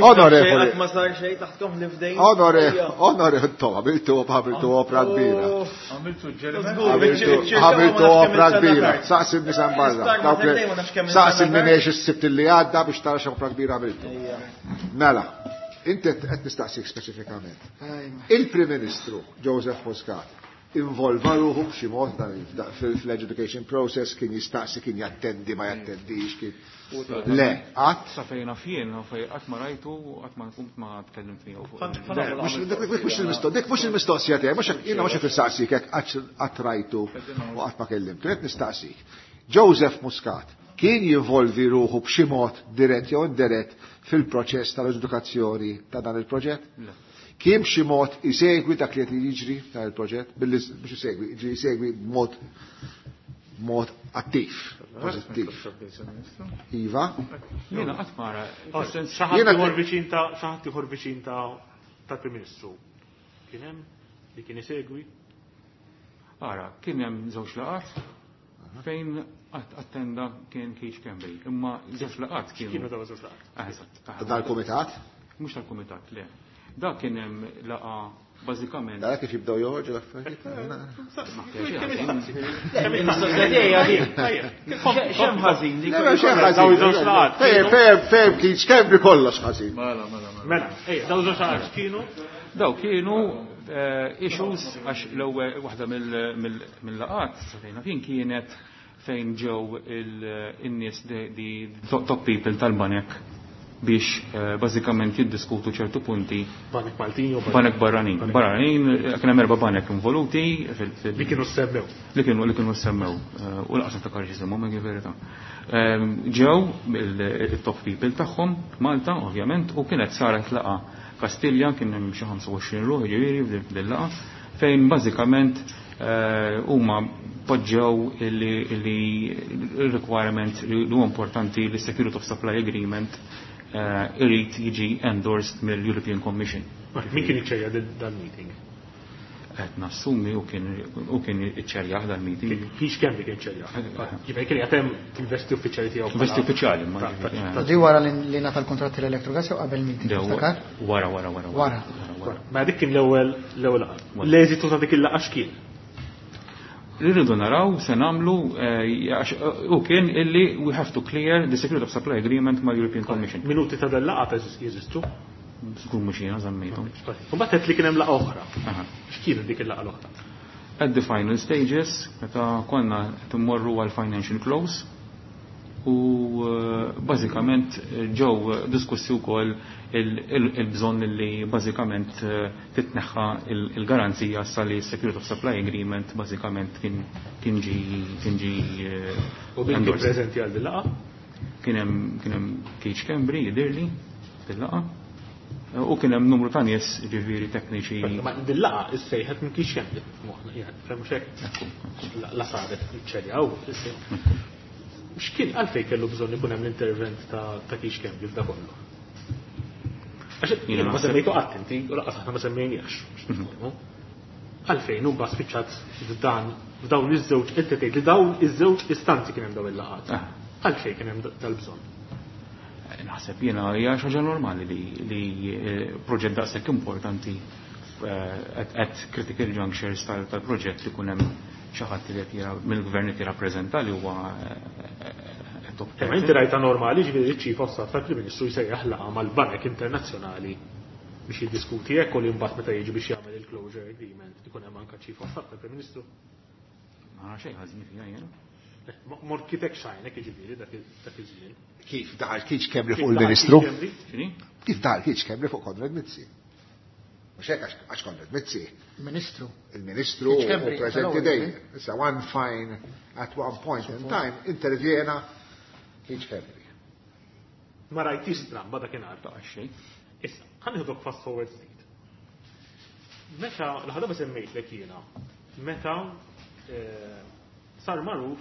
Onorevoli. Ma sar xejn taħtkom li fdejn. Onorevoli, to, għamiltu opra kbira. Għamiltu suġġeriment. Għamiltu opra kbira. Saqsi nies barra. Saqsi minn is-Sibt li għadda biex tara x'opra kbira għamiltu. Mela, inti qed nistaqsik speċifikament. Il-Prim Ministru Joseph Muscat involva ruħu b'xi mod fil-education process, kien jistaqsi, kien jattendi, ma jattendix, kien. Le, qatt? Sa fejn naf jien, fej qatt ma rajtu, qatt ma kumt ma tkellimt miegħu fuq. Dik mhux il-mistoqsija tiegħi, mhux jiena mhux qed nistaqsik jekk qatt rajtu u qatt ma kellimtu, qed nistaqsik. Joseph Muscat kien jinvolvi ruħu b'xi mod dirett jew indirett fil-proċess tal-edukazzjoni ta' dan il-proġett? Le. Kien b'xi mod isegwi dak li qed jiġri dan il-proġett, billi biex isegwi, jiġri isegwi b'mod mod attiv, pożittiv. Iva? Jiena qatt ma ra. Xi ħadd ieħor viċin ta' xi ħadd ieħor viċin ta' tal-Prim Ministru. Kien hemm li kien isegwi? Ara, kien hemm żewġ laqgħat fejn attenda kien Keith Schembri, imma żewġ laqgħat kienu. Kienu dawn żewġ laqgħat. Eżatt. Dal-kumitat? Mhux tal-kumitat, le. Dak kien hemm laqgħa bażikament. Dak kif jibdew joħorġu l-affarijiet. X'hemm ħażin li X'hemm ħażin. Ferm, ferm, Keith Schembri kollox ħażin. Mela, mela, mela. Mela, ejja, dawn żewġ laqgħat kienu? Daw kienu issues għax l-ewwel waħda mill-laqgħat sa fejn kien kienet fejn ġew in-nies di top people tal-banek biex bażikament jiddiskutu ċertu punti. Banek Maltin jew banek barranin. Barranin, kien hemm erba' banek involuti fil- Li kienu semmew. Li kienu semmew. U laqas niftakar x'isimhom, hekk verità. Ġew il-top people tagħhom Malta, ovvjament, u kienet saret laqgħa Kastilja, kien hemm xi 25 ruħ ġifieri f'din laqgħa, fejn bażikament huma poġġew li requirement li huwa importanti li Security of Supply Agreement irid jiġi endorsed mill-European Commission. Min kien iċċerja dal-meeting? Qed nassumi u kien iċċerjah dal-meeting. Keith Schembri kien iċċerjah. Jiġifieri kien qed hemm fil-vesti uffiċjali tiegħu. Vesti uffiċjali, ma ġifieri, Di wara li ngħata l-kuntratt tal-Electrogas jew qabel meeting, tiftakar? Wara, wara, wara, wara. Wara. Ma dik kien l-ewwel laqgħa. L-eżitu ta' dik il-laqgħa x'kien? Li rridu naraw se nagħmlu għax u kien illi we have to clear the Security of Supply Agreement mal European Commission. Minuti ta' dal-laqgħa jeżistu? Żgur mhux jiena żammejthom. U mbagħad qed li kien hemm laqgħa oħra. X'kienet dik il-laqgħa l-oħra? At the final stages, meta konna qed immorru għal financial close u bażikament ġew diskussi wkoll il-bżonn li bażikament titneħħa il-garanzija sa li Security of Supply Agreement bażikament kien ġi U min kien endorsed. preżenti għal din laqgħa? Kien hemm Keith Schembri jidhirli fil-laqgħa. U kien hemm numru ta' nies ġifieri tekniċi. Ma din laqgħa issejħet minn Keith Schembri f'moħħna, jgħid, fhem x'hekk? La saret iċċerjaw, issejħet. X'kien għalfejn kellu bżonn ikun hemm l-intervent ta' Keith Schembri f'da kollu? Għax Jiena jiena ma naħseb semmejtu qatt inti, u lanqas aħna ma semmejniex. Għalfejn hu mbagħad spiċċat f'dawn iż-żewġ, inti tgħid li dawn iż-żewġ istanzi kien hemm dawn il-laqgħat. Għalfejn kien hemm dal-bżonn? Naħseb jiena hija xi ħaġa normali li proġett daqshekk importanti at critical junctures tal-proġett li kun hemm xi ħadd li qed mill-gvern qed jirrappreżenta li huwa top. Imma inti rajta normali, ġifieri ċ-Chief of Staff tal-Prim Ministru jsejjaħ laqgħa mal-banek internazzjonali biex jiddiskuti hekk u li mbagħad meta jiġi biex jagħmel il-closure agreement ikun hemm anke Chief of Staff tal-Prim Ministru? Ma nara xejn ħażin fiha jiena. Morkitek xajnek jiġifieri dak iż-żmien. Kif daħal Keith Schembri fuq il-Ministru? Kif daħal Keith Schembri fuq Konrad Mizzi? Mhux hekk għax Konrad Mizzi. Ministru. Il-Ministru u preżenti dejjem. Issa one fine at one point in time intervjena Keith Schembri. Ma rajtix stramba dakinhar. Ta' xejn. Issa, ħa nieħdok fast forward ftit. Meta l-ħadaba semmejtlek jiena, meta sar magħruf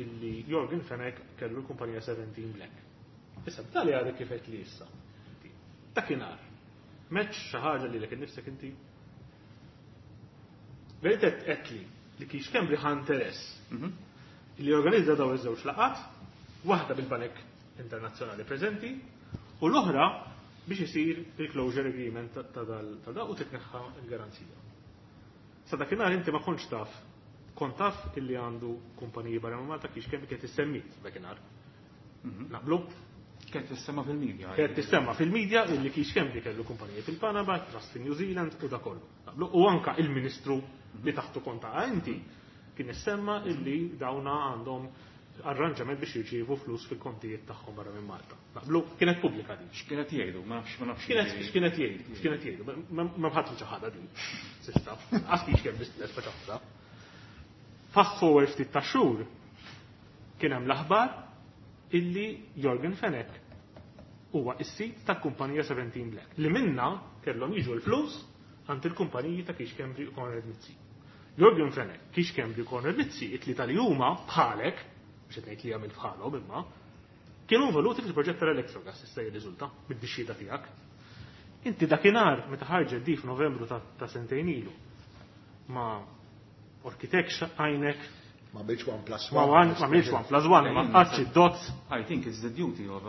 illi Yorgen Fenech kellu l-kumpanija 17 Black. Issa, b'tali għadek kif qed li issa. Dakinhar. Meċ xi ħaġa li lek innifsek inti? Verit qed li li Keith Schembri ħa interess li organizza daw iż-żewġ laqat, waħda bil-banek internazzjonali preżenti u l-oħra biex isir il-closure agreement ta' da u titneħħa l-garanzija. Sa dakinhar inti ma kontx taf, kont taf illi għandu kumpaniji barra minn Malta kiex kemm kienet issemmit dakinhar. Naqblu? Kienet tissemma fil-medja. Kienet tissemma fil-medja illi Keith Schembri kellu kumpaniji fil-Panama, Trust in New Zealand u da kollu. Naqblu? U anka il-ministru li taħtu konta inti kien issemma illi dawna għandhom arranġament biex jirċievu flus fil-kontijiet tagħhom barra minn Malta. Naqblu kienet pubblika din. X'kienet jgħidu? Ma nafx, ma nafx. X'kienet jgħidu? X'kienet jgħidu? Ma ħadd ċaħada din. S'issa. Għax kiex kemm biss ċaħda. Fast forward ftit ta' xhur kien hemm l-aħbar illi Yorgen Fenech huwa is-sid tal-kumpanija 17 Black li minna kellhom jiġu l-flus għand il-kumpaniji ta' Keith Schembri u Konrad Mizzi. Yorgen Fenech, Keith Schembri u Konrad Mizzi, it-tlieta li huma bħalek, biex qed ngħid li għamil bħalhom imma, kienu involuti fil-proġett tal-Electrogas issa jirriżulta mid-dixxieda tiegħek. Inti dakinhar meta ħarġet di f'Novembru ta' sentejn ilu ma orkitekx għajnek Ma bilx 1 plus 1. Ma bilx 1 plus 1, ma qatx id-dots. I think it's the duty of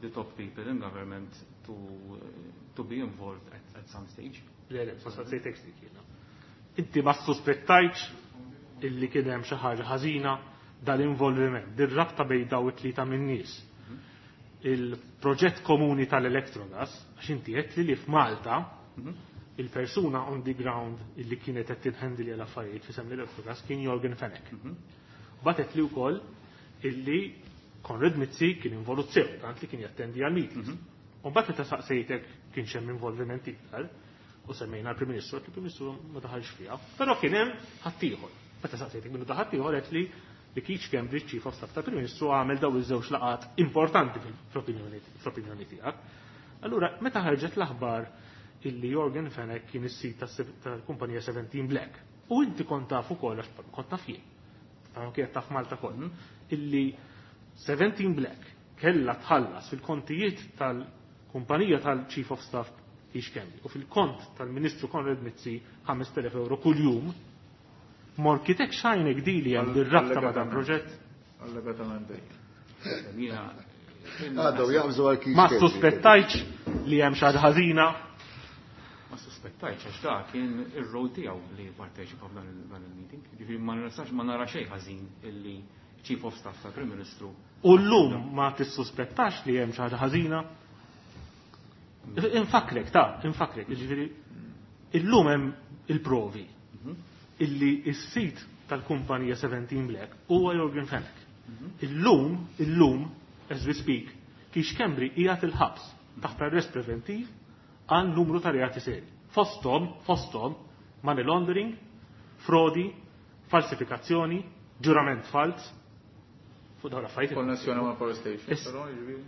the top people in government to be involved at some stage. Le, le, ma sejtek dik jiena. Inti ma suspettajtx illi kien hemm xi ħaġa ħażina dal-involviment, dir-rabta bejn daw it-tlieta min-nies. Il-proġett komuni tal-Electrogas, għax inti qed li f'Malta il-persuna on the ground illi kienet qed tinħendili għal affarijiet fi semmi l-Electrogas kien Yorgen Fenech. Batet li wkoll illi Konrad Mizzi kien involut sew, tant li kien jattendi għal meetings. U mbagħad meta saqsejtek kien hemm involviment iktar, u semmejna l-Prim Ministru, il-Prim Ministru ma daħalx fiha, però kien hemm ħaddieħor. Meta saqsejtek minnu daħal ieħor qed li Keith Schembri Chief of Staff tal-Prim Ministru għamel daw iż-żewġ laqat importanti fl-opinjoni tiegħek. Allura, meta ħarġet l-aħbar illi Yorgen Fenech kien is-sid tal-kumpanija 17 Black, u inti kont taf ukoll għax kont taf jien, kienet taf Malta koll, illi 17 Black kellha tħallas fil-kontijiet tal-kumpanija tal-Chief of Staff Keith Schembri u fil-kont tal-Ministru Konrad Mizzi 5,000 euro kuljum, morkitek xajnek dili hemm dir-rabta ma' dan proġett? Allegatament. Għadhom jaqbżu għal Keith Ma suspettajtx li hemm xi ħaġa ħażina? Ma suspettajtx għax da kien ir-rol tiegħu li jipparteċipa f'dan il-meeting. Ġifieri ma nistax ma nara xejn ħażin illi Chief of Staff tal-Prim Ministru. U llum ma tissuspettax li hemm xi ħaġa ħażina? Infakrek, ta' infakrek, ġifieri illum hemm il-provi illi s-sid tal-kumpanija 17 Black huwa Yorgen Fenech. Illum, as we speak, Keith Schembri qiegħed il-ħabs taħt arrest preventiv għal numru ta' reati seri. Fosthom, money laundering, frodi, falsifikazzjoni, ġurament fals, fuq dawn l-affarijiet. Konnessjoni ma' power station, però, jiġifieri.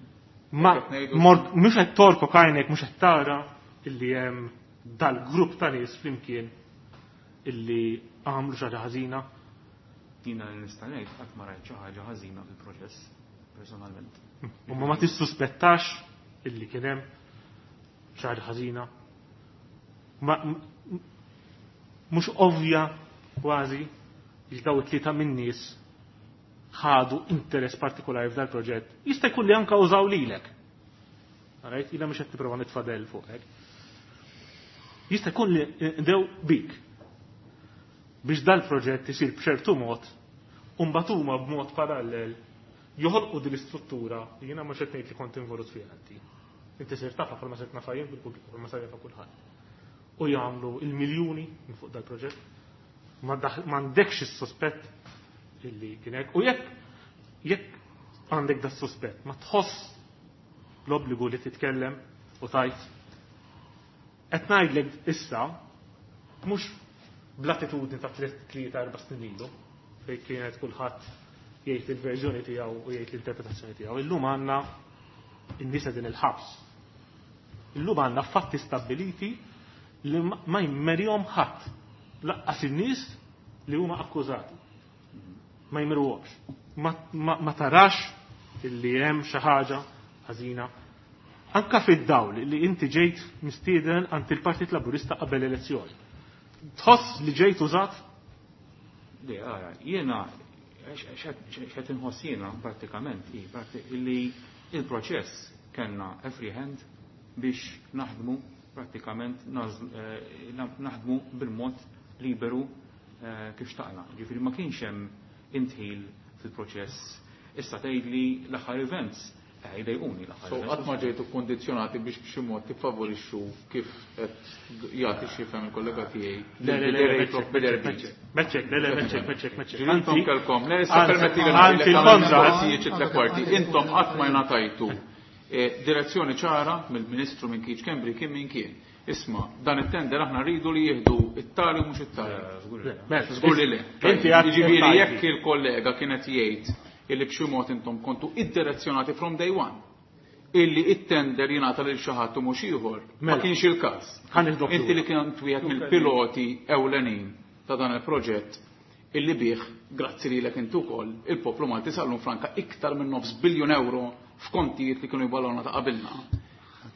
Ma Qed ngħidu- mhux qed torko kajnek, mhux qed tara illi hemm dal-grupp ta' nies flimkien illi għamlu xi ħaġa ħażina. Jiena li nista' ngħid qatt ma rajt xi ħaġa ħażina fil-proċess personalment. U ma tissuspettax illi kien hemm xi ħaġa ħażina. Ma mhux ovvja kważi li daw it-tlieta min-nies ħadu interess partikolari f'dal proġett. Jista' jkun li anka użaw lilek. Alright, jiena mhux qed nipprova nitfadel fuqek. Jista' jkun li ndew bik biex dal-proġett isir b'ċertu mod u mbagħad huma b'mod parallel joħolqu din l-istruttura li jiena mhux qed ngħid li kont involut fiha inti. Inti sir tafha bħalma sirt nafha jien fil-pubbliku bħalma sar jafha kulħadd. U jagħmlu il-miljuni minn fuq dal-proġett. M'għandekx is-sospett illi kien hekk. U jekk jekk għandek da suspett ma tħoss l-obbligu li titkellem u tajt. Qed ngħidlek issa mhux bl-attitudni ta' 3-4 snin ilu fejn kienet kulħadd jgħid il-verżjoni tiegħu u jgħid l-interpretazzjoni tiegħu. Illum għandna in-nies din il-ħabs. Illum għandna fatti stabbiliti li ma jmerihom ħadd lanqas in-nies li huma akkużati. Ma jmeruhomx. Ma tarax illi hemm xi ħaġa ħażina. Anka fid-dawl li inti ġejt mistieden għand il-Partit Laburista qabel elezzjoni. Tħoss li ġejt użat? Le, ara, jiena x'qed inħoss jiena prattikament hi illi il-proċess kellna a free hand biex naħdmu prattikament naħdmu bil-mod liberu kif xtaqna. Ġifieri ma kienx hemm indħil fil-proċess. Issa tgħidli l-aħħar events jdejquni l-aħħar. So qatt ma ġejtu kondizjonati biex b'xi mod tiffavorixxu kif qed jagħti xi il-kollega tiegħi. Le, le, le, meċċek, le, le, meċċek, meċċek, meċċek. Intom kelkom, le, issa permetti li ngħidlek kwarti. Intom qatt ma ngħatajtu direzzjoni ċara mill-Ministru minn Keith Schembri kien min kien. Isma, dan it-tender aħna rridu li jieħdu it-tali u mhux it-tali. Żgur li le. Jiġifieri jekk il-kollega kienet jgħid illi b'xi mod intom kontu id-direzzjonati from day one illi it-tender jingħata lil xi ħadd u mhux ieħor. Ma kienx il-każ. Inti li kien wieħed mill-piloti ewlenin ta' dan il-proġett illi bih, grazzi lilek intu wkoll, il-poplu Malti sallum franka iktar minn 0.5 biljun euro f'kontijiet li kienu jballawna ta' qabilna.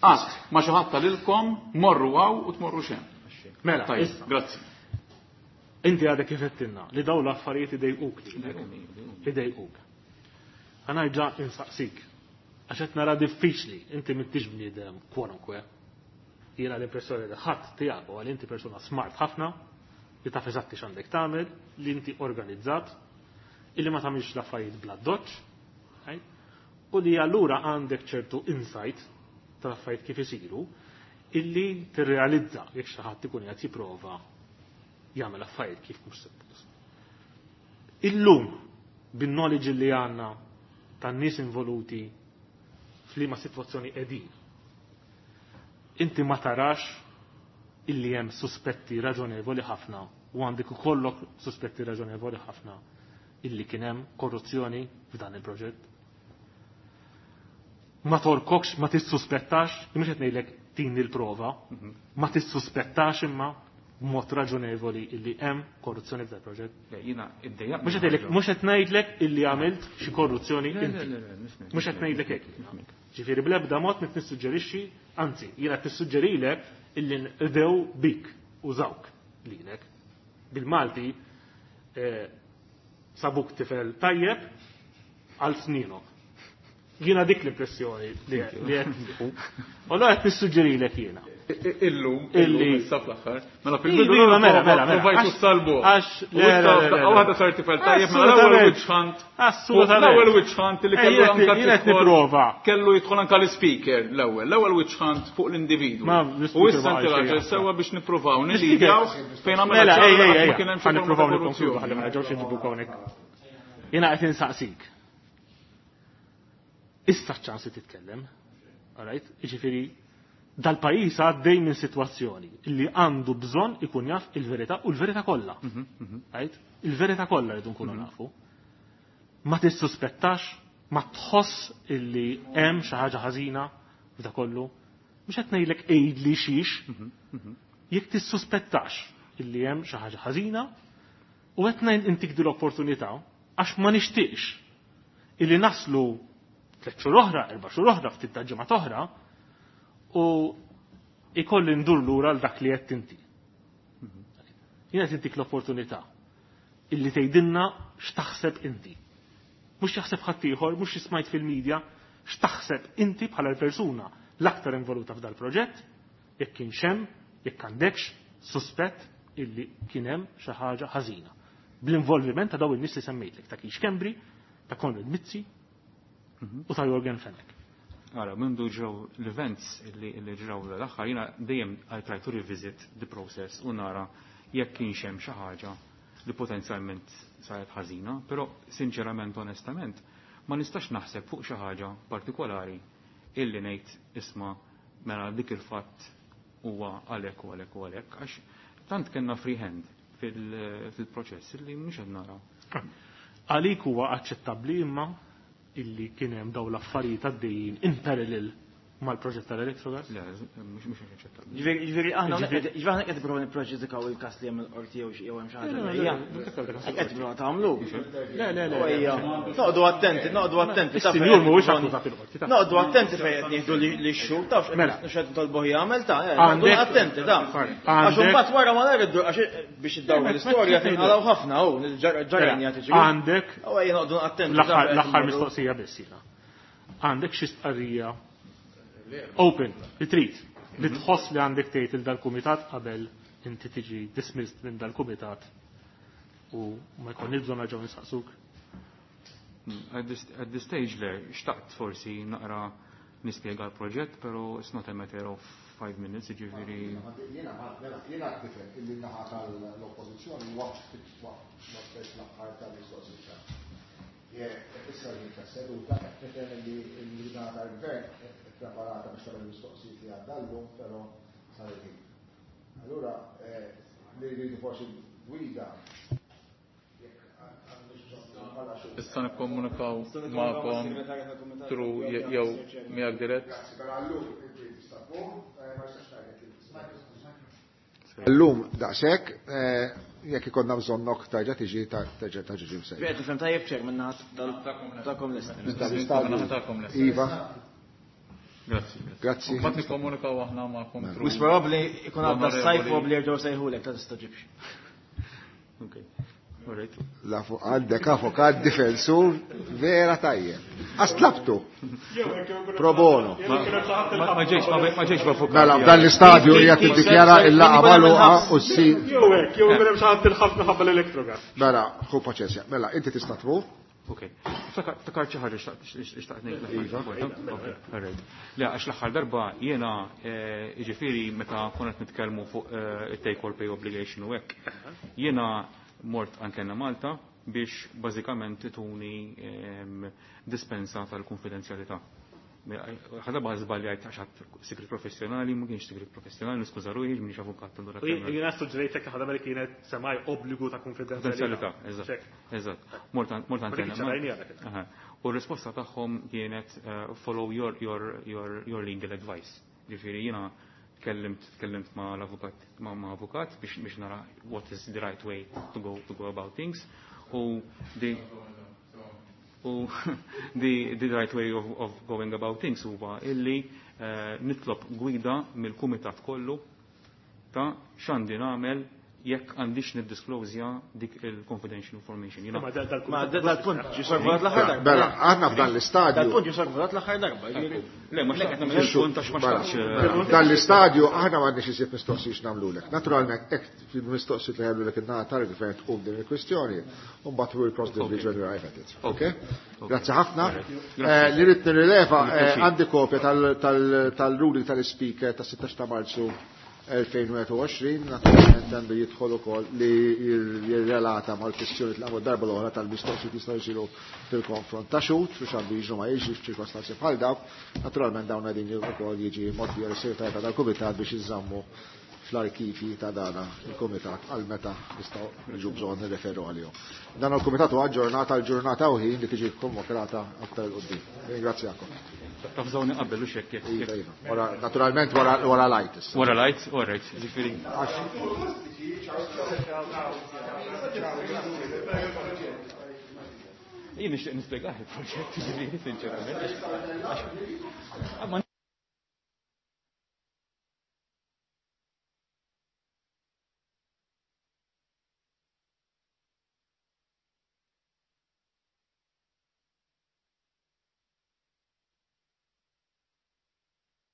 Qatt ma xi ħadd lilkom morru hawn u tmorru xem. Mela, Tajjeb, grazzi. Inti għadek kif għedtilna li daw l-affarijiet idejquk lilek. Idejquk. Ħa nerġa' insaqsik. Għax qed nara diffiċli, inti m'intix bniedem kwalunkwe. Jiena l-impressjoni li ħadd tiegħek u għal inti persuna smart ħafna, li taf eżatti x'għandek tagħmel, li inti organizzat, illi ma tagħmilx l-affarijiet bla doċ, right? U li allura għandek ċertu insight tal-affarijiet kif isiru, illi tirrealizza jekk xi ħadd ikun qed jipprova jagħmel affarijiet kif mhux suppost. Illum bin-knowledge li għandna tan-nies involuti f'liema sitwazzjoni qegħdin. Inti ma tarax illi hemm suspetti raġonevoli ħafna u għandek ikollok suspetti raġonevoli ħafna illi kien hemm korruzzjoni f'dan il-proġett. Ma torkokx, ma tissuspettax, mhux qed ngħidlek tini l-prova, ma tissuspettax imma b'mod raġonevoli illi hemm korruzzjoni f'dan il-proġett. Le, jiena iddejjaq. Mhux qed ngħidlek illi għamilt xi korruzzjoni inti. Mhux qed ngħidlek hekk. Ġifieri bl-ebda mod qed nissuġġerixxi, anzi, jiena qed nissuġġerilek illi nqdew bik użawk lilek. Bil-Malti sabuk tifel tajjeb għal sninok. Jiena dik l-impressjoni li qed nieħu. U allura qed nissuġġerilek jiena. Illum, illum, issa fl-aħħar. Mela fil-bidu Iva, mela, mela, mela. provajtu salbu. Għax, le, le, le, le. Waħda sar tifel tajjeb, mela l-ewwel witch hunt. Assolutament. L-ewwel witch hunt li kellu anka Jiena qed tidħol- nipprova. Kellu jidħol anka l-speaker l-ewwel, l-ewwel witch hunt fuq l-individwu. Ma, U l-speaker issa ma inti qalx raġel xejn. sewwa biex nippruvaw L-speaker- nilidjaw fejn għamilna Mela, ċara ej, ej, qatt ej, ma kien hemm xi ħa forma ta' nippruvaw nikkonkludu korruzzjoni. ħalli ma nerġgħux inġibu hawnhekk. Jiena qed insaqsik. Issa ċans li titkellem. Alright? Jiġifieri dal-pajjiż għaddej minn sitwazzjoni li għandu bżonn ikun jaf il-verità u l-verità kollha. Right? Il-verità kollha rridu nkunu nafu. Ma tissuspettax, ma tħoss illi hemm xi ħaġa ħażina f'da kollu. Mhux qed ngħidlek għidli xiex, jekk tissuspettax illi hemm xi ħaġa ħażina u qed ngħid intik din l-opportunità għax ma nixtieqx illi naslu 3 xhur oħra, 4 xhur oħra, ftit ta' ġimgħat oħra u ikolli ndur lura għal dak li qed inti. Jiena qed intik l-opportunità illi tgħidilna x'taħseb inti. Mhux jaħseb ħaddieħor, mhux smajt fil-medja, x'taħseb inti bħala l-persuna l-aktar involuta f'dal proġett, jekk kienx hemm Jekk għandekx suspett illi kien hemm xi ħaġa ħażina. Bl-involviment ta' dawn in-nies li semmejtlek, ta' Keith Schembri, ta' Konrad Mizzi u ta' Yorgen Fenech. Ara, mindu ġraw l-events li ġraw l-aħħar, jiena dejjem I try to revisit the process u nara jekk kienx hemm xi ħaġa li potenzjalment saret ħażina, però sinċerament onestament ma nistax naħseb fuq xi ħaġa partikolari illi ngħid isma' mela dik il-fatt huwa għalhekk u għalhekk u għalhekk għax tant kellna free hand fil-proċess illi mhux qed nara. Għalik huwa aċċettabbli imma illi kien hemm dawn l-affarijiet għaddejjin in parallel mal-proġett tal-Electrogas? Le, mhux aċċettabbli. Ġifieri aħna ġifieri aħna qed nipprova nippreġudikaw il-każ li hemm il-qorti jew jew hemm xi ħaġa. Qed nipprova tagħmlu. Le, le, le. Noqogħdu attenti, noqogħdu attenti. Is-sinjur mhuwiex akkużat il-qorti. Noqogħdu attenti fejn qed nieħdu li x-xhur tafx x'qed nitolbuh jagħmel ta' noqogħdu attenti ta'. Għax imbagħad wara ma nara għax biex iddawru l-istorja tinqalgħu ħafna hu ġarajni qed tiġri. Għandek. Ejja noqogħdu attenti. L-aħħar mistoqsija biss jiena. Għandek xi stqarrija open, li trid, li tħoss li għandek tgħid il dal-kumitat qabel inti tiġi dismissed minn dal-kumitat u ma jkollniex bżonn nerġgħu nistaqsuk. At this stage le, xtaqt forsi naqra nispjega l-proġett, pero it's not a matter of 5 minutes, jiġifieri. Jiena nifhem illi naħa tal-oppożizzjoni waqt l-aħħar tal-mistoqsija. Issa li tas-seduta qed nifhem li l-naħa tal-gvern preparata biex tagħmel mistoqsijiet li għadda llum, però sar il-ħin. Allura li rridu forsi gwida jekk għandux bżonn bħala xi. Issa nikkomunikaw magħkom through jew miegħek dirett. Grazzi, però llum inti tista' tqum, ma nistax ngħidlek li tista'. Llum daqshekk, jekk ikollna bżonnok terġa' tiġi terġa' tiġi msejjaħ. Qed tifhem tajjeb ċer minn naħa tagħkom lest. Tagħkom lest. Iva. Grazzi. Grazzi. Mbagħad nikkomunikaw aħna magħkom through. Wis probabbli ikun għadda s-sajf probabbli jerġgħu sejħulek ta' tista' ġibx. Okay. All right. La fuq għandek avukat difensur vera tajjeb. Aslabtu. Pro bono. Ma ġejx b'avukat. Mela, f'dan l-istadju hija tiddikjara il-laqgħa magħluqa u ssir. Jew hekk, jew ikun hemm xi ħadd il-ħafna ħabba l-Electrogas. Mela, ħu paċenzja. Mela, inti tista' tmur. Ok. Ftakar xi ħaġa xtaqt ngħid l-aħħar. Iva. Ok, all right. Le, għax l-aħħar darba jiena jiġifieri meta konna qed nitkellmu fuq it-take or pay obligation u hekk, jiena mort anke Malta biex bażikament ituni dispensa tal-konfidenzjalità. Ħadha baħ żbaljajt għax ħadd sigrit professjonali, ma kienx sigrit professjonali, niskuża ruħi, m'iniex avukat allura. Jiena suġġerejtek ħadha mela kienet semaj obbligu ta' konfidenzjalità. Konfidenzjalità, eżatt. Eżatt. Mort Ma anke dik Malta. ċarajni għalek. Aha. U r-risposta tagħhom kienet follow your legal advice. Ġifieri jiena tkellimt ma' l-avukat, ma' avukat biex nara what is the right way to go about things. U the right way of going about things huwa illi nitlob gwida mill-kumitat kollu ta' x'għandi nagħmel jekk għandix niddisclosja dik il-confidential information. Jiena Ma dal-punt Ma dal-punt ġie sorvolat l-aħħar darba. Mela, aħna f'dan l-istadju. Dal-punt ġie sorvolat l-aħħar darba. Ġifieri. Le, ma xtaqt nagħmel il-punt għax ma xtaqtx, Mela, dan l-istadju aħna m'għandniex iżjed mistoqsijiet nagħmlulek. Naturalment, hekk fil-mistoqsijiet li jagħmlulek in-naħa tal-gvern tqum din il-kwistjoni, u mbagħad we'll cross the bridge when we arrive at it. Okay? Grazzi ħafna. Li rrid nirrileva, għandi kopja tal-ruling tal-speaker tas-16 ta' Marzu 2021, naturalment għandu jidħol ukoll li jirrelata mal-kwistjoni tal-għamlu darba l-oħra tal-mistoqsijiet jistgħu jsiru fil-konfront ta' xhud, biex għandu jiġu ma jiġi f'ċirkostanzi bħal dawk, naturalment dawn qegħdin ukoll jiġi mogħtija lis-segretarja tal-Kumitat biex iżammu fl-arkivi ta' dana il-Kumitat għal meta nistgħu niġu bżonn nirreferu għalihom. Dan il-Kumitat huwa aġġornata għal ġurnata u ħin li tiġi konvokata aktar 'il quddiem. Ringrazzjakom. Tafżawni qabel u xekk jekk. Iva, iva. Wara, naturalment wara lajt issa. Wara lajt, all right, ġifieri. Jien nixtieq nispjegah il-proġett, ġifieri, sinċerament. Għax